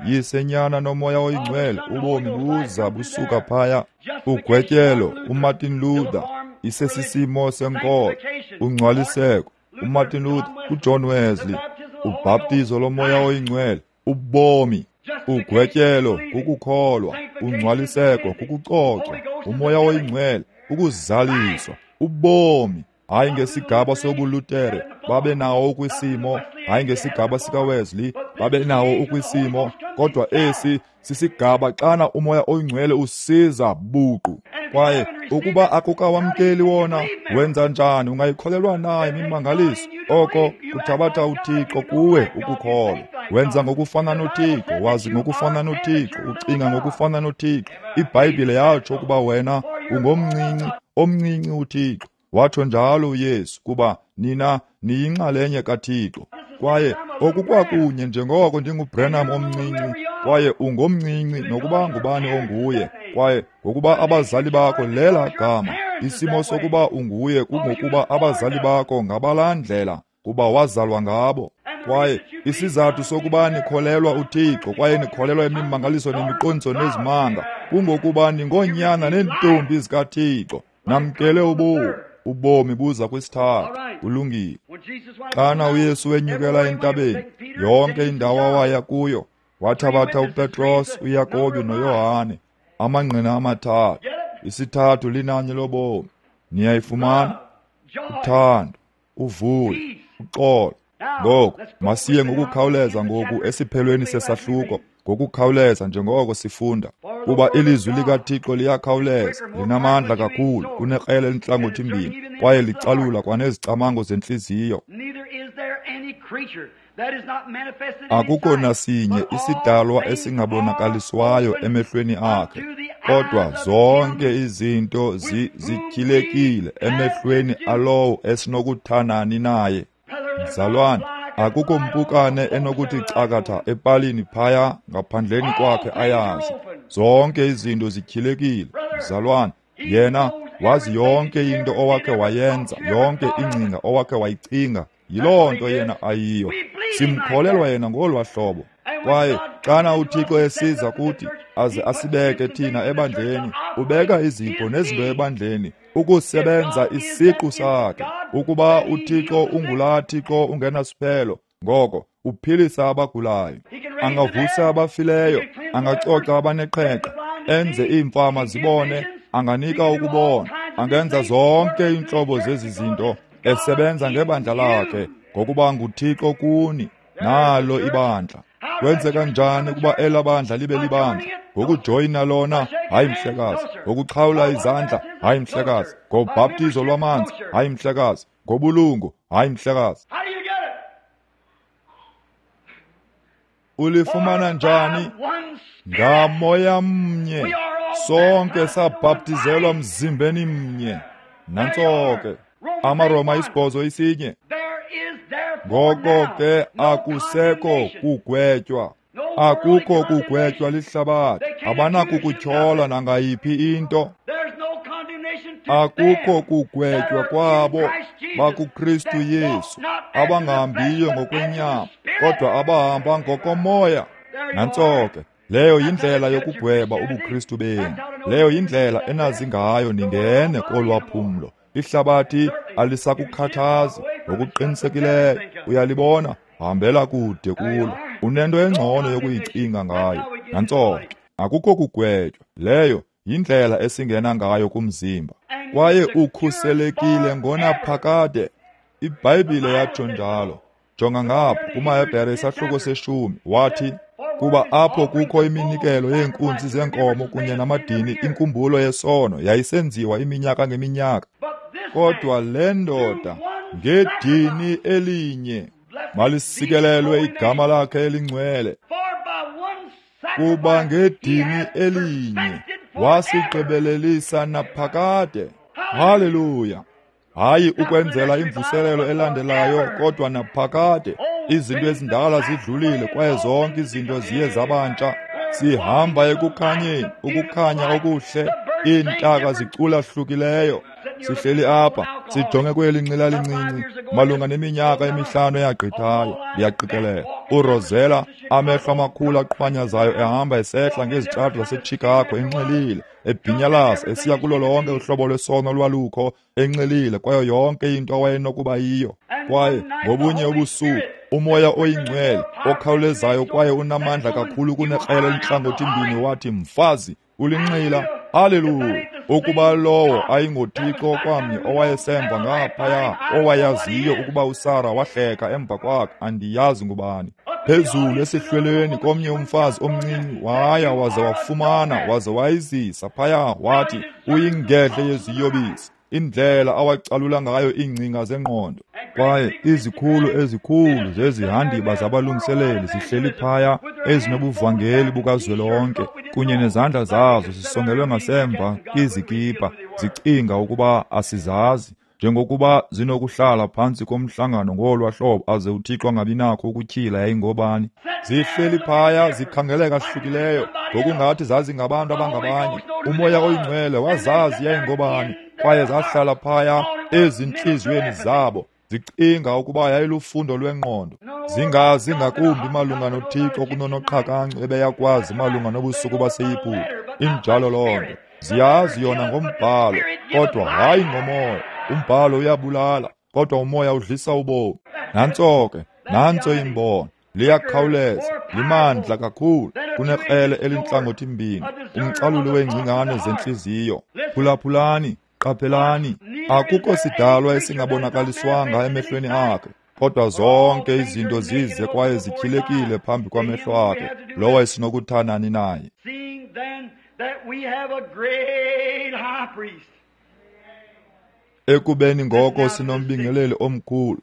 S1: Yise, Nyana noMoya oyiNgcwele, ubomi buza busuka phaya. Ugwetyelo, uMartin Luther, isesisimo senkolo, ungcwaliseko, uMartin Luther, uJohn Wesley, Ubhaptizo loMoya oyiNgcwele, ubomi. Ugwetyelo kukukholwa, ungcwaliseko kukucocwa, uMoya oyiNgcwele ukuzaliswa, ubomi. Hayi ngesigaba sobuLutere babe nawo ukwisimo, hayi ngesigaba sikaWesley babe nawo ukwisimo, kodwa esi sisigaba xana uMoya oyiNgcwele usiza buqu. Kwaye ukuba akukawamkeli wona, wenza njani? Ungayikholelwa na imimangaliso? Oko kuthabatha uThixo kuwe ukukholwa. Wenza ngokufana noThixo, wazi ngokufana noThixo, ucinga ngokufana noThixo. IBhayibhile yatsho ukuba wena ungomncinci, omncinci uThixo. Watsho njalo uYesu, kuba nina niyinxalenye kaThixo. Kwaye okukwakunye njengoko ndinguBranham omncinci, kwaye ungomncinci nokuba ngubani onguye, kwaye ngokuba abazali bakho lela gama. Isimo sokuba unguye kungokuba abazali bakho ngabalaa ndlela, kuba wazalwa ngabo. Kwaye isizathu sokuba nikholelwa uThixo kwaye nikholelwa imimangaliso nemiqondiso nezimanga kungokuba ningoonyana neentombi zikaThixo. Namkele ubomi. Ubomi buza kwisithathu. Kulungile. Xana uYesu wenyukela entabeni, yonke indawo awaya kuyo, wathabatha uPetros, uYakobi noYohane, amangqina amathathu. Isithathu linani lobomi. Niyayifumana? Uthando, uvuyo, uxolo. Ngoku masiye ngokukhawuleza ngoku esiphelweni sesahluko, ngokukhawuleza njengoko sifunda, kuba ilizwi likaThixo liyakhawuleza, linamandla kakhulu kunekrele elintlangothi mbini, kwaye licalula kwanezicamango zentliziyo. Akukho nasinye isidalwa esingabonakaliswayo emehlweni akhe, kodwa zonke izinto zityhilekile emehlweni alowo esinokuthanani naye. Mzalwane, akukho mpukane enokuthi cakatha epalini phaya ngaphandleni kwakhe ayazi. Zonke izinto zityhilekile. Mzalwane, yena wazi yonke into owakhe wayenza, yonke ingcinga owakhe wayicinga. Yiloo nto yena ayiyo. Simkholelwa yena ngolwa hlobo. Kwaye xana uThixo esiza kuthi aze asibeke thina ebandleni, ubeka izipho nezinto ebandleni ukusebenza isiqu sakhe. Ukuba uThixo ungulaa Thixo ungenasiphelo, ngoko uphilisa abagulayo, angavusa abafileyo, angacoca abaneqhenqa, enze iimfama zibone, anganika ukubona, angenza zonke iintlobo zezi zinto, esebenza ngebandla lakhe, ngokuba nguThixo kuni. Nalo ibandla. Kwenzeka njani ukuba ela bandla libe libandla? Ngokujoyina lona, hayi mhlekazi. Ngokuxhawula izandla, hayi mhlekazi. Ngobhaptizo lwamanzi, hayi mhlekazi. Ngobulungu, hayi mhlekazi. Ulifumana njani? Ngamoya mnye sonke sabhaptizelwa mzimbeni mnye. Nantso ke amaRoma 8:1. Ngoko ke akusekho kugwetywa, akukho kugwetywa lihlabathi. Abanakukutyhola nangayiphi into. Akukho kugwetywa kwabo bakuKristu Yesu, abangahambiyo ngokwenyama, kodwa abahamba ngokomoya. Nantso ke, leyo yindlela yokugweba ubuKristu benu. Leyo yindlela enazi ngayo ningene kolwaphumlo. Ihlabathi alisakukhathazi ngokuqinisekileyo. Uyalibona, hambela kude kulo. Unento engcono yokuyicinga ngayo. Nantso ke, akukho kugwetywa. Leyo yindlela esingena ngayo kumzimba. Kwaye ukhuselekile ngonaphakade. IBhayibhile yatsho njalo. Jonga ngapha kumaHebhere isahluko 10, wathi, kuba apho kukho iminikelo yeenkunzi zeenkomo kunye namadini, inkumbulo yesono yayisenziwa iminyaka ngeminyaka. Kodwa le ndoda ngedini elinye, malisikelelwe igama lakhe elingcwele, kuba ngedini elinye wasigqibelelisa naphakade. Haleluya! Hayi ukwenzela imvuselelo elandelayo, kodwa naphakade. Izinto ezindala zidlulile, kwaye zonke izinto ziye zabantsha. Sihamba ekukhanyeni, ukukhanya okuhle. Iintaka zicula hlukileyo. Sihleli apha Sijonge kweli nxila lincinci malunga neminyaka emihlanu eyagqithayo, ndiyaqikelela. URosella, amehlo amakhulu aqhwanyazayo, ehamba esehla ngezitrato zaseChicago enxilile, ebhinyalaza esiya kulo lonke uhlobo lwesono lwalukho, enxilile kwayo yonke into awayenokuba yiyo. Kwaye ngobunye ubusuku uMoya oyiNgcwele okhawulezayo kwaye unamandla kakhulu kunekrele elintlangothi-mbini wathi, mfazi, ulinxila. Haleluya! Ukuba lowo ayingoThixo kwamnye owayesemva ngaphaya, owayaziyo ukuba uSara wahleka emva kwakhe, andiyazi ngubani. Phezulu esihlweleni komnye umfazi omncinci waya waze wafumana waze wayizisa phaya, wathi uyingedle yeziyobisi. Indlela awacalula ngayo iingcinga zengqondo. Kwaye izikhulu ezikhulu zezihandiba zabalungiseleli zihleli phaya, ezinobuvangeli bukazwelonke, kunye nezandla zazo zisongelwe ngasemva kwizikipa, zicinga ukuba asizazi, njengokuba zinokuhlala phantsi komhlangano ngolwa hlobo aze uThixo angabinakho ukutyhila yayingobani. Zihleli phaya zikhangeleka hlukileyo, ngokungathi zazingabantu abangabanye. UMoya oyiNgcwele wazazi yayingobani, kwaye zahlala phaya ezintliziyweni zabo, zicinga ukuba yayilufundo lwengqondo. Zingazi ngakumbi malunga noThixo kunonoqhakancu ebeyakwazi malunga nobusuku baseYiputa. Injalo loo nto. Ziyazi yona ngombhalo, kodwa hayi ngomoya. Umbhalo uyabulala, kodwa umoya udlisa ubomi. Nantso ke, nantso imbono. Liyakhawuleza, limandla kakhulu kunekrele elintlangothi-mbini, umcaluli weengcingane zentliziyo. Phulaphulani, qaphelani, akukho sidalwa esingabonakaliswanga emehlweni akhe, kodwa zonke izinto zize kwaye zityhilekile phambi kwamehlo akhe, lowo esinokuthanani naye. Ekubeni ngoko sinombingeleli omkhulu,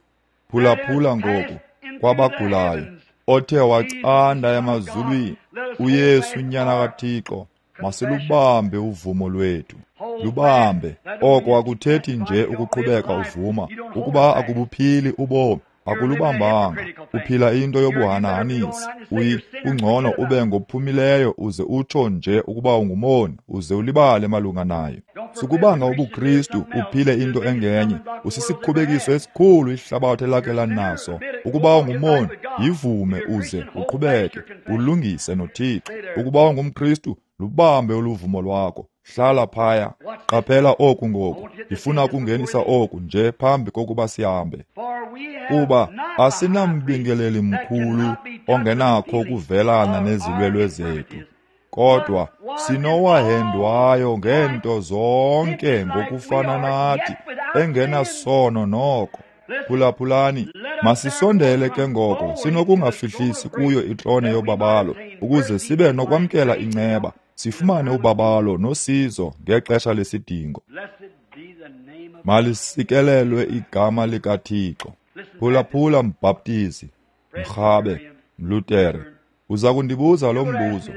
S1: phulaphula ngoku kwabagulayo, othe wacanda emazulwini, uYesu uNyana kaThixo, masilubambe uvumo lwethu. Lubambe. Oko akuthethi nje ukuqhubeka uvuma. Ukuba akubuphili ubomi, akulubambanga. Uphila into yobuhanahanisi. Kungcono ube ngophumileyo uze utsho nje ukuba ungumoni, uze ulibale malunga nayo. Sukubanga ubuKristu uphile into engenye. Usisikhubekiso esikhulu ihlabathi elakhe lanaso. Ukuba ungumoni, yivume uze uqhubeke, ulungise noThixo. Ukuba ungumKristu, lubambe uluvumo lwakho. Hlala phaya. Qaphela oku ngoku. Ndifuna ukungenisa oku nje phambi kokuba sihambe. Kuba asinambingeleli mkhulu ongenakho ukuvelana nezilwelwe zethu, kodwa sinowahendwayo ngeento zonke ngokufana nathi, engenasono noko. Phulaphulani, masisondele ke ngoko sinokungafihlisi kuyo itrone yobabalo, ukuze sibe nokwamkela inceba, sifumane ubabalo nosizo ngexesha lesidingo. Malisikelelwe igama likaThixo. Phulaphula mbhaptizi, mrhabe, mlutere, uza kundibuza lo mbuzo.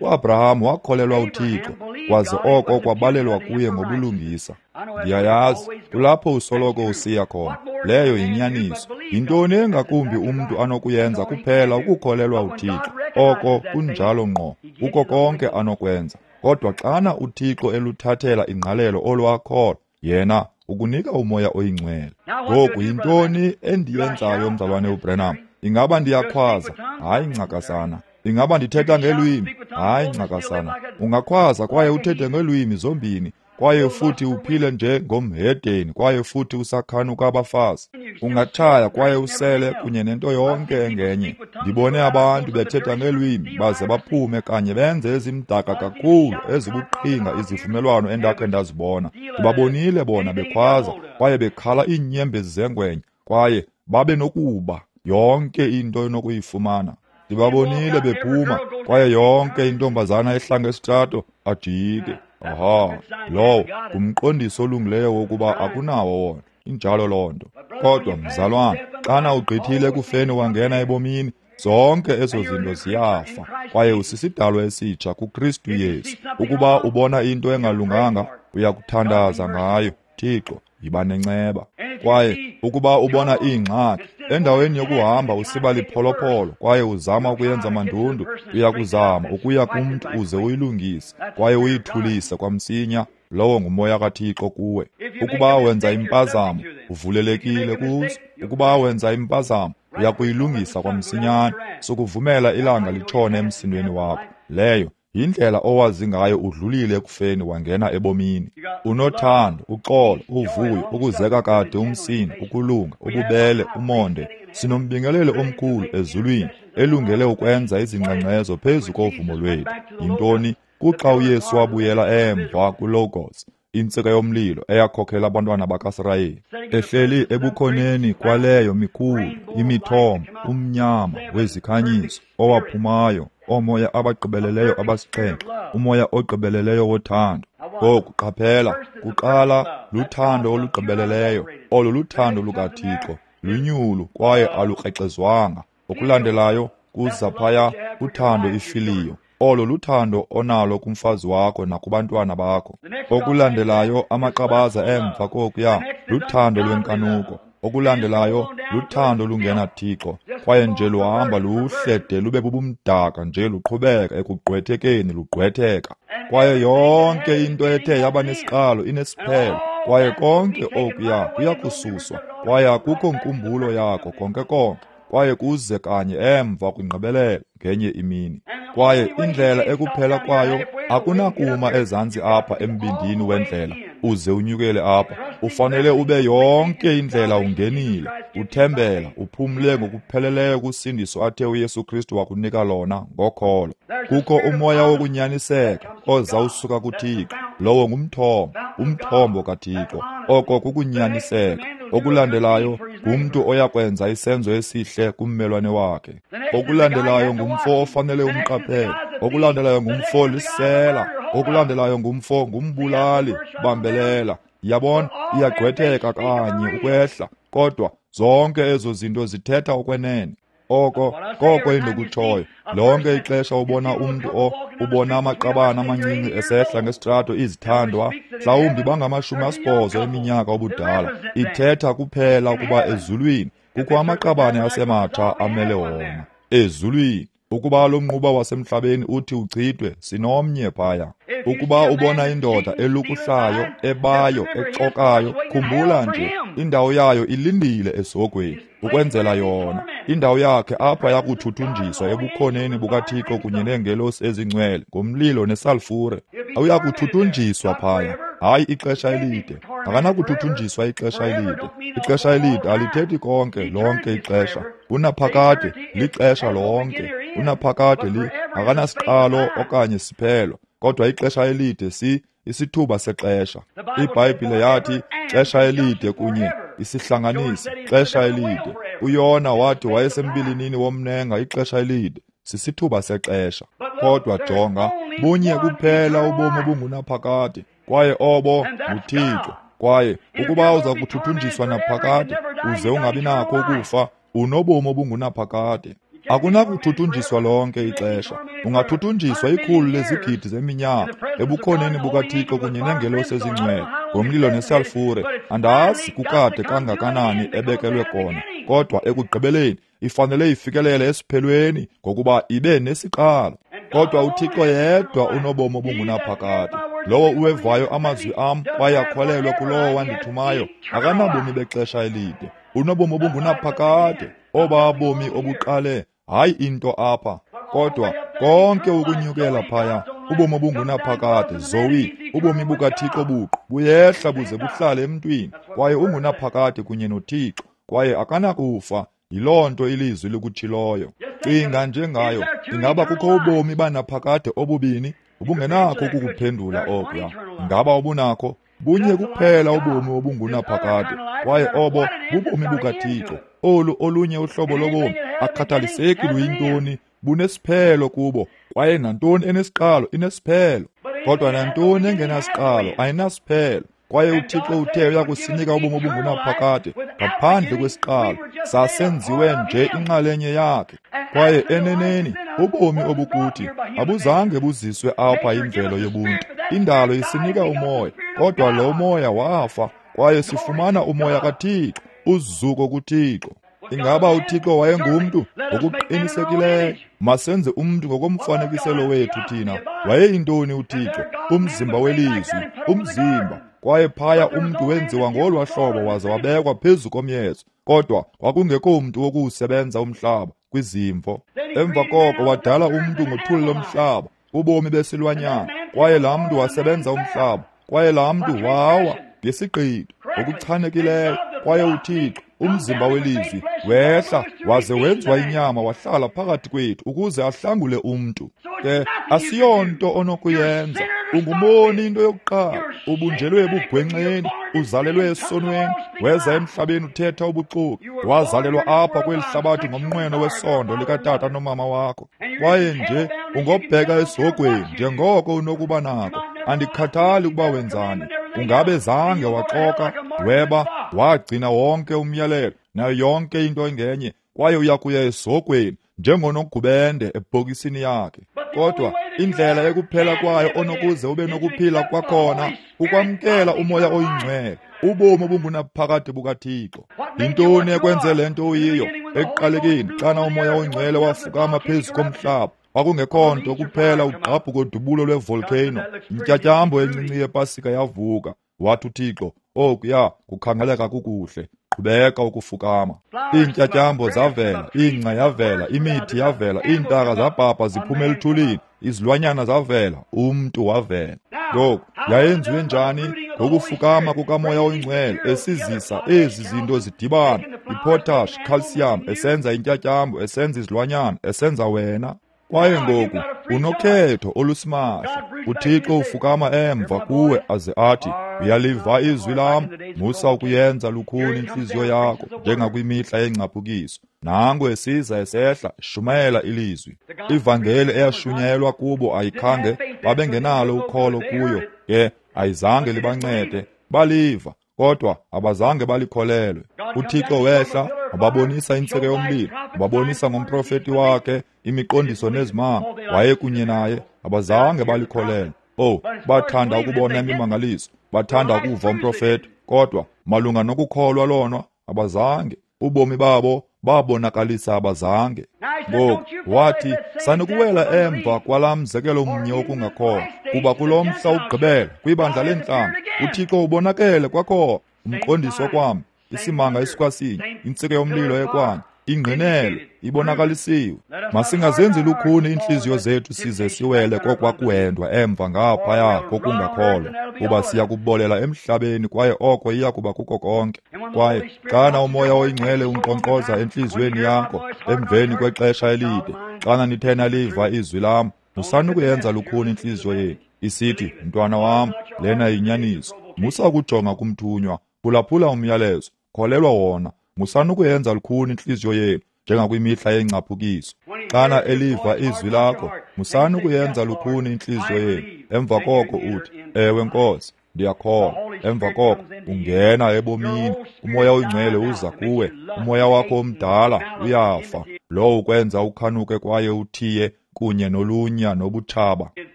S1: UAbraham wakholelwa uThixo, kwaze oko kwabalelwa kuye ngobulungisa. Ndiyayazi, kulapho usoloko usiya khona. Leyo yinyaniso. Yintoni engakumbi umntu anokuyenza kuphela ukukholelwa uThixo? Oko kunjalo ngqo, kuko konke anokwenza. Kodwa xana uThixo eluthathela ingqalelo olwakholo, yena ukunika uMoya oyiNgcwele. Ngoku yintoni endiyenzayo, mzalwane uBrenham? Ingaba ndiyakhwaza? Hayi ncakasana. Ingaba ndithetha ngelwimi? Hayi ncakasana. Ungakhwaza kwaye uthethe ngelwimi zombini, kwaye futhi uphile nje ngomhedeni, kwaye futhi usakhanuka abafazi. Ungatshaya kwaye usele kunye nento yonke engenye. Ndibone abantu bethetha ngelwimi baze baphume kanye benze ezimdaka kakhulu ezibuqhinga izivumelwano endakhe ndazibona. Ndibabonile bona bekhwaza kwaye bekhala iinyembezi zengwenya, kwaye babe nokuba yonke into enokuyifumana. Ndibabonile bephuma kwaye yonke intombazana ehla ngesitrato ajike. Aha, lowo ngumqondiso olungileyo wokuba akunawo wona. Injalo loo nto. Kodwa mzalwana, xana ugqithile ekufeni wangena ebomini, zonke ezo zinto ziyafa, kwaye usisidalwa esitsha kuKristu Yesu. Ukuba ubona into engalunganga, uyakuthandaza ngayo. Thixo, yiba nenceba. Kwaye ukuba ubona iingxaki, endaweni yokuhamba usiba lipholopholo kwaye uzama ukuyenza mandundu, uyakuzama ukuya kumntu uze uyilungise kwaye uyithulise kwamsinya. Lowo ngumoya kaThixo kuwe. Ukuba wenza impazamo, uvulelekile kuzo. Ukuba wenza impazamo, uya kuyilungisa kwamsinyane. Sukuvumela ilanga litshone emsindweni wakho. Leyo yindlela owazi ngayo udlulile ekufeni wangena ebomini. Unothando, uxolo, uvuyo, ukuzeka kade umsindo, ukulunga, ububele, umonde. Sinombingeleli omkhulu ezulwini elungele ukwenza izingxengxezo phezu kovumo lwethu. Yintoni? Kuxa uYesu wabuyela emva kuLogos, intsika yomlilo eyakhokhela abantwana bakaSirayeli, ehleli ebukhoneni kwaleyo mikhulu imithombo, umnyama wezikhanyiso owaphumayo, oomoya abagqibeleleyo abasixhenxe, umoya ogqibeleleyo wothando. Ngoku qaphela, kuqala luthando olugqibeleleyo, olo luthando lukaThixo, lunyulu kwaye alukrexezwanga. Okulandelayo kuza phaya uthando ifiliyo, olo luthando onalo kumfazi wakho nakubantwana bakho. Okulandelayo amaqabaza emva kokuya luthando lwenkanuko. Okulandelayo luthando lungenaThixo, kwaye nje luhamba luhle de lube bubumdaka nje, luqhubeka ekugqwethekeni, lugqwetheka. Kwaye yonke into ethe yaba nesiqalo inesiphelo, kwaye konke okuya kuyakususwa, kwaye akukho nkumbulo yako konke konke, kwaye kuze kanye emva kwingqibelelo ngenye imini. Kwaye indlela ekuphela kwayo, akunakuma ezantsi apha embindini wendlela uze unyukele apha. Ufanele ube yonke indlela ungenile, uthembela, uphumle ngokupheleleyo kusindiso athe uYesu Kristu wakunika lona ngokholo. Kukho umoya wokunyaniseka oza usuka kuThixo. Lowo ngumthombo, umthombo kaThixo. Oko kukunyaniseka. Okulandelayo ngumntu oyakwenza isenzo esihle kummelwane wakhe. Okulandelayo ngumfo ofanele umqaphele. Okulandelayo ngumfo lisela. Okulandelayo ngumfo ngumbulali, bambelela. Yabona, iyagqwetheka kanye ukwehla, kodwa zonke ezo zinto zithetha okwenene. Oko koko endikutshoyo. Lonke ixesha ubona umntu ubona amaqabane amancinci esehla ngesitrato izithandwa, mhlawumbi bangama-80 eminyaka obudala, ithetha kuphela ukuba ezulwini kukho amaqabane asematsha amele wona. Ezulwini. Ukuba lo mnquba wasemhlabeni uthi uchithwe, sinomnye phaya. Ukuba ubona indoda elukuhlayo, ebayo, exokayo, khumbula nje, indawo yayo ilindile esihogweni ukwenzela yona. Indawo yakhe apha yakuthuthunjiswa ebukhoneni bukaThixo kunye neengelosi ezingcwele ngomlilo nesalfure. Uyakuthuthunjiswa phaya, hayi ixesha elide. Akanakuthuthunjiswa ixesha elide. Ixesha elide alithethi konke lonke ixesha. Unaphakade lixesha lonke. Unaphakade li akanasiqalo okanye siphelo, kodwa ixesha elide si isithuba sexesha. IBhayibhile yathi xesha elide kunye isihlanganisi xesha elide. uYona wathi wayesembilinini womnenga ixesha elide, sisithuba sexesha. Kodwa jonga, bunye kuphela ubomi obungunaphakade, kwaye obo nguThixo. Kwaye ukuba uza kuthuthunjiswa naphakade uze ungabi nakho ukufa, unobomi obungunaphakade. Akunakuthuthunjiswa lonke ixesha. Ungathuthunjiswa 100 lezigidi zeminyaka ebukhoneni bukaThixo kunye neengelosi ezingcwele ngomlilo nesalfure. Andazi kukade kangakanani ebekelwe kona, kodwa ekugqibeleni ifanele ifikelele esiphelweni ngokuba ibe nesiqalo. Kodwa uThixo yedwa unobomi obungunaphakade. Lowo uwevayo amazwi am kwaye akholelwe kulowo wandithumayo akanabomi bexesha elide, unobomi obungunaphakade, oba bomi obuqale, hayi into apha, kodwa konke ukunyukela phaya, ubomi obungunaphakade, Zoe, ubomi bukaThixo buqu buyehla buze buhlale emntwini, kwaye ungunaphakade kunye noThixo, kwaye akanakufa. Yiloo nto ilizwi likutshiloyo. Cinga njengayo, ingaba kukho ubomi banaphakade obubini? Ubungenakho ukukuphendula okuya. Ingaba ubunakho? Bunye kuphela ubomi obungunaphakade, kwaye obo bubomi bukaThixo. Olu olunye uhlobo lobomi akhathaliseki luyintoni, bunesiphelo kubo, kwaye nantoni enesiqalo inesiphelo. Kodwa nantoni engenasiqalo ayinasiphelo. Kwaye uThixo uthe uyakusinika ubomi obungunaphakade ngaphandle kwesiqalo, sasenziwe nje inxalenye yakhe. Kwaye eneneni ubomi obukuthi abuzange buziswe apha imvelo yobuntu. Indalo isinika umoya, kodwa lo moya wafa, kwaye sifumana umoya kaThixo, uzuko kuThixo. Ingaba uThixo wayengumntu? Ngokuqinisekileyo. Masenze umntu ngokomfanekiselo wethu thina. Wayeyintoni uThixo? Umzimba welizwi, umzimba. Kwaye phaya umntu wenziwa ngolwa hlobo waze wabekwa phezu komyezo. Kodwa kwakungekho mntu wokuwusebenza umhlaba kwizimvo. Emva koko wadala umntu ngothuli lomhlaba, ubomi besilwanyana. Kwaye laa mntu wasebenza umhlaba. Kwaye laa mntu wawa ngesigqitho ngokuchanekileyo. Kwaye uThixo, umzimba welizwi, wehla waze wenziwa inyama wahlala phakathi kwethu ukuze ahlangule umntu. Ke asiyonto onokuyenza. Ungumoni into yokuqala, ubunjelwe ebugwenxeni, uzalelwe esonweni, weza emhlabeni uthetha ubuxoki, wazalelwa apha kweli hlabathi ngomnqweno wesondo likatata nomama wakho. Kwaye nje ungobheka esihogweni njengoko unokuba nako. Andikhathali ukuba wenzani. Ungabe zange waxoka, weba, wagcina wonke umyalelo nayo yonke into engenye, kwaye uya kuya esihogweni njengonogubende ebhokisini yakhe. Kodwa indlela ekuphela kwayo onokuze ube nokuphila kwakhona ukwamkela uMoya oyiNgcwele, ubomi obungunaphakade bukaThixo. Yintoni ekwenze le nto uyiyo? Ekuqalekeni, xana uMoya oyiNgcwele wafukama phezu komhlaba, kwakungekho nto kuphela ugqabhuko dubulo lwevolcano. Intyatyambo encinci yepasika yavuka. Wathi uThixo, okuya kukhangeleka kukuhle, qhubeka ukufukama. Iintyatyambo zavela, ingca yavela, imithi yavela, iintaka zabhabha ziphuma eluthulini, izilwanyana zavela, umntu wavela. Ngoku yayenziwe njani? Ngokufukama kukaMoya oyiNgcwele esizisa ezi zinto zidibana, ipotash, calcium, esenza intyatyambo, esenza izilwanyana, esenza wena. Kwaye ngoku unokhetho olusimahla. uThixo ufukama emva kuwe aze athi, uyaliva izwi lam, musa ukuyenza lukhuni intliziyo yakho njengakwimihla yengcaphukiso. Nango esiza esehla, shumayela ilizwi. Ivangeli eyashunyayelwa kubo ayikhange babengenalo ukholo kuyo, ke ayizange libancede. Baliva, kodwa abazange balikholelwe. uThixo wehla, wababonisa intsika yomlilo, wababonisa ngomprofeti wakhe imiqondiso nezimanga. Wayekunye naye, abazange balikholelwe. Oh, bathanda ukubona imimangaliso, bathanda ukuva umprofeti, kodwa malunga nokukholwa lona abazange. Ubomi babo babonakalisa abazange. Ngoku wathi, sanukuwela emva kwalaa mzekelo mnye wokungakholwa, kuba kulo mhla ugqibela kwibandla leentlanga uThixo ubonakele kwakhona, umqondiso kwam, isimanga esikwasinye, intsika yomlilo ekwanye, ingqinelo ibonakalisiwe. Masingazenzi lukhuni iintliziyo zethu size siwele kokwakuhendwa emva ngaphaya kokungakholwa, kuba siya kubolela emhlabeni kwaye oko iya kuba kuko konke. Kwaye xana uMoya oyiNgcwele unkqonkqoza entliziyweni yakho emveni kwexesha elide, xana nithe naliva izwi lam, musanukuyenza lukhuni intliziyo yenu, isithi, mntwana wam, lena yinyaniso. Musa ukujonga kumthunywa, phulaphula umyalezo, kholelwa wona. Musanukuyenza lukhuni intliziyo yenu njengakwimihla yengcaphukiso. Xana eliva izwi lakho, musanukuyenza lukhuni intliziyo yenu. Emva koko uthi, ewe Nkosi, ndiyakholwa. Emva koko ungena ebomini. uMoya oyiNgcwele uza kuwe. Umoya wakho omdala uyafa, lowo ukwenza ukhanuke kwaye uthiye kunye nolunya nobutshaba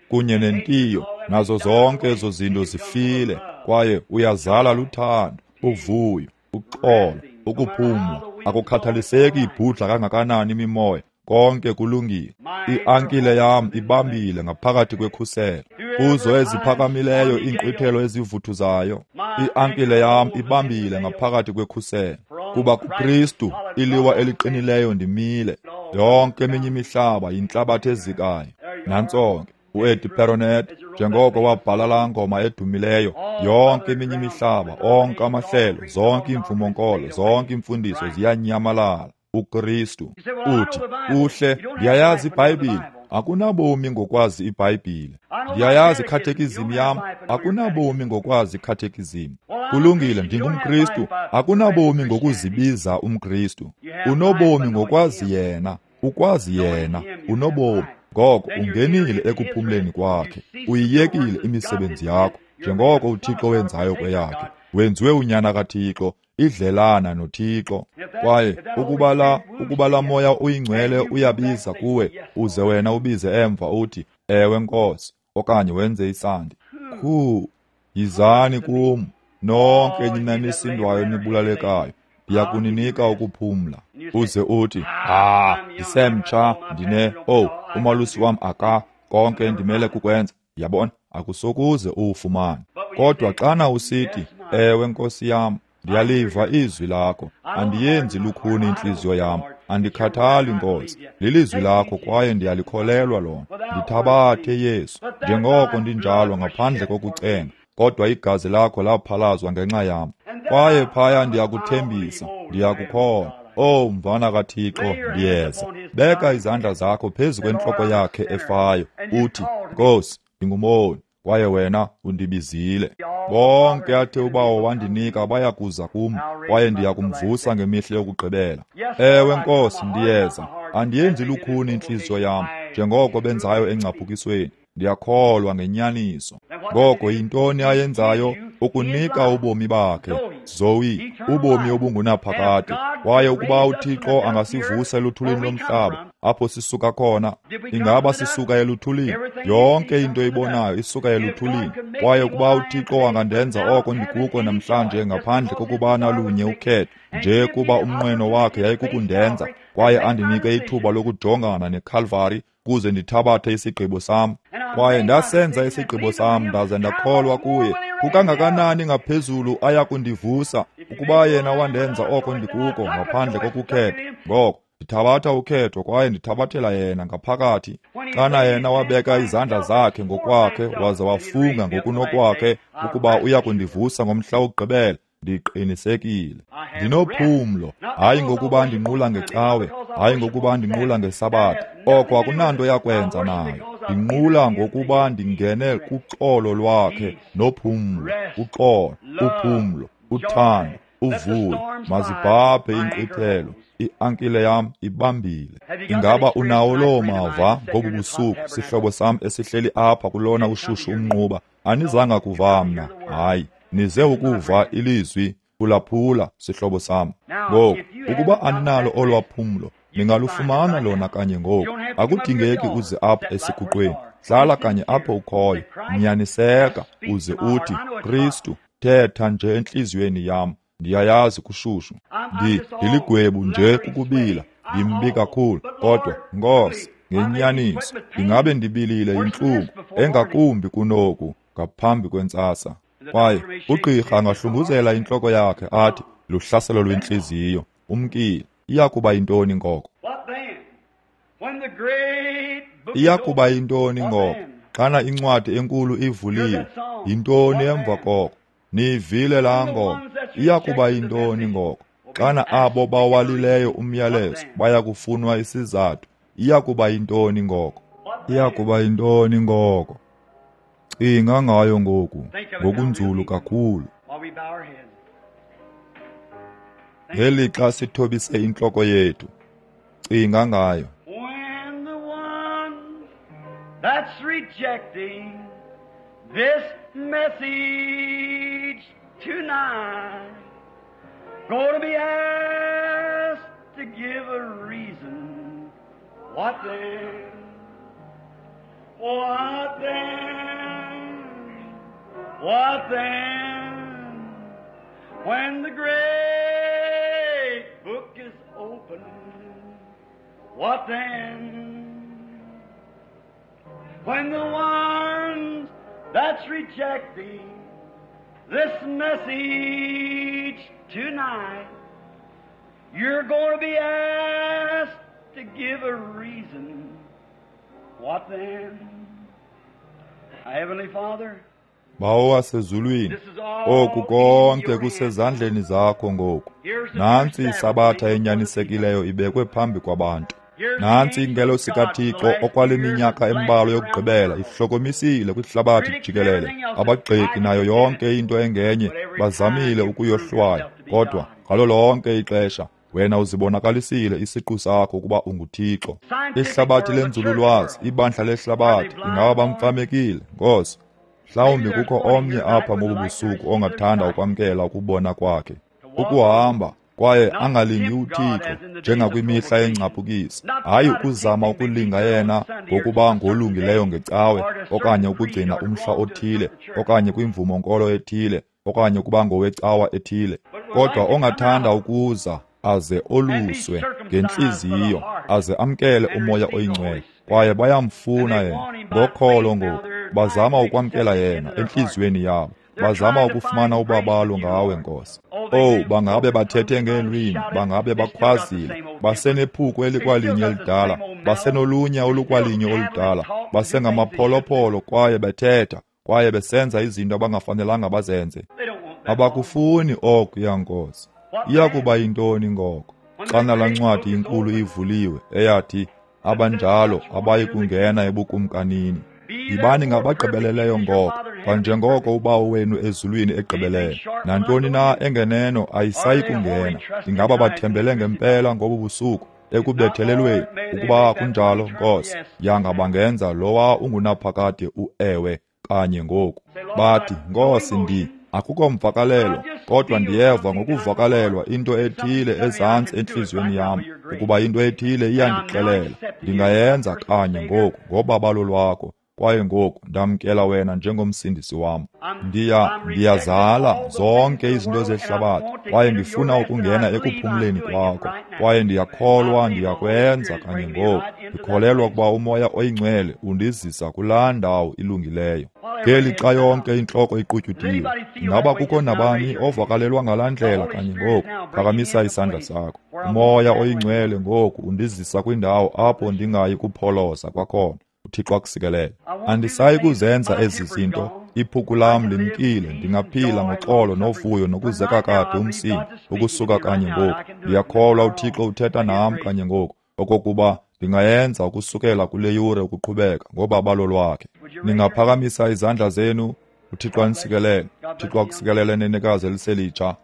S1: kunye nentiyo, nazo zonke ezo zinto zifile, kwaye uyazala luthando, uvuyo, uxolo, ukuphumla. Akukhathaliseki ibhudla kangakanani imimoya, konke kulungile. Iankile yam ibambile ngaphakathi kwekhuselo, kuzo eziphakamileyo iinkqwithelo ezivuthuzayo. Iankile yam ibambile ngaphakathi kwekhuselo, kuba kuKristu iliwa eliqinileyo ndimile. Yonke eminye imihlaba yintlabathi ezikayo. Nantso ke uEddie Perronet, njengoko wabhala laa ngoma edumileyo, yonke eminye imihlaba, onke amahlelo, zonke iimvumonkolo, zonke iimfundiso ziyanyamalala. uKristu uthi, uhle, ndiyayazi iBhayibhile. Akunabomi ngokwazi iBhayibhile. Ndiyayazi ikhathekizim yam. Akunabomi ngokwazi ikhathekizim. Kulungile, ndingumKristu. Akunabomi ngokuzibiza umKristu. Unobomi ngokwazi yena. Ukwazi yena, unobomi. Ngoko ungenile ekuphumleni kwakhe. Uyiyekile imisebenzi yakho, njengoko uThixo wenzayo kweyakhe. Wenziwe unyana kaThixo, idlelana noThixo. Kwaye ukuba la Moya uyiNgcwele uyabiza kuwe, uze wena ubize emva uthi, ewe Nkosi, okanye wenze isandi. Yizani kum, nonke nina nisindwayo nibulalekayo, Ndiyakuninika ukuphumla. Uze uthi, ndisemtsha, ndine, umalusi wam aka, konke ndimele kukwenza. Yabona, akusokuze uwufumane. Kodwa xana usithi, ewe Nkosi yam, ndiyaliva izwi lakho, andiyenzi lukhuni intliziyo yam, andikhathali Nkosi, lilizwi lakho kwaye ndiyalikholelwa lona. Ndithabathe Yesu, njengoko ndinjalo ngaphandle kokucenga, kodwa igazi lakho laphalazwa ngenxa yam. Kwaye phaya ndiyakuthembisa, ndiyakukholwa. Oh, mvana kaThixo, ndiyeza. Beka izandla zakho phezu kwentloko yakhe efayo, uthi, Nkosi, ndingumoni, kwaye wena undibizile. Bonke athe uBawo wandinika bayakuza kum, kwaye ndiyakumvusa ngemihla yokugqibela. Ewe Nkosi, ndiyeza. Andiyenzi lukhuni intliziyo yam, njengoko benzayo engcaphukisweni. Ndiyakholwa ngenyaniso. Ngoko yintoni ayenzayo? Ukunika ubomi bakhe, Zoe, ubomi obungunaphakade. Kwaye ukuba uThixo angasivusa eluthulini lomhlaba, apho sisuka khona, ingaba sisuka eluthulini? Yonke into ibonayo isuka eluthulini. Kwaye ukuba uThixo angandenza oko ndikuko namhlanje ngaphandle kokuba nalunye ukhetho, nje kuba umnqweno wakhe yayikukundenza, kwaye andinike ithuba lokujongana neKalvari kuze ndithabathe isigqibo sam. Kwaye ndasenza isigqibo sam ndaze ndakholwa kuye. Kukangakanani ngaphezulu ayakundivusa ukuba yena wandenza oko ndikuko ngaphandle kokukhetha. Ngoko ndithabatha ukhetho kwaye ndithabathela yena ngaphakathi. Xana yena wabeka izandla zakhe ngokwakhe waze wafunga ngokunokwakhe ukuba uyakundivusa ngomhla wokugqibela, ndiqinisekile. Ndinophumlo, hayi ngokuba ndinqula ngecawe, hayi ngokuba ndinqula ngesabatha. Oko akunanto yakwenza nayo. Ndinqula ngokuba ndingene kuxolo lwakhe nophumlo, uxolo, uphumlo, uthando, uvuyo. Mazibhabhe inkqwithelo, iankile yam ibambile. Ingaba unawo loo mava ngobu busuku, sihlobo sam esihleli apha kulona ushushu umnquba? Anizanga kuva mna, hayi. Nize ukuva ilizwi, phulaphula, sihlobo sam. Ngoku, ukuba aninalo olwaphumlo, ningalufumana lona kanye ngoku. Akudingeki uze apha esiguqweni. Hlala kanye apho ukhoyo, nyaniseka, uze uthi, Kristu, thetha nje entliziyweni yam. Ndiyayazi kushushu. Ndiligwebu nje kukubila, ndimbi kakhulu, kodwa Nkosi, ngenyaniso, ndingabe ndibilile yintlungu engakumbi kunoku ngaphambi kwentsasa. Kwaye ugqirha angahlunguzela intloko yakhe athi luhlaselo lwentliziyo, umkile. Iyakuba yintoni ngoko? Iyakuba yintoni ngoko? Xana incwadi enkulu ivuliwe, yintoni emva koko? Niyivile laa ngoma. Iyakuba yintoni ngoko? Xana abo bawalileyo umyalezo bayakufunwa isizathu, iyakuba yintoni ngoko? Iyakuba yintoni ngoko? Cinga ngayo ngoku, ngokunzulu kakhulu. Ngelixa sithobise intloko yethu, cinga ngayo.
S2: When the one that's rejecting this message tonight going to be asked to give a reason, what then? What then? What then? When the great book is opened, what then? When the ones that's rejecting this message tonight, you're going to be asked to give a reason. What then? Heavenly Father,
S1: Bawo wasezulwini, oku konke kusezandleni zakho ngoku. Nantsi isabatha enyanisekileyo ibekwe phambi kwabantu. Nantsi ingelosi kaThixo okwale minyaka embalwa yokugqibela ihlokomisile kwihlabathi jikelele. Abagxeki nayo yonke into engenye bazamile ukuyohlwaya, kodwa ngalo lonke ixesha wena uzibonakalisile isiqu sakho ukuba unguThixo. Ihlabathi lenzululwazi, ibandla lehlabathi, ingaba bamfamekile, Nkosi? Mhlawumbi kukho omnye apha ngobu busuku ongathanda ukwamkela ukubona kwakhe, ukuhamba kwaye angalingi uThixo njengakwimihla yengcaphukisi, hayi ukuzama ukulinga yena ngokuba ngolungileyo ngecawe, okanye ukugcina umhla othile, okanye kwimvumo nkolo ethile, okanye ukuba ngowecawa ethile. kodwa ongathanda ukuza aze oluswe ngentliziyo, aze amkele uMoya oyiNgcwele. Kwaye bayamfuna yena ngokholo ngoku, bazama ukwamkela yena entliziyweni yabo, bazama ukufumana ubabalo ngawe, Nkosi. Owu, bangabe bathethe ngeelwimi, bangabe bakhwazile, basenephuku elikwalinye elidala, basenolunya olukwalinye oludala, basengamapholopolo kwaye bethetha kwaye besenza izinto abangafanelanga bazenze. Abakufuni okuya, Nkosi. Iya kuba yintoni ngoko xana laa ncwadi inkulu ivuliwe eyathi abanjalo abayi kungena ebukumkanini? Yibani ngabagqibeleleyo ngoko, kwanjengoko uBawo wenu ezulwini egqibelele. Nantoni na engeneno ayisayi kungena. Ingaba bathembele ngempela ngobu busuku ekubethelelweni? Ukuba kunjalo, Nkosi, yanga bangenza lowa ungunaphakade uewe kanye ngoku. Bathi, Nkosi, akukho mvakalelo, kodwa ndiyeva ngokuvakalelwa into ethile ezantsi entliziyweni yam, ukuba into ethile iyandixelela ndingayenza kanye ngoku ngobabalo lwakho. Kwaye ngoku ndamkela wena njengomsindisi wam. Ndiyazala zonke izinto zehlabathi, kwaye ndifuna ukungena ekuphumleni kwakho. Kwaye ndiyakholwa ndiyakwenza kanye ngoku. Ndikholelwa ukuba uMoya oyiNgcwele undizisa kulaa ndawo ilungileyo. Ngeli xa yonke intloko iqutyudiwe, ingaba kukho nabani ovakalelwa ngalaa ndlela kanye ngoku? Phakamisa isandla sakho. uMoya oyiNgcwele ngoku undizisa kwindawo apho ndingayi kupholoza kwakhona. uThixo akusikelele. Andisayi kuzenza ezi zinto. Iphuku lam limkile, ndingaphila ngoxolo novuyo nokuzeka kade umsindo ukusuka kanye ngoku. Ndiyakholwa uThixo uthetha nam kanye ngoku, okokuba ndingayenza ukusukela kule yure ukuqhubeka ngobabalo lwakhe. Ningaphakamisa izandla zenu. uThixo anisikelele. uThixo akusikelele, nenekazi eliselitsha.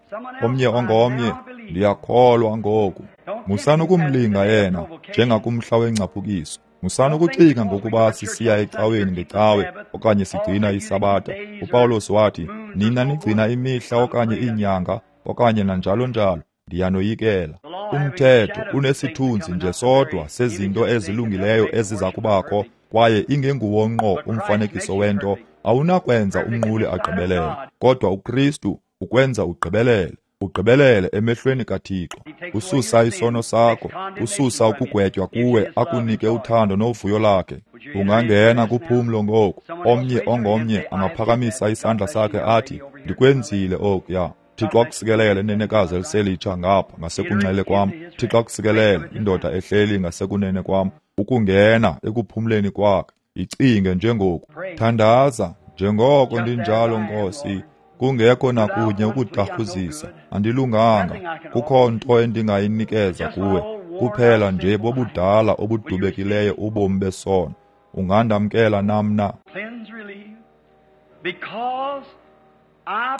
S1: Omnye ongomnye, ndiyakholwa ngoku. Musani ukumlinga yena njengakumhla wengcaphukiso. Musani ukucinga ngokuba sisiya ecaweni ngecawe okanye sigcina isabatha. uPawulos wathi, nina nigcina imihla okanye iinyanga okanye nanjalo njalo, ndiyanoyikela. Umthetho unesithunzi nje sodwa sezinto ezilungileyo eziza kubakho, kwaye ingenguwo ngqo umfanekiso wento. Awunakwenza umnquli agqibelele, kodwa uKristu ukwenza ugqibelele. Ugqibelele emehlweni kaThixo. Ususa isono sakho, ususa ukugwetywa kuwe, akunike uthando novuyo lakhe. Ungangena kuphumlo ngoku. Omnye ongomnye angaphakamisa isandla sakhe athi, ndikwenzile okuya. Thixo akusikelele, nenekazi eliselitsha ngapha ngasekunxele kwam. Thixo akusikelele, indoda ehleli ngasekunene kwam. Ukungena ekuphumleni kwakhe. Icinge njengoku. Thandaza njengoko ndinjalo, Nkosi. Kungekho nakunye ukudarhuzisa, andilunganga. Kukho nto endingayinikeza kuwe, kuphela nje bobudala obudubekileyo ubomi besono. Ungandamkela nam na?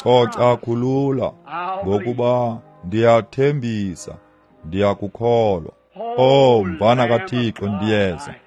S1: Coca, khulula, ngokuba ndiyathembisa, ndiyakukholwa. Oh, mvana kaThixo,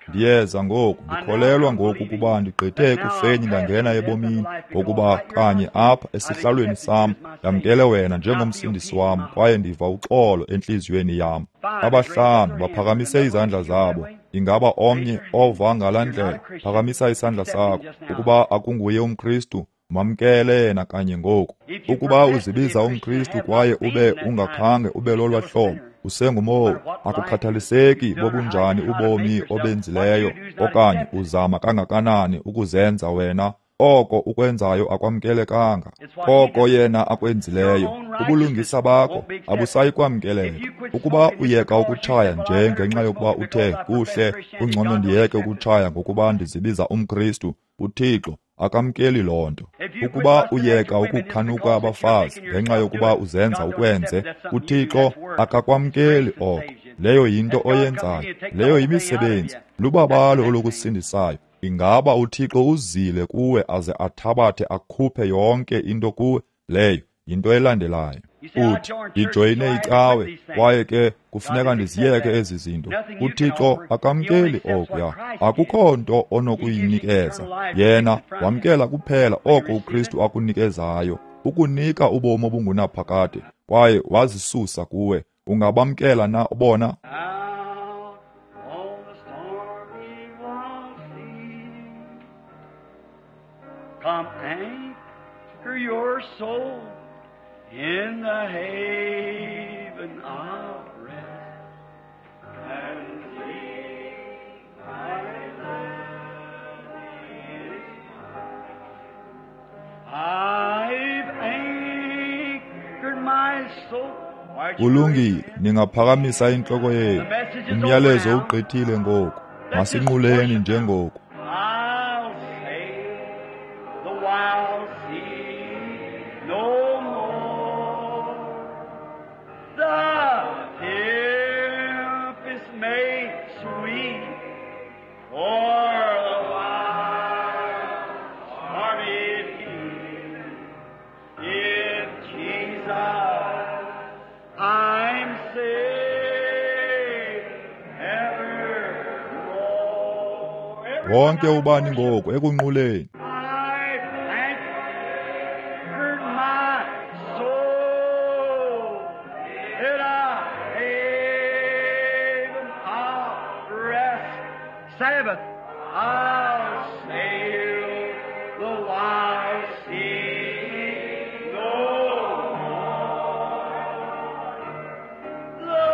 S1: ndiyeza ngoku. Ndikholelwa ngoku ukuba ndigqithe ekufeni ndangena ebomini, ngokuba kanye apha esihlalweni sam ndamkele wena njengomsindisi wam, kwaye ndiva uxolo entliziyweni yam. Abahlanu baphakamise izandla zabo. Ingaba omnye ova ngalaa ndlela? Phakamisa isandla sakho. Ukuba akunguye umKristu, mamkele yena kanye ngoku. Ukuba uzibiza umKristu kwaye ube ungakhange ube lolwa hlobo, usengumowu. Akukhathaliseki bobunjani ubomi obenzileyo okanye uzama kangakanani ukuzenza wena, oko ukwenzayo akwamkelekanga. Koko yena akwenzileyo, ubulungisa bakho abusayi kwamkeleka. Ukuba uyeka ukutshaya nje ngenxa yokuba uthe kuhle, kungcono ndiyeke ukutshaya ngokuba ndizibiza umKristu, uThixo akamkeli loo nto. Ukuba uyeka ukukhanuka abafazi ngenxa yokuba uzenza ukwenze, uThixo akakwamkeli oko. Leyo yinto oyenzayo, leyo yimisebenzi, lubabalo olukusindisayo. Ingaba uThixo uzile kuwe aze athabathe akhuphe yonke into kuwe? Leyo yinto elandelayo. Uthi, ndijoyine icawe, kwaye ke kufuneka ndiziyeke ezi zinto. uThixo akamkeli okuya. Akukho nto onokuyinikeza. Yena wamkela kuphela oko uKristu akunikezayo, ukunika ubomi obungunaphakade, kwaye wazisusa kuwe. Ungabamkela na bona?
S2: Come anchor your soul In the haven of rest and see my Lord is mine. I've anchored my soul.
S1: Kulungile, ningaphakamisa intloko yenu. Umyalezo ugqithile ngoku. Masinquleni njengoku.
S2: I'll sail the wild sea no more. The tempest may sweep o'er the wild stormy sea. If Jesus I'm saved evermore.
S1: Wonke ubani ngoku ekunquleni.
S2: I've anchored my soul in a haven of rest. Sabbath, I'll sail the wild sea no more. The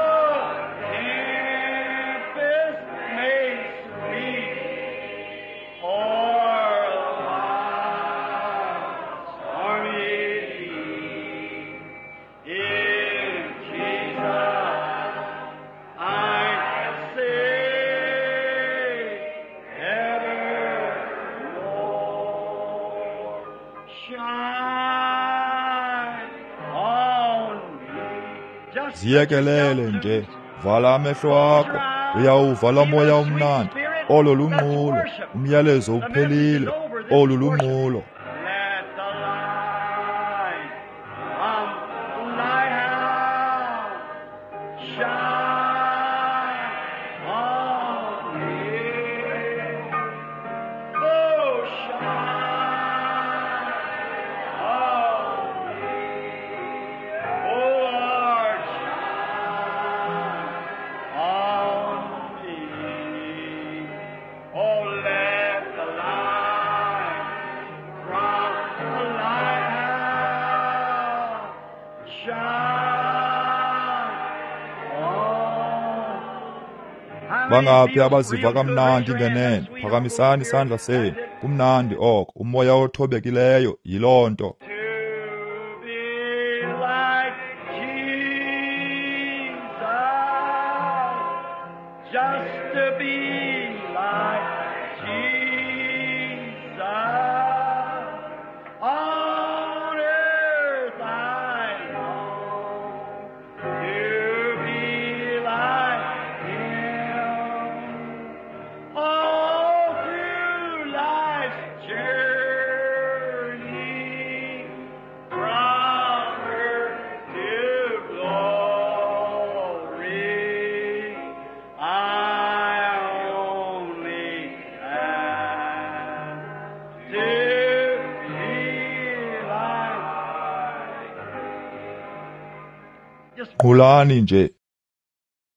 S2: tempest may sweep o'er the wild stormy sea. In Jesus I'm saved evermore. Shine on me. Just
S1: Ziyekelele nje, vala amehlo akho, uyawuva laa moya umnandi. Olo lunqulo, umyalezo uphelile. Olu lunqulo.
S2: Let the light from the lighthouse shine on me. Oh, shine on me. Oh, Lord, shine on me. Oh, let the light from the lighthouse shine on.
S1: Bangaphi abaziva kamnandi ngenene? Phakamisani isandla senu. Kumnandi oko, umoya othobekileyo yiloo nto.
S2: To be like Jesus, just to be like Jesus. On earth I long to be like Him. All through life's journey, from earth to glory, I only ask to be like. Just
S1: Nqulani nje,